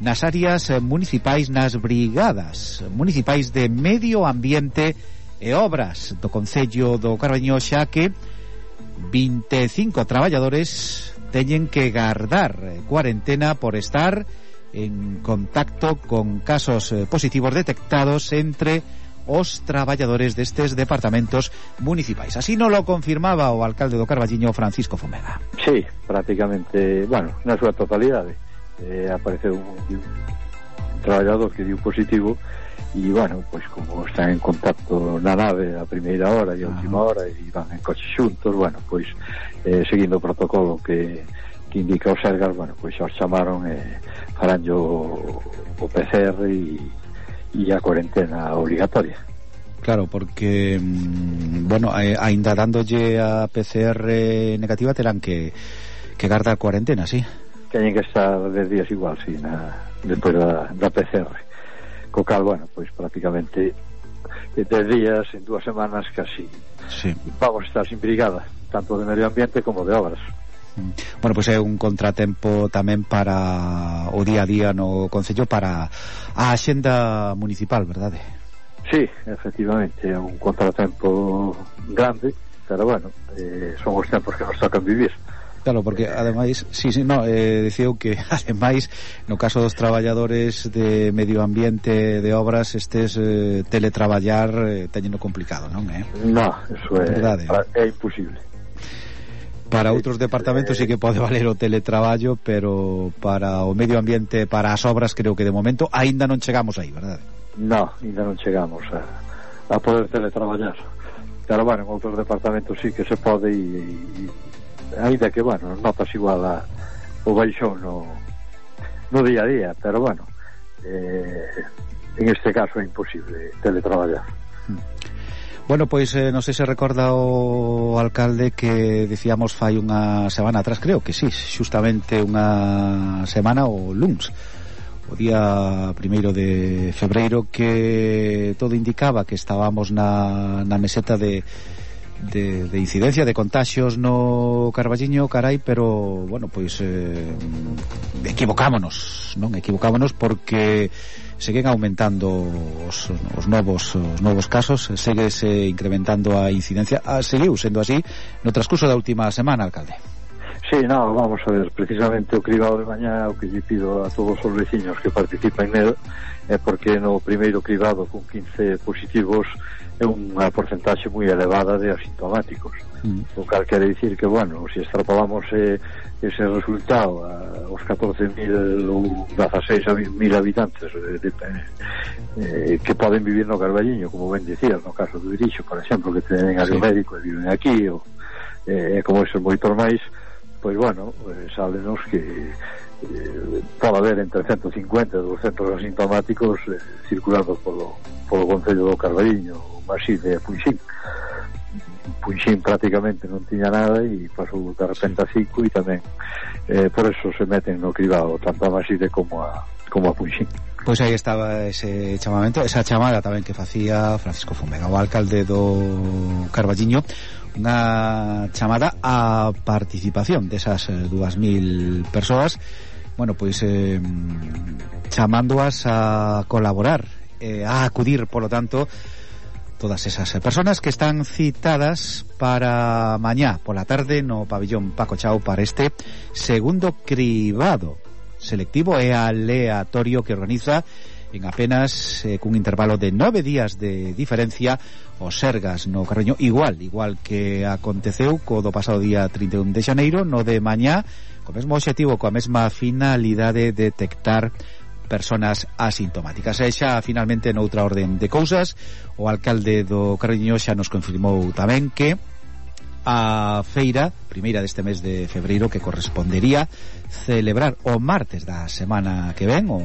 nas áreas municipais, nas brigadas municipais de medio ambiente e obras do Concello do Carballiño, xa que vinte e cinco traballadores teñen que guardar cuarentena por estar en contacto con casos positivos detectados entre os traballadores destes departamentos municipais. Así non lo confirmaba o alcalde do Carballiño, Francisco Fomega. Sí, prácticamente, bueno, na súa totalidade. Eh, apareceu un, un traballador que dio positivo e, bueno, pois como están en contacto na nave a primeira hora e a última hora e van en coche xuntos, bueno, pois eh, seguindo o protocolo que que indica o Sergas, bueno, pois os chamaron e eh, farán o, o P C R e, e a cuarentena obligatoria. Claro, porque mmm, bueno, eh, ainda dándolle a P C R negativa terán que que guardar cuarentena, sí. Teñen que estar dez días igual, sí, na, despois da, da P C R. Co cal, bueno, pois prácticamente dez días en dúas semanas casi sí. Vamos a estar sin brigada, tanto de medio ambiente como de obras. Bueno, pois é un contratempo tamén para o día a día no Concello, para a axenda municipal, verdade? Sí, efectivamente, é un contratempo grande, pero bueno, eh, son os tempos que nos tocan vivir. Claro, porque ademais, sí, sí, no, eh, dicía que ademais no caso dos traballadores de medio ambiente de obras estes eh, teletraballar eh, teñeno complicado, non é? Eh? No, eso é, é imposible. Para outros departamentos sí que pode valer o teletraballo, pero para o medio ambiente, para as obras, creo que de momento aínda non chegamos aí, verdade? No, aínda non chegamos a, a poder teletraballar. Pero, bueno, en outros departamentos sí que se pode e, e aínda que, bueno, notas igual a, o baixón no, no día a día, pero, bueno, eh, en este caso é imposible teletraballar. Hmm. Bueno, pois eh, non sei se recorda o alcalde que decíamos fai unha semana atrás, creo que sí, xustamente unha semana o luns, o día primeiro de febreiro, que todo indicaba que estábamos na, na meseta de, de, de incidencia de contaxios no Carballiño, carai, pero, bueno, pois eh, equivocámonos, non? Equivocámonos porque seguen aumentando os, os novos os novos casos, segue se incrementando a incidencia. Ah, seguiu sendo así no transcurso da última semana, alcalde. Sí, no, vamos a ver, precisamente o cribado de mañá, o que lle pido a todos os veciños que participan nel é porque no primeiro cribado con quince positivos é unha porcentaxe moi elevada de asintomáticos, mm. o cal quere dicir que, bueno, se extrapolamos eh, ese resultado a, aos catorce mil ou dezaseis mil habitantes eh, de, eh, que poden vivir no Carballiño, como ben dicías, no caso do Irixo, por exemplo, que ten área sí. médico e viven aquí, ou eh, como esos moitos máis, pois, bueno, eh, sábenos que eh, pode haber entre ciento cincuenta e doscientos asintomáticos eh, circulando polo, polo Concello do Carballiño, así de Punxín. Punxín prácticamente non tiña nada e pasou de repente a cinco e tamén eh, por eso se meten no cribado tanto a Maside como a, como a Punxín. Pois aí estaba ese chamamento, esa chamada tamén que facía Francisco Fomega, o alcalde do Carballiño, unha chamada a participación desas dúas mil persoas, bueno, pois eh, chamándoas a colaborar, eh, a acudir, polo tanto, todas esas personas que están citadas para mañá pola tarde no pabillón Paco Chao para este segundo cribado selectivo e aleatorio que organiza en apenas eh, cun intervalo de nove días de diferencia o Sergas no Carballiño, igual, igual que aconteceu co do pasado día trinta e un de xaneiro, no de mañá, co mesmo obxectivo, coa mesma finalidade de detectar personas asintomáticas. E xa, finalmente, noutra orden de cousas, o alcalde do Carballiño xa nos confirmou tamén que a feira primeira deste mes de febreiro, que correspondería celebrar o martes da semana que ven, o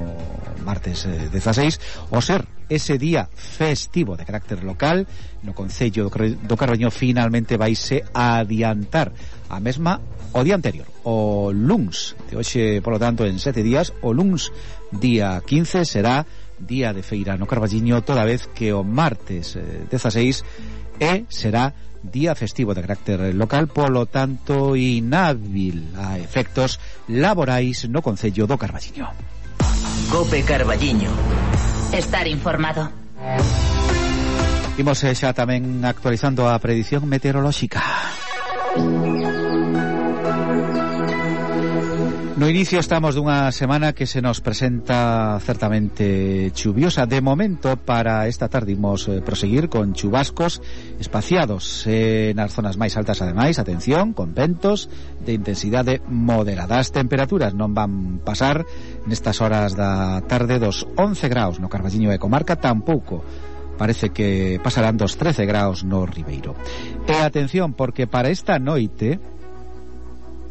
martes eh, dezaseis, o ser ese día festivo de carácter local no Concello do Carballiño. Finalmente vaise adiantar a mesma o día anterior, o luns de hoxe, polo tanto, en sete días. O luns día quince será día de feira no Carballiño, toda vez que o martes eh, dezaseis e será día festivo de carácter local, polo tanto inhábil a efectos laborais no Concello do Carballiño. Cope Carballiño. Estar informado. Imos eh, xa tamén actualizando a predición meteorolóxica. No inicio estamos dunha semana que se nos presenta certamente chuviosa. De momento, para esta tarde imos eh, proseguir con chubascos espaciados eh, nas zonas máis altas. Ademais, atención, con ventos de intensidade moderada. As temperaturas non van pasar nestas horas da tarde dos once graus no Carballiño e comarca, tampouco parece que pasarán dos trece graus no Ribeiro. E atención, porque para esta noite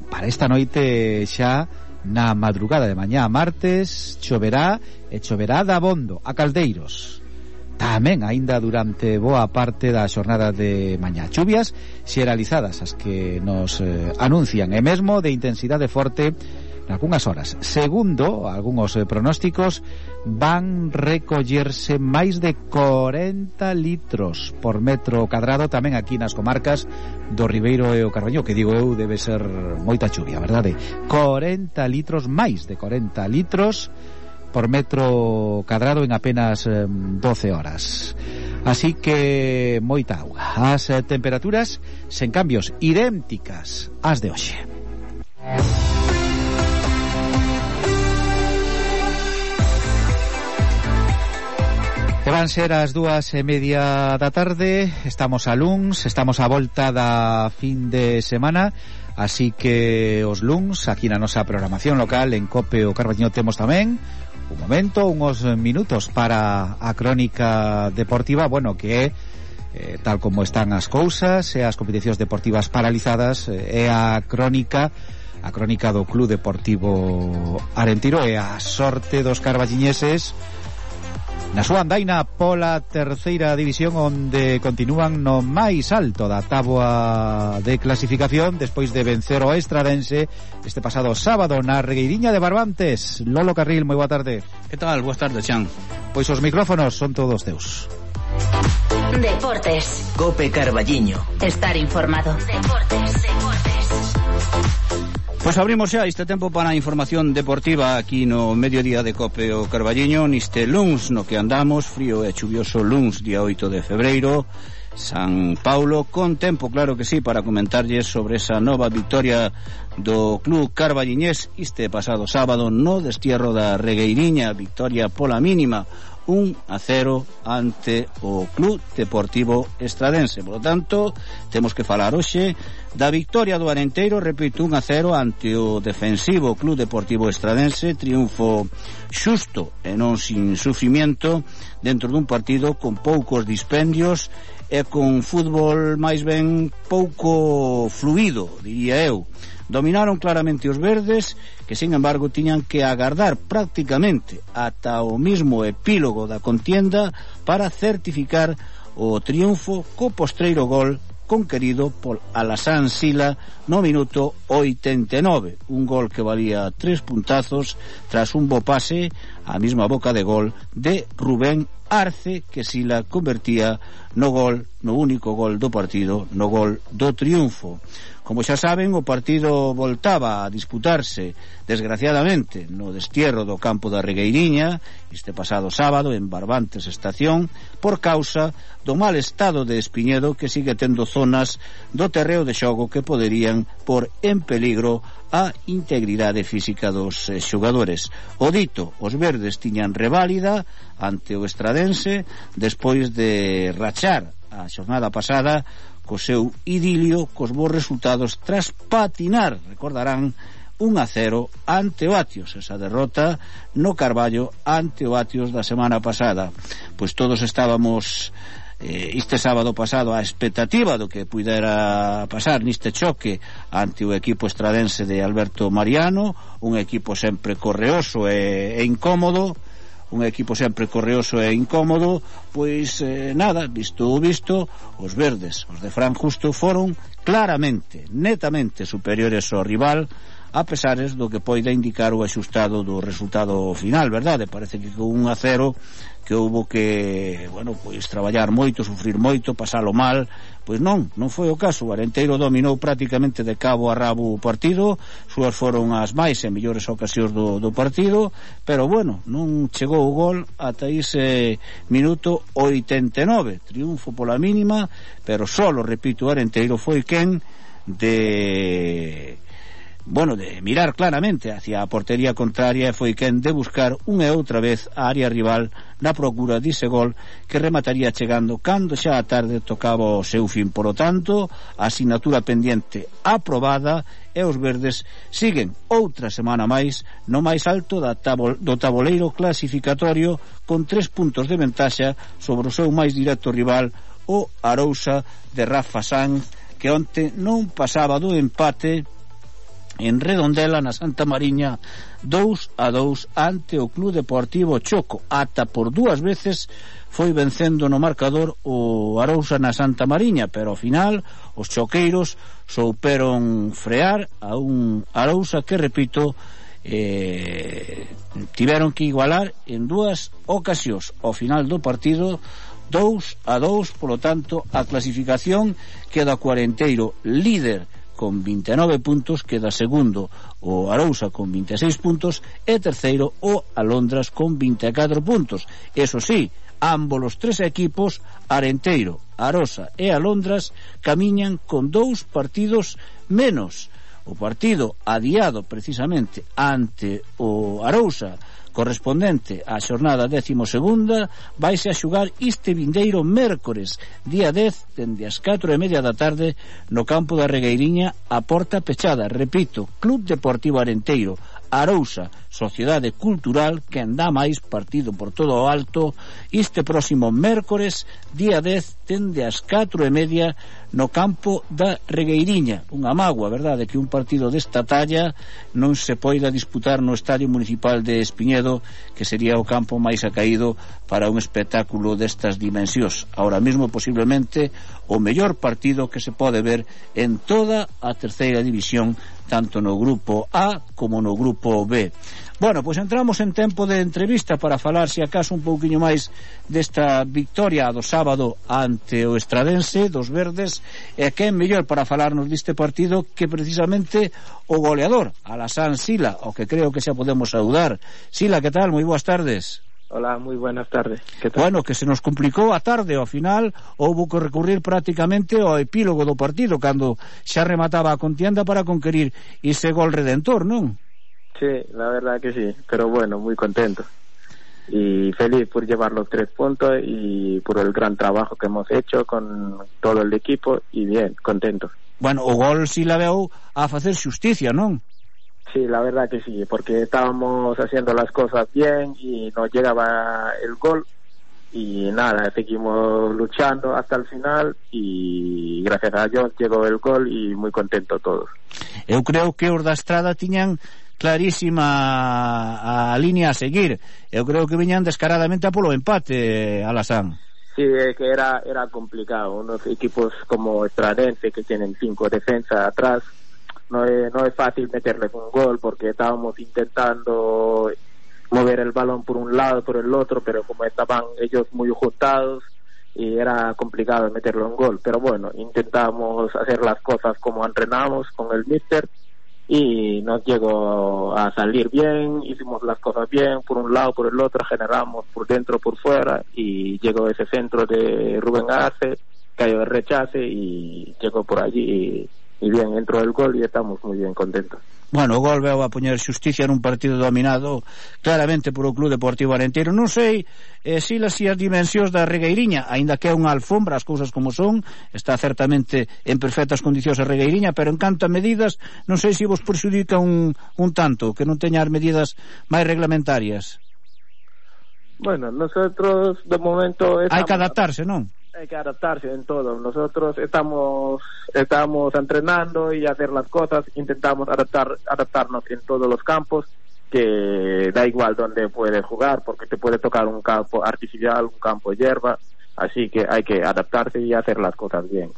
para esta noite xa na madrugada de mañá martes choverá, e choverá dabondo a Caldeiros. Tamén aínda durante boa parte da xornada de mañá. Chuvias xeralizadas as que nos eh, anuncian, e mesmo de intensidade forte nalgúnas horas. Segundo algúns eh, pronósticos, van recollerse máis de corenta litros por metro cadrado tamén aquí nas comarcas do Ribeiro e o Carballiño, que digo eu debe ser moita chuvia, verdade? corenta litros, máis de corenta litros por metro cadrado en apenas eh, doce horas. Así que moita auga. As eh, temperaturas sen cambios, idénticas ás de hoxe. E van ser as dúas e media da tarde. Estamos a luns, estamos a volta da fin de semana, así que os luns aquí na nosa programación local en Cope o Carballiño temos tamén un momento, uns minutos para a crónica deportiva, bueno, que é eh, tal como están as cousas e as competicións deportivas paralizadas, é a crónica a crónica do Club Deportivo Arentiro e a sorte dos carballiñeses na súa andaina pola terceira división, onde continúan no máis alto da táboa de clasificación despois de vencer o Estradense este pasado sábado na Regueiriña de Barbantes. Lolo Carril, moi boa tarde. Que tal? Boas tardes, Xan. Pois os micrófonos son todos teus. Deportes. Cope Carballiño. Estar informado. Deportes, deportes. Pois abrimos xa este tempo para a información deportiva aquí no mediodía de Cope o Carballiño, neste luns no que andamos, frío e chuvioso luns, día oito de febreiro, San Paulo, con tempo, claro que sí, para comentarlles sobre esa nova victoria do Club Carballiñés este pasado sábado no destierro da Regueiriña, victoria pola mínima, un a cero ante o Club Deportivo Estradense. Por lo tanto, temos que falar hoxe da victoria do Arenteiro, repito, un a cero ante o defensivo Club Deportivo Estradense, triunfo xusto e non sin sufrimiento dentro dun partido con poucos dispendios e con fútbol máis ben pouco fluido, diría eu. Dominaron claramente os verdes, que sin embargo tiñan que agardar prácticamente ata o mismo epílogo da contienda para certificar o triunfo co postreiro gol conquerido por Alasán Sila no minuto oitenta e nove, un gol que valía tres puntazos tras un bo pase á mesma boca de gol de Rubén Arce, que Sila convertía no gol, no único gol do partido, no gol do triunfo. Como xa saben, o partido voltaba a disputarse, desgraciadamente, no destierro do campo da Regueiriña este pasado sábado en Barbantes Estación, por causa do mal estado de Espiñedo, que sigue tendo zonas do terreo de xogo que poderían por en peligro a integridade física dos eh, xogadores. O dito, os verdes tiñan reválida ante o Estradense despois de rachar a xornada pasada co seu idilio, cos bons resultados tras patinar, recordarán, un a cero ante o Atios, esa derrota no Carballo ante o Atios da semana pasada. Pois todos estábamos eh, este sábado pasado a expectativa do que pudera pasar neste choque ante o equipo estradense de Alberto Mariano, un equipo sempre correoso e, e incómodo, un equipo sempre correoso e incómodo, pois eh, nada, visto o visto, os verdes, os de Fran Justo, foron claramente, netamente superiores ao rival, a pesares do que poida indicar o axustado do resultado final, verdade? Parece que con un a cero que houbo que, bueno, pois traballar moito, sufrir moito, pasalo mal, pois non, non foi o caso. O Arenteiro dominou prácticamente de cabo a rabo o partido, súas foron as máis e mellores ocasións do, do partido, pero bueno, non chegou o gol ata ese minuto oitenta e nove, triunfo pola mínima, pero solo, repito, o Arenteiro foi quen de... bueno, de mirar claramente hacia a portería contraria, e foi quen de buscar unha e outra vez a área rival na procura dise gol que remataría chegando cando xa a tarde tocaba o seu fin. Por lo tanto, a asignatura pendiente aprobada, e os verdes siguen outra semana máis no máis alto da tabol, do taboleiro clasificatorio, con tres puntos de ventaxa sobre o seu máis directo rival, o Arousa de Rafa Sanz, que onte non pasaba do empate en Redondela, na Santa Mariña, dous a dous ante o Club Deportivo Choco. Ata por dúas veces foi vencendo no marcador o Arousa na Santa Mariña, pero ao final os choqueiros souperon frear a un Arousa que, repito, eh, tiveron que igualar en dúas ocasións. Ao final do partido, dous a dous, polo tanto, a clasificación queda o Arenteiro líder con vinte e nove puntos, queda segundo o Arousa con vinte e seis puntos e terceiro o Alondras con vinte e catro puntos. Eso sí, ambos os tres equipos, Arenteiro, Arosa e Alondras, camiñan con dous partidos menos. O partido adiado precisamente ante o Arousa, correspondente á xornada décimo segunda, vaise a xugar este vindeiro mércores, día dez, dende as catro e media da tarde, no campo da Regueiriña, a porta pechada. Repito, Club Deportivo Arenteiro, Arousa, Sociedade Cultural, que anda máis, partido por todo o alto, este próximo mércores, día dez, dende as catro e media, no campo da Regueiriña. Unha mágoa, verdade, que un partido desta talla non se poida disputar no Estadio Municipal de Espiñedo, que sería o campo máis acaído para un espectáculo destas dimensións. Ahora mesmo, posiblemente, o mellor partido que se pode ver en toda a terceira división, tanto no grupo A como no grupo B. Bueno, pois entramos en tempo de entrevista para falar, se acaso, un pouquiño máis desta victoria do sábado ante o Estradense dos verdes, e que é mellor para falarnos deste partido que precisamente o goleador, Alasán Sila, o que creo que xa podemos saudar. Sila, que tal? Moi boas tardes. Hola, moi buenas tardes. ¿Qué tal? Bueno, que se nos complicou a tarde, ao final houbo que recurrir prácticamente ao epílogo do partido, cando xa remataba a contienda para conquerir ese gol redentor, non? Sí, la verdad que sí, pero bueno, muy contento y feliz por llevar los tres puntos y por el gran trabajo que hemos hecho con todo el equipo, y bien, contento. Bueno, o gol si la veo a facer xusticia, non? Sí, la verdad que sí, porque estábamos haciendo las cosas bien y nos llegaba el gol y nada, seguimos luchando hasta el final y gracias a Dios llegó el gol y muy contento todos. Eu creo que os da Estrada tiñan clarísima a línea a seguir. Eu creo que viñan descaradamente a polo empate, Alasán. Sí, es que era era complicado. Unos equipos como Estradense, que tienen cinco defensas atrás, no es, no es fácil meterles un gol, porque estábamos intentando mover el balón por un lado, por el otro, pero como estaban ellos muy juntados, y era complicado meterle un gol. Pero bueno, intentamos hacer las cosas como entrenamos con el míster, y nos llegó a salir bien, hicimos las cosas bien, por un lado, por el otro, generamos por dentro, por fuera, y llegó ese centro de Rubén Arce, cayó el rechace y llegó por allí, y, y bien, entró el gol y estamos muy bien contentos. Bueno, o gol veo a poñer xusticia nun partido dominado claramente por o Club Deportivo Arenteiro. Non sei eh, si las as dimensións da Regueiriña, aínda que é unha alfombra, as cousas como son, está certamente en perfectas condicións a Regueiriña, pero en canto a medidas, non sei se vos perxudica un, un tanto que non teña as medidas máis reglamentarias. Bueno, nosotros de momento... Hai que adaptarse, non? Hay que adaptarse en todo. Nosotros estamos estamos entrenando y hacer las cosas, intentamos adaptar adaptarnos en todos los campos, que da igual donde puedes jugar, porque te puede tocar un campo artificial, un campo de hierba, así que hay que adaptarse y hacer las cosas bien.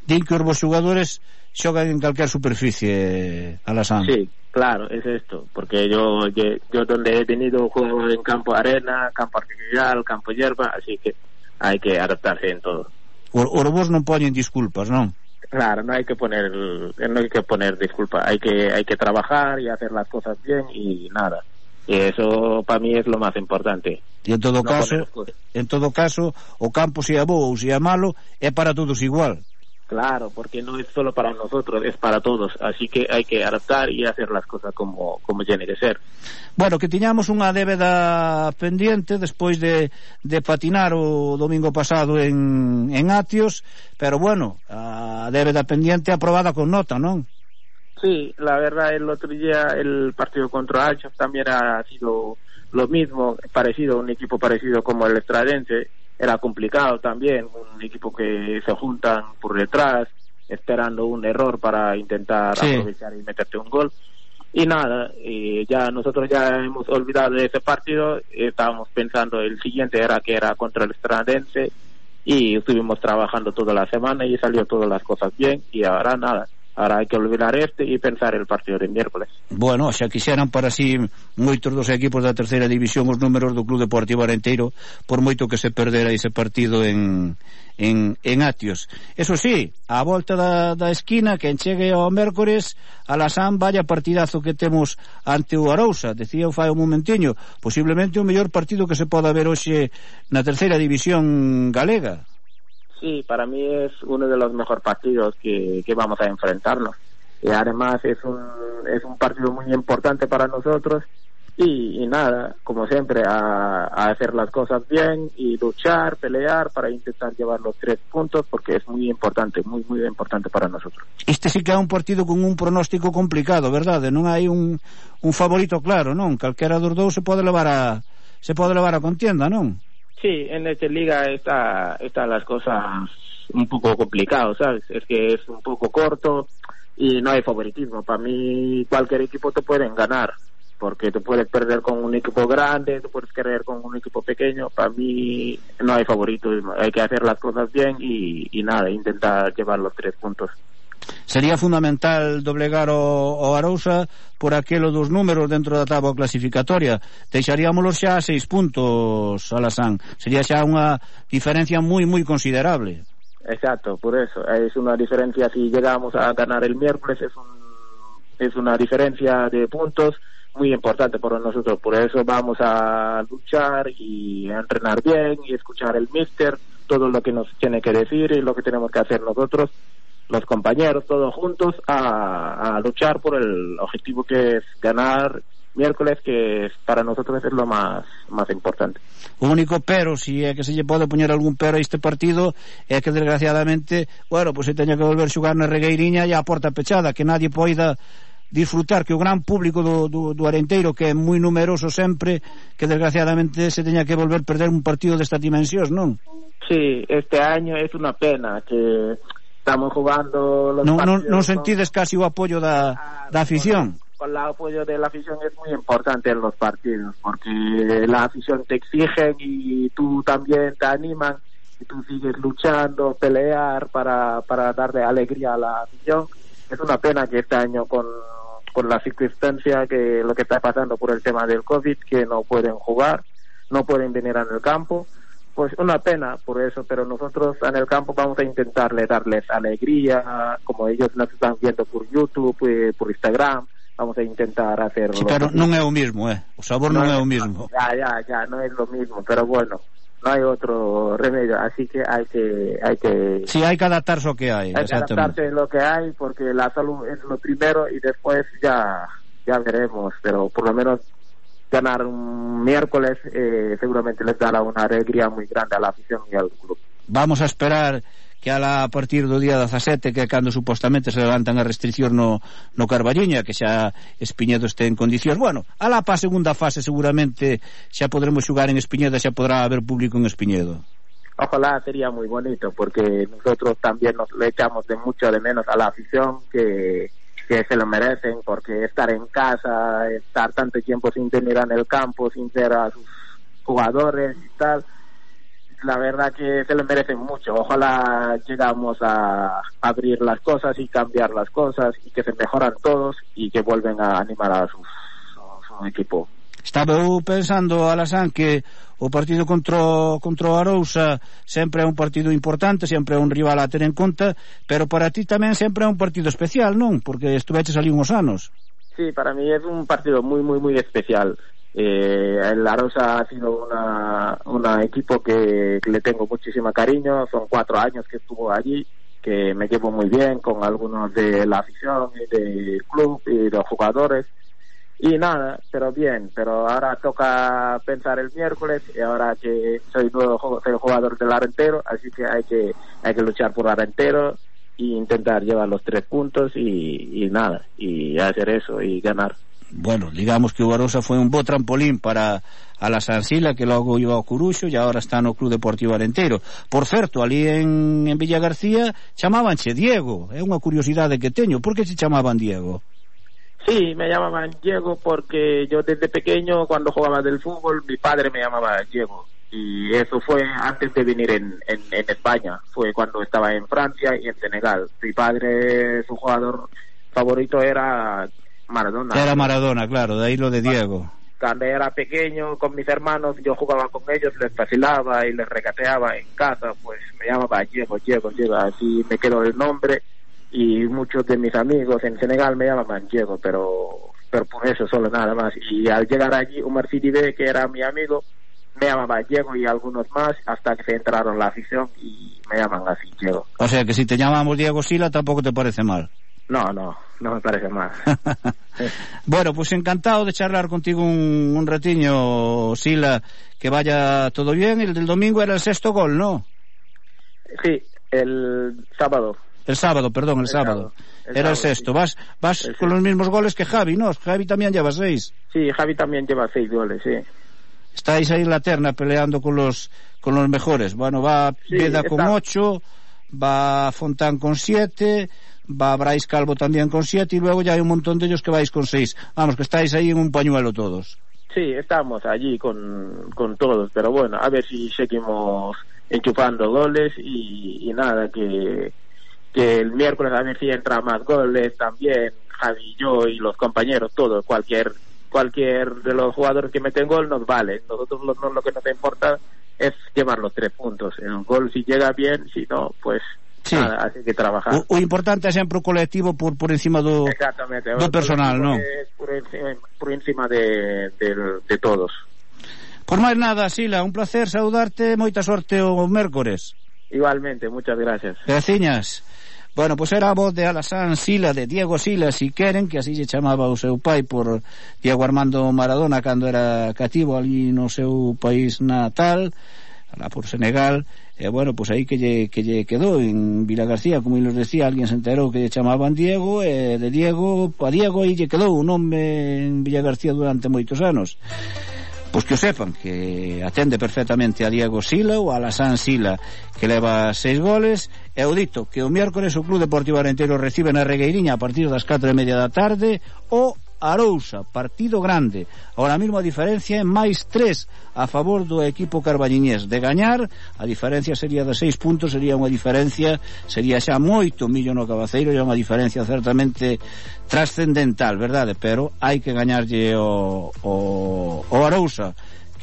Din que os jugadores xogan en calquer superficie, Alasán. Sí, claro, es esto, porque yo, yo yo donde he tenido juego en campo arena, campo artificial, campo hierba, así que hay que adaptarse en todo. Os vos non poñen disculpas, non? Claro, no hay que poner no hay que poner disculpas, hay que hay que trabajar y hacer las cosas bien y nada. Y eso para mí es lo más importante. Y en todo no caso, en todo caso, o campo sea bo ou sea malo, é para todos igual. Claro, porque no es solo para nosotros, es para todos, así que hay que adaptar y hacer las cosas como, como tiene que ser. Bueno, que tiñamos unha débeda pendiente despois de, de patinar o domingo pasado en, en Atios, pero bueno, a débeda pendiente aprobada con nota, non? Sí, la verdad el otro día el partido contra Alchos también ha sido lo mismo, parecido, un equipo parecido como el Estradense. Era complicado también, un equipo que se juntan por detrás esperando un error para intentar sí. aprovechar y meterte un gol y nada, eh, ya nosotros ya hemos olvidado de ese partido, estábamos pensando el siguiente era que era contra el Estradense y estuvimos trabajando toda la semana y salió todas las cosas bien y ahora nada, ahora hai que olvidar este e pensar el partido de miércoles. Bueno, xa quixeran para así moitos dos equipos da terceira división os números do Club Deportivo Arenteiro por moito que se perdera ese partido en en, en Atios. Eso sí, a volta da, da esquina que enchegue ao mércores Alasán, vaya partidazo que temos ante o Arousa. Decía o fai un momentiño, posiblemente o mellor partido que se poda ver hoxe na terceira división galega. Sí, para mí es uno de los mejores partidos que, que vamos a enfrentarnos. Y además es un, es un partido muy importante para nosotros. Y, y nada, como siempre, a, a hacer las cosas bien y luchar, pelear para intentar llevar los tres puntos, porque es muy importante, muy, muy importante para nosotros. Este sí que é un partido con un pronóstico complicado, verdade? Non hai un, un favorito claro, non? Calquera dos dous se pode levar a, se pode levar a contienda, non? Sí, en esta liga está, están las cosas un poco complicadas, ¿sabes? Es que es un poco corto y no hay favoritismo. Para mí cualquier equipo te pueden ganar, porque te puedes perder con un equipo grande, te puedes perder con un equipo pequeño. Para mí no hay favoritismo, hay que hacer las cosas bien y, y nada, intentar llevar los tres puntos. Sería fundamental doblegar o, o Arousa por aquelo dos números dentro da táboa clasificatoria. Deixaríamolos xa a seis puntos, Alasán. Sería xa unha diferencia moi, moi considerable. Exacto, por eso. Es una diferencia, si llegamos a ganar el miércoles, es, un, es una diferencia de puntos muy importante para nosotros. Por eso vamos a luchar y a entrenar bien y escuchar el míster, todo lo que nos tiene que decir y lo que tenemos que hacer nosotros, los compañeros, todos juntos, a, a luchar por el objetivo que es ganar miércoles, que para nosotros es lo más más importante. O único pero, si é que se lle pode poñer algún pero a este partido, é que desgraciadamente, bueno, pues se teña que volver xogar na Regueiriña e a porta pechada, que nadie poida disfrutar, que o gran público do, do, do Arenteiro, que é moi numeroso sempre, que desgraciadamente se teña que volver perder un partido destas dimensións, non? Sí, este año es una pena que estamos jugando los non, partidos. Non, non sentides casi o apoio da, da afición? Con el apoyo de la afición es muy importante en los partidos, porque la afición te exige y tú también te animan y tú sigues luchando, pelear para, para darle alegría a la afición. Es una pena que este año con, con la circunstancia que lo que está pasando por el tema del COVID, que no pueden jugar, no pueden venir en el campo. Pues una pena por eso, pero nosotros en el campo vamos a intentarle darles alegría, como ellos nos están viendo por YouTube, eh, por Instagram, vamos a intentar hacerlo. Sí, pero non é o mismo, eh. O sabor non, non é o mismo. Ya, ya, ya, no es lo mismo, pero bueno, no hay otro remedio, así que hay que hay que sí, hay que adaptarse a lo que hay. Hay que adaptarse a lo que hay, porque la salud es lo primero y después ya ya veremos, pero por lo menos ganar un miércoles eh, seguramente les dará una alegría muy grande a la afición y al club. Vamos a esperar que a partir do día dezasete, que é cando supostamente se levantan as restriccións no, no Carballiño, que xa Espiñedo este en condicións. Bueno, alá pa segunda fase seguramente xa podremos xugar en Espiñedo, xa podrá haber público en Espiñedo. ojalá sería muy bonito, porque nosotros también nos le echamos de mucho de menos a la afición, que, que se lo merecen, porque estar en casa, estar tanto tiempo sin tener en el campo, sin ver a sus jugadores y tal, la verdad que se lo merecen mucho. Ojalá llegamos a abrir las cosas y cambiar las cosas, y que se mejoran todos y que vuelven a animar a su, a su equipo. Estaba eu pensando, Alasán, que o partido contra, contra o Arousa sempre é un partido importante, sempre é un rival a ter en conta, pero para ti tamén sempre é un partido especial, non? Porque estuveches ali uns anos. Sí, para mí es un partido muy, muy, muy especial. Eh, el Arousa ha sido una, una equipo que, que le tengo muchísimo cariño. Son cuatro años que estuvo allí, que me llevo muy bien con algunos de la afición y del club y los jugadores. Y nada, pero bien, pero ahora toca pensar el miércoles, y ahora que soy nuevo soy jugador del Arentero, así que hay que hay que luchar por Arentero e intentar llevar los tres puntos y, y nada, y hacer eso y ganar. Bueno, digamos que o Arousa foi un bo trampolín para a la Sansila, que logo iba ao Coruxo e agora está no Club Deportivo Arentero. Por certo, ali en, en Villa García chamábanche Diego, é unha curiosidade que teño. Por que se chamaban Diego? Sí, me llamaban Diego porque yo desde pequeño, cuando jugaba del fútbol, mi padre me llamaba Diego. Y eso fue antes de venir en, en, en España. Fue cuando estaba en Francia y en Senegal. Mi padre, su jugador favorito era Maradona. Era Maradona, claro, de ahí lo de Diego. Cuando era pequeño, con mis hermanos, yo jugaba con ellos, les vacilaba y les regateaba en casa, pues me llamaba Diego, Diego, Diego. Así me quedó el nombre. Y muchos de mis amigos en Senegal me llamaban Diego, pero pero por eso solo, nada más. Y al llegar allí, Omar Sidibé, que era mi amigo, me llamaba Diego, y algunos más, hasta que se entraron la afición y me llaman así, Diego. O sea que si te llamamos Diego Sila tampoco te parece mal. No, no, no me parece mal. Bueno, pues encantado de charlar contigo un, un ratiño, Sila, que vaya todo bien. El del domingo era el sexto gol, ¿no? Sí, el sábado. El sábado, perdón, el, el sábado. sábado. El Era sábado, el sexto. Sí. Vas vas sí, con sí. los mismos goles que Javi, ¿no? Javi también lleva seis. Sí, Javi también lleva seis goles, sí. Estáis ahí en la terna peleando con los con los mejores. Bueno, va sí, Veda está. con ocho, va Fontán con siete, va Brais Calvo también con siete, y luego ya hay un montón de ellos que vais con seis. Vamos, que estáis ahí en un pañuelo todos. Sí, estamos allí con, con todos, pero bueno, a ver si seguimos enchufando goles y, y nada, que... que el miércoles a ver si entra más goles también, Javi, yo y los compañeros, todos, cualquier cualquier de los jugadores que meten gol nos vale. Nosotros lo, no, lo que nos importa es llevar los tres puntos. El gol si llega bien, si no, pues sí. Nada, así que trabajar. O, o importante é sempre o colectivo por, por encima do, do personal, non? Por encima, por encima de, de, de todos. Por máis nada, Sila, un placer saudarte, moita sorte o mércores. Igualmente, muchas gracias. Graciñas. Bueno, pois pues era a voz de Alasán Sila, de Diego Sila, si queren, que así se chamaba o seu pai por Diego Armando Maradona cando era cativo ali no seu país natal, alá por Senegal. E bueno, pois pues aí que lle, que lle quedou en Vila García, como nos decía, alguén se enterou que lle chamaban Diego, e de Diego a Diego aí lle quedou un nome en Villa García durante moitos anos. Pois que o sepan, que atende perfectamente a Diego Sila ou a Alasán Sila, que leva seis goles. E o dito que o miércoles o Club Deportivo Arentero recibe na Regueiriña a partir das catro e media da tarde o Arousa, partido grande. Ahora mismo a diferencia é máis tres a favor do equipo carballiñés. De gañar, a diferencia sería de seis puntos, sería unha diferencia, sería xa moito millo no Cabaceiro, e unha diferencia certamente trascendental, verdade? Pero hai que gañarlle o, o, o Arousa,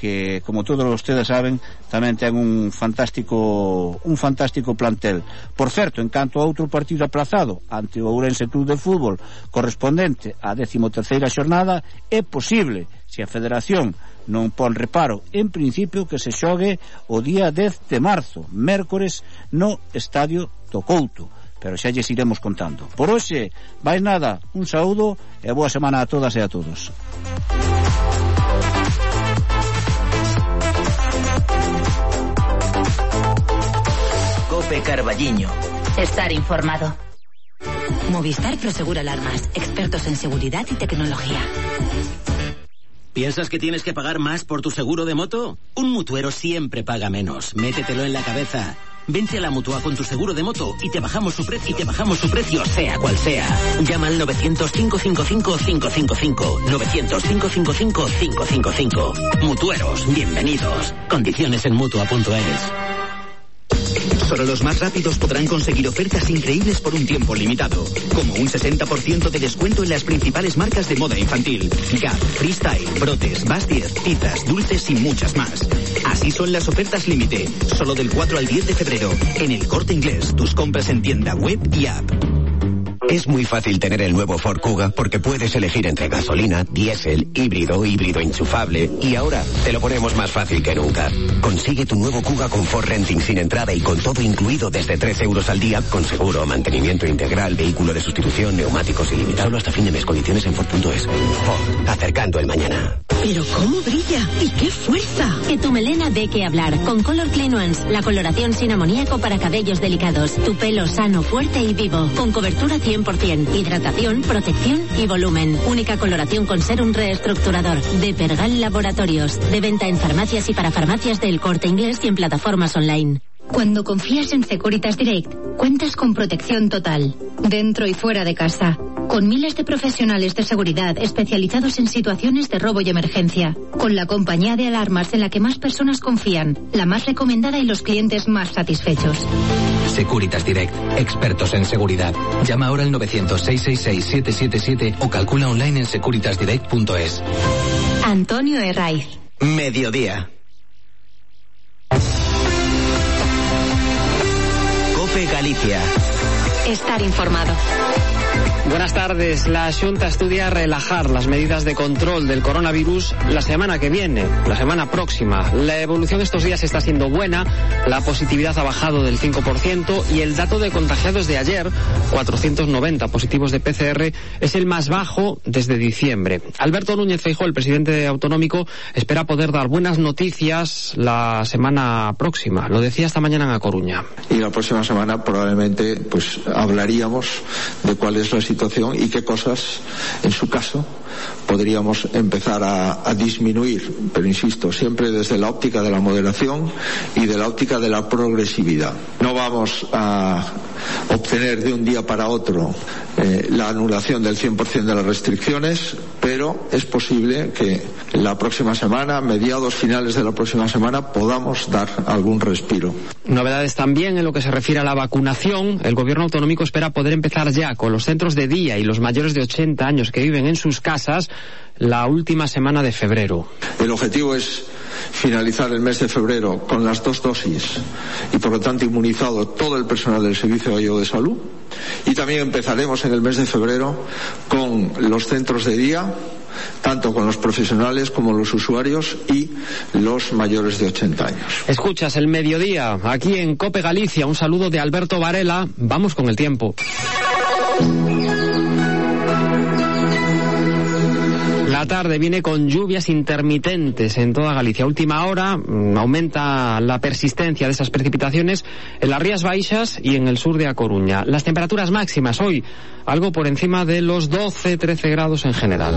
que, como todos ustedes saben, tamén ten un fantástico un fantástico plantel. Por certo, en canto a outro partido aplazado ante o Ourense Club de Fútbol correspondente á décimo terceira xornada, é posible, se a Federación non pon reparo, en principio que se xogue o día dez de marzo, mércores, no Estadio do Couto, pero xa lles iremos contando. Por hoxe, máis nada, un saúdo e boa semana a todas e a todos. Cope Carballiño. Estar informado. Movistar Prosegura Alarmas, expertos en seguridad y tecnología. ¿Piensas que tienes que pagar más por tu seguro de moto? Un mutuero siempre paga menos. Métetelo en la cabeza. Vente a la Mutua con tu seguro de moto y te bajamos su precio, y te bajamos su precio sea cual sea. Llama al novecientos, cinco cinco cinco, cinco cinco cinco. novecientos, cinco cinco cinco, cinco cinco cinco. Mutueros, bienvenidos. Condiciones en mutua punto es. Solo los más rápidos podrán conseguir ofertas increíbles por un tiempo limitado, como un sesenta por ciento de descuento en las principales marcas de moda infantil: Gap, Freestyle, Brotes, Bastier, Tizas, Dulces y muchas más. Así son las ofertas límite, solo del cuatro al diez de febrero, en El Corte Inglés, tus compras en tienda web y app. Es muy fácil tener el nuevo Ford Kuga porque puedes elegir entre gasolina, diésel, híbrido, híbrido enchufable, y ahora te lo ponemos más fácil que nunca. Consigue tu nuevo Kuga con Ford Renting sin entrada y con todo incluido desde trece euros al día, con seguro, mantenimiento integral, vehículo de sustitución, neumáticos ilimitados hasta fin de mes. Condiciones en Ford punto es. Ford, acercando el mañana. Pero cómo brilla y qué fuerza. Que tu melena dé que hablar con Color Clean Ones, la coloración sin amoníaco para cabellos delicados. Tu pelo sano, fuerte y vivo, con cobertura cien por ciento, hidratación, protección y volumen. Única coloración con serum reestructurador de Pergal Laboratorios. De venta en farmacias y para farmacias del Corte Inglés y en plataformas online. Cuando confías en Securitas Direct, cuentas con protección total, dentro y fuera de casa, con miles de profesionales de seguridad especializados en situaciones de robo y emergencia, con la compañía de alarmas en la que más personas confían, la más recomendada y los clientes más satisfechos. Securitas Direct, expertos en seguridad. Llama ahora al novecientos, seiscientos sesenta y seis, siete siete siete o calcula online en securitas direct punto es. Antonio Herraiz. Mediodía. COPE Galicia. Estar informado. Buenas tardes. La Xunta estudia relajar las medidas de control del coronavirus la semana que viene, la semana próxima. La evolución estos días está siendo buena, la positividad ha bajado del cinco por ciento y el dato de contagiados de ayer, cuatrocientos noventa positivos de P C R, es el más bajo desde diciembre. Alberto Núñez Feijóo, el presidente autonómico, espera poder dar buenas noticias la semana próxima. Lo decía esta mañana en A Coruña. Y la próxima semana probablemente pues hablaríamos de cuál es la situación y qué cosas, en su caso, podríamos empezar a, a disminuir, pero insisto, siempre desde la óptica de la moderación y de la óptica de la progresividad. No vamos a obtener de un día para otro eh, la anulación del cien por ciento de las restricciones, pero es posible que la próxima semana, mediados finales de la próxima semana, podamos dar algún respiro. Novedades también en lo que se refiere a la vacunación. El gobierno autonómico espera poder empezar ya con los centros de día y los mayores de ochenta años que viven en sus casas la última semana de febrero. El objetivo es finalizar el mes de febrero con las dos dosis y por lo tanto inmunizado todo el personal del Servicio Gallego de Salud, y también empezaremos en el mes de febrero con los centros de día, tanto con los profesionales como los usuarios y los mayores de ochenta años. Escuchas el mediodía aquí en COPE Galicia. Un saludo de Alberto Varela. Vamos con el tiempo. La tarde viene con lluvias intermitentes en toda Galicia. A última hora mmm, aumenta la persistencia de esas precipitaciones en las Rías Baixas y en el sur de A Coruña. Las temperaturas máximas hoy algo por encima de los doce trece grados en general.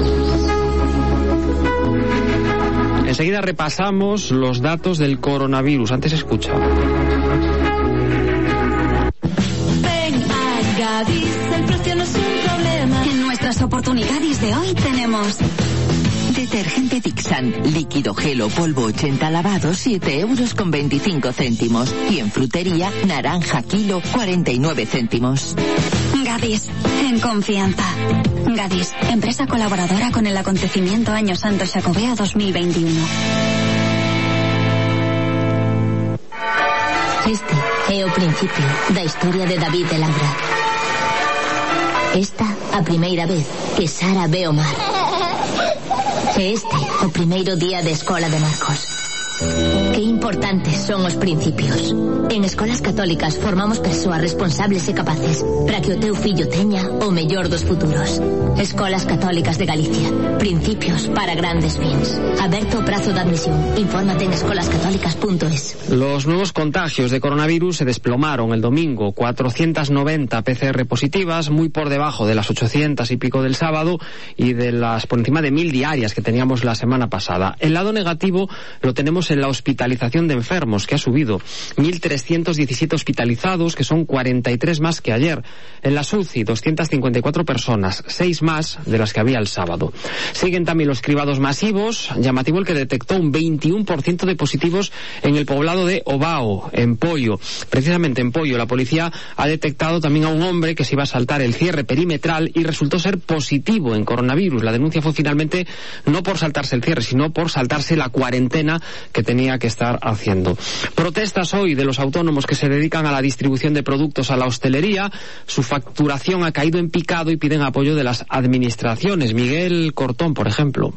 Enseguida repasamos los datos del coronavirus. Antes escucha. Ven a Gadis, el precio no es un problema. En nuestras oportunidades de hoy tenemos detergente Dixan, líquido, gelo, polvo ochenta lavados, siete euros con veinticinco céntimos. Y en frutería, naranja kilo, cuarenta y nueve céntimos. Gadis, en confianza. Gadis, empresa colaboradora con el acontecimiento Año Santo Xacobeo dos mil veintiuno. Este é o principio da historia de David de Laura. Esta a primeira vez que Sara ve o mar. E este o primeiro día de escola de Marcos. Que importantes son os principios. En escolas católicas formamos persoas responsables e capaces para que o teu fillo teña o mellor dos futuros. Escolas Católicas de Galicia. Principios para grandes fins. Aberto o prazo de admisión. Infórmate en escolas católicas punto es. Los nuevos contagios de coronavirus se desplomaron el domingo. cuatrocientas noventa P C R positivas, muy por debajo de las ochocientas y pico del sábado y de las por encima de mil diarias que teníamos la semana pasada. El lado negativo lo tenemos en la hospitalización de enfermos, que ha subido. mil trescientos diecisiete hospitalizados, que son cuarenta y tres más que ayer. En las U C I, doscientas cincuenta y cuatro personas, seis más de las que había el sábado. Siguen también los cribados masivos. Llamativo el que detectó un veintiuno por ciento de positivos en el poblado de Ovao, en Poio. Precisamente en Poio, la policía ha detectado también a un hombre que se iba a saltar el cierre perimetral y resultó ser positivo en coronavirus. La denuncia fue finalmente no por saltarse el cierre, sino por saltarse la cuarentena que tenía que estar haciendo. Protestas hoy de los autónomos que se dedican a la distribución de productos a la hostelería. Su facturación ha caído en picado y piden apoyo de las administraciones. Miguel Cortón, por ejemplo.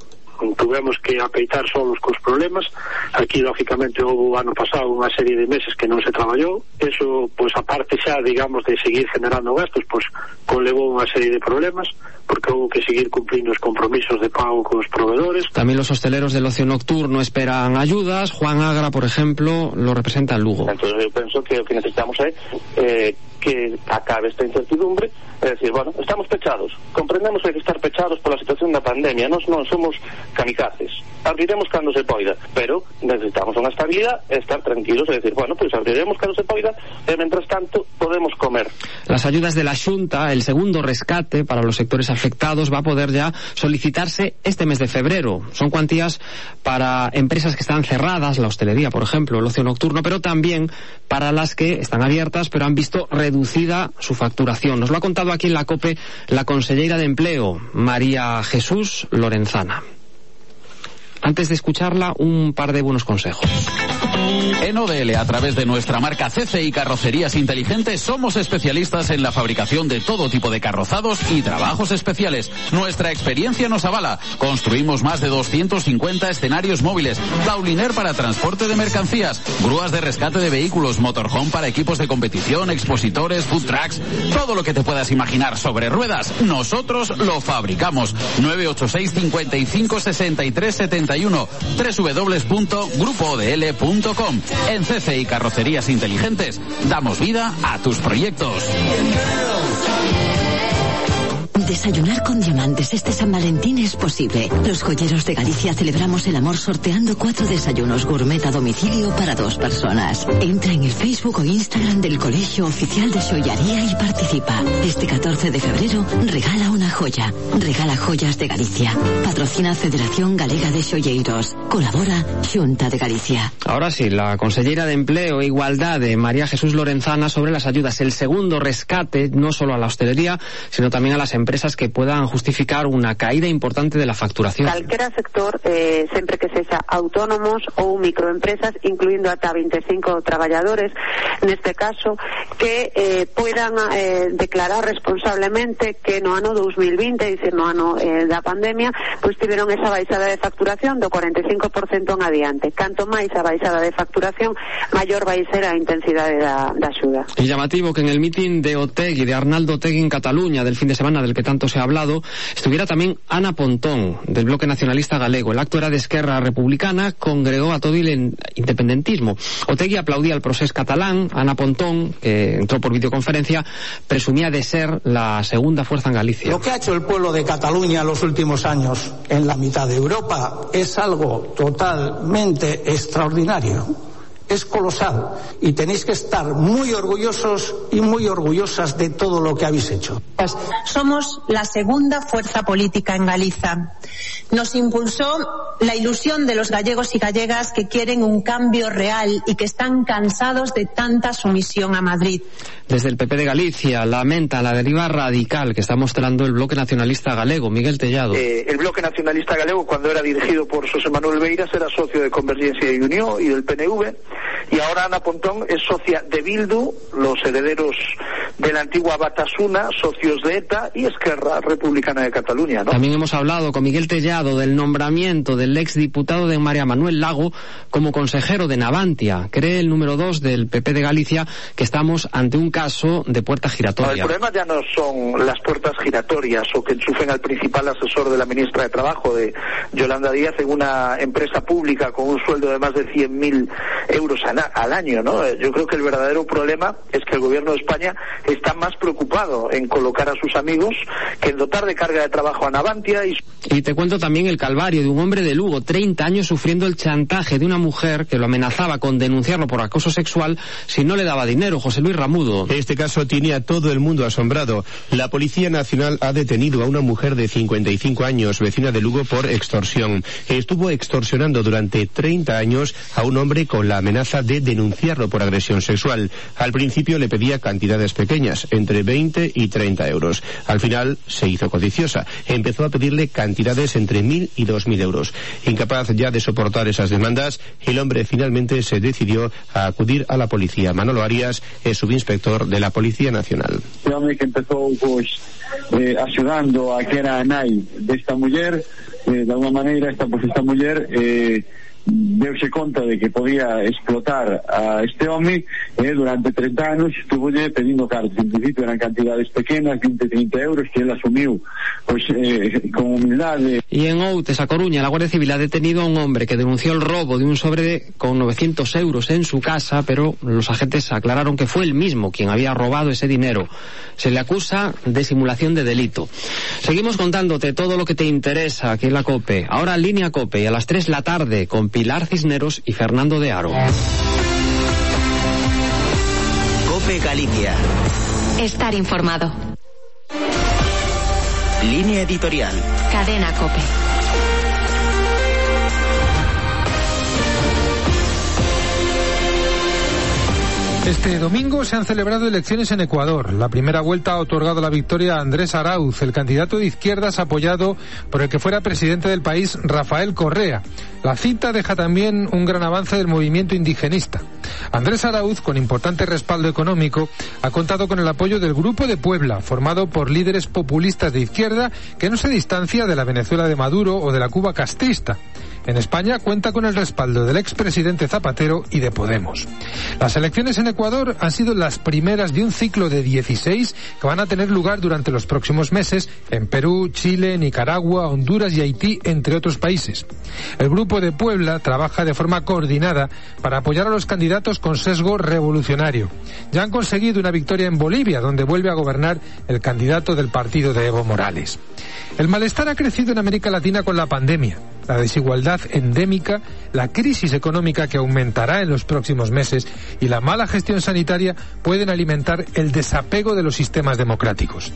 Tuvemos que apeitar solos cos problemas. Aquí, lógicamente, houve o ano pasado unha serie de meses que non se traballou. Eso, pois, aparte xa, digamos, de seguir generando gastos, pois, conlevou unha serie de problemas, porque houve que seguir cumplindo os compromisos de pago cos proveedores. También los hosteleros del ocio nocturno esperan ayudas. Juan Agra, por ejemplo, lo representa en Lugo. Entonces, eu penso que o que necesitamos é eh, que acabe esta incertidumbre. É dicir, bueno, estamos pechados, comprendemos que hai que estar pechados pola situación da pandemia, nós non somos kamikazes, abriremos cando se poida, pero necesitamos unha estabilidade e estar tranquilos, é dicir, bueno, pois pues abriremos cando se poida e mentras tanto podemos comer. Las ayudas de la Xunta, el segundo rescate para los sectores afectados, va a poder ya solicitarse este mes de febrero. Son cuantías para empresas que están cerradas, la hostelería, por ejemplo, el ocio nocturno, pero también para las que están abiertas pero han visto reducida su facturación. Nos lo ha contado aquí en la COPE la consellera de Empleo, María Jesús Lorenzana. Antes de escucharla, un par de buenos consejos. En O D L, a través de nuestra marca C C I Carrocerías Inteligentes, somos especialistas en la fabricación de todo tipo de carrozados y trabajos especiales. Nuestra experiencia nos avala. Construimos más de doscientos cincuenta escenarios móviles, tauliner para transporte de mercancías, grúas de rescate de vehículos, motorhome para equipos de competición, expositores, food trucks, todo lo que te puedas imaginar sobre ruedas, nosotros lo fabricamos. nueve ocho seis, cincuenta y cinco, sesenta y tres, setenta y uno, doble u doble u doble u punto grupo o d l punto com. En C C I Carrocerías Inteligentes damos vida a tus proyectos. Desayunar con diamantes este San Valentín es posible. Los joyeros de Galicia celebramos el amor sorteando cuatro desayunos gourmet a domicilio para dos personas. Entra en el Facebook o Instagram del Colegio Oficial de Xollaría y participa. Este catorce de febrero regala una joya. Regala joyas de Galicia. Patrocina Federación Galega de Xolleiros. Colabora Xunta de Galicia. Ahora sí, la consellera de Empleo e Igualdade, María Jesús Lorenzana, sobre las ayudas. El segundo rescate, no solo a la hostelería, sino también a las empresas que puedan justificar una caída importante de la facturación. Calquera sector, eh, sempre que sexa autónomos ou microempresas, incluindo ata veinticinco traballadores, neste caso, que eh, puedan eh, declarar responsablemente que no ano dos mil veinte, é dicir, no ano eh, da pandemia, pois tiveron esa baixada de facturación do cuarenta y cinco por ciento en adiante. Canto máis a baixada de facturación, maior vai ser a intensidade da, da axuda. Y llamativo que en el mitin de Otegi, de Arnaldo Otegi en Cataluña, del fin de semana, del que tanto se ha hablado, estuviera también Ana Pontón, del Bloque Nacionalista Galego. El acto era de Esquerra Republicana, congregó a todo el independentismo. Otegi aplaudía al procés catalán. Ana Pontón, que entró por videoconferencia, presumía de ser la segunda fuerza en Galicia. Lo que ha hecho el pueblo de Cataluña en los últimos años en la mitad de Europa es algo totalmente extraordinario. Es colosal y tenéis que estar muy orgullosos y muy orgullosas de todo lo que habéis hecho. Somos la segunda fuerza política en Galiza. Nos impulsó la ilusión de los gallegos y gallegas que quieren un cambio real y que están cansados de tanta sumisión a Madrid. Desde el P P de Galicia lamenta la deriva radical que está mostrando el Bloque Nacionalista Galego. Miguel Tellado. Eh, el Bloque Nacionalista Galego, cuando era dirigido por José Manuel Beiras, era socio de Convergencia y Unión y del P N V, y ahora Ana Pontón es socia de Bildu, los herederos de la antigua Batasuna, socios de ETA, y Esquerra Republicana de Cataluña, ¿no? También hemos hablado con Miguel Tellado del nombramiento del exdiputado de María Manuel Lago como consejero de Navantia. Cree el número dos del P P de Galicia que estamos ante un caso de puerta giratoria. No, el problema ya no son las puertas giratorias o que enchufen al principal asesor de la ministra de Trabajo, de Yolanda Díaz, en una empresa pública con un sueldo de más de cien mil euros al año, ¿no? Yo creo que el verdadero problema es que el gobierno de España está más preocupado en colocar a sus amigos que en dotar de carga de trabajo a Navantia. Y, y te cuento también el calvario de un hombre de Lugo, treinta años sufriendo el chantaje de una mujer que lo amenazaba con denunciarlo por acoso sexual si no le daba dinero. José Luis Ramudo. Este caso tiene a todo el mundo asombrado. La Policía Nacional ha detenido a una mujer de cincuenta y cinco años, vecina de Lugo, por extorsión. Estuvo extorsionando durante treinta años a un hombre con la amenaza de denunciarlo por agresión sexual. Al principio le pedía cantidades pequeñas, entre veinte y treinta euros. Al final se hizo codiciosa. Empezó a pedirle cantidades entre mil y dos mil euros. Incapaz ya de soportar esas demandas, el hombre finalmente se decidió a acudir a la policía. Manolo Arias es subinspector de la Policía Nacional. El hombre que empezó pues eh, axudando a que era a nai desta muller, eh, de alguna maneira esta, pues, esta muller eh, deuse conta de que podía explotar a este home eh, durante treinta anos estuvo pedindo cartas. En principio eran cantidades pequenas, veinte, treinta euros, que él asumiu pues, eh, con humildade. Y en Outes, a Coruña, la Guardia Civil ha detenido a un hombre que denunció el robo de un sobre de, con novecientos euros en su casa, pero los agentes aclararon que fue él mismo quien había robado ese dinero. Se le acusa de simulación de delito. Seguimos contándote todo lo que te interesa aquí en la COPE. Ahora Línea COPE, y a las tres de la tarde con Pilar Cisneros y Fernando de Aro. COPE Galicia. Estar informado. Línea editorial. Cadena COPE. Este domingo se han celebrado elecciones en Ecuador. La primera vuelta ha otorgado la victoria a Andrés Arauz, el candidato de izquierdas apoyado por el que fuera presidente del país, Rafael Correa. La cita deja también un gran avance del movimiento indigenista. Andrés Arauz, con importante respaldo económico, ha contado con el apoyo del Grupo de Puebla, formado por líderes populistas de izquierda que no se distancia de la Venezuela de Maduro o de la Cuba castrista. En España cuenta con el respaldo del expresidente Zapatero y de Podemos. Las elecciones en Ecuador han sido las primeras de un ciclo de dieciséis que van a tener lugar durante los próximos meses en Perú, Chile, Nicaragua, Honduras y Haití, entre otros países. El Grupo de Puebla trabaja de forma coordinada para apoyar a los candidatos con sesgo revolucionario. Ya han conseguido una victoria en Bolivia, donde vuelve a gobernar el candidato del partido de Evo Morales. El malestar ha crecido en América Latina con la pandemia. La desigualdad endémica, la crisis económica que aumentará en los próximos meses y la mala gestión sanitaria pueden alimentar el desapego de los sistemas democráticos.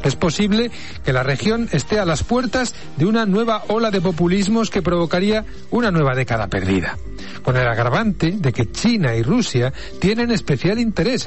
Es posible que la región esté a las puertas de una nueva ola de populismos que provocaría una nueva década perdida, con el agravante de que China y Rusia tienen especial interés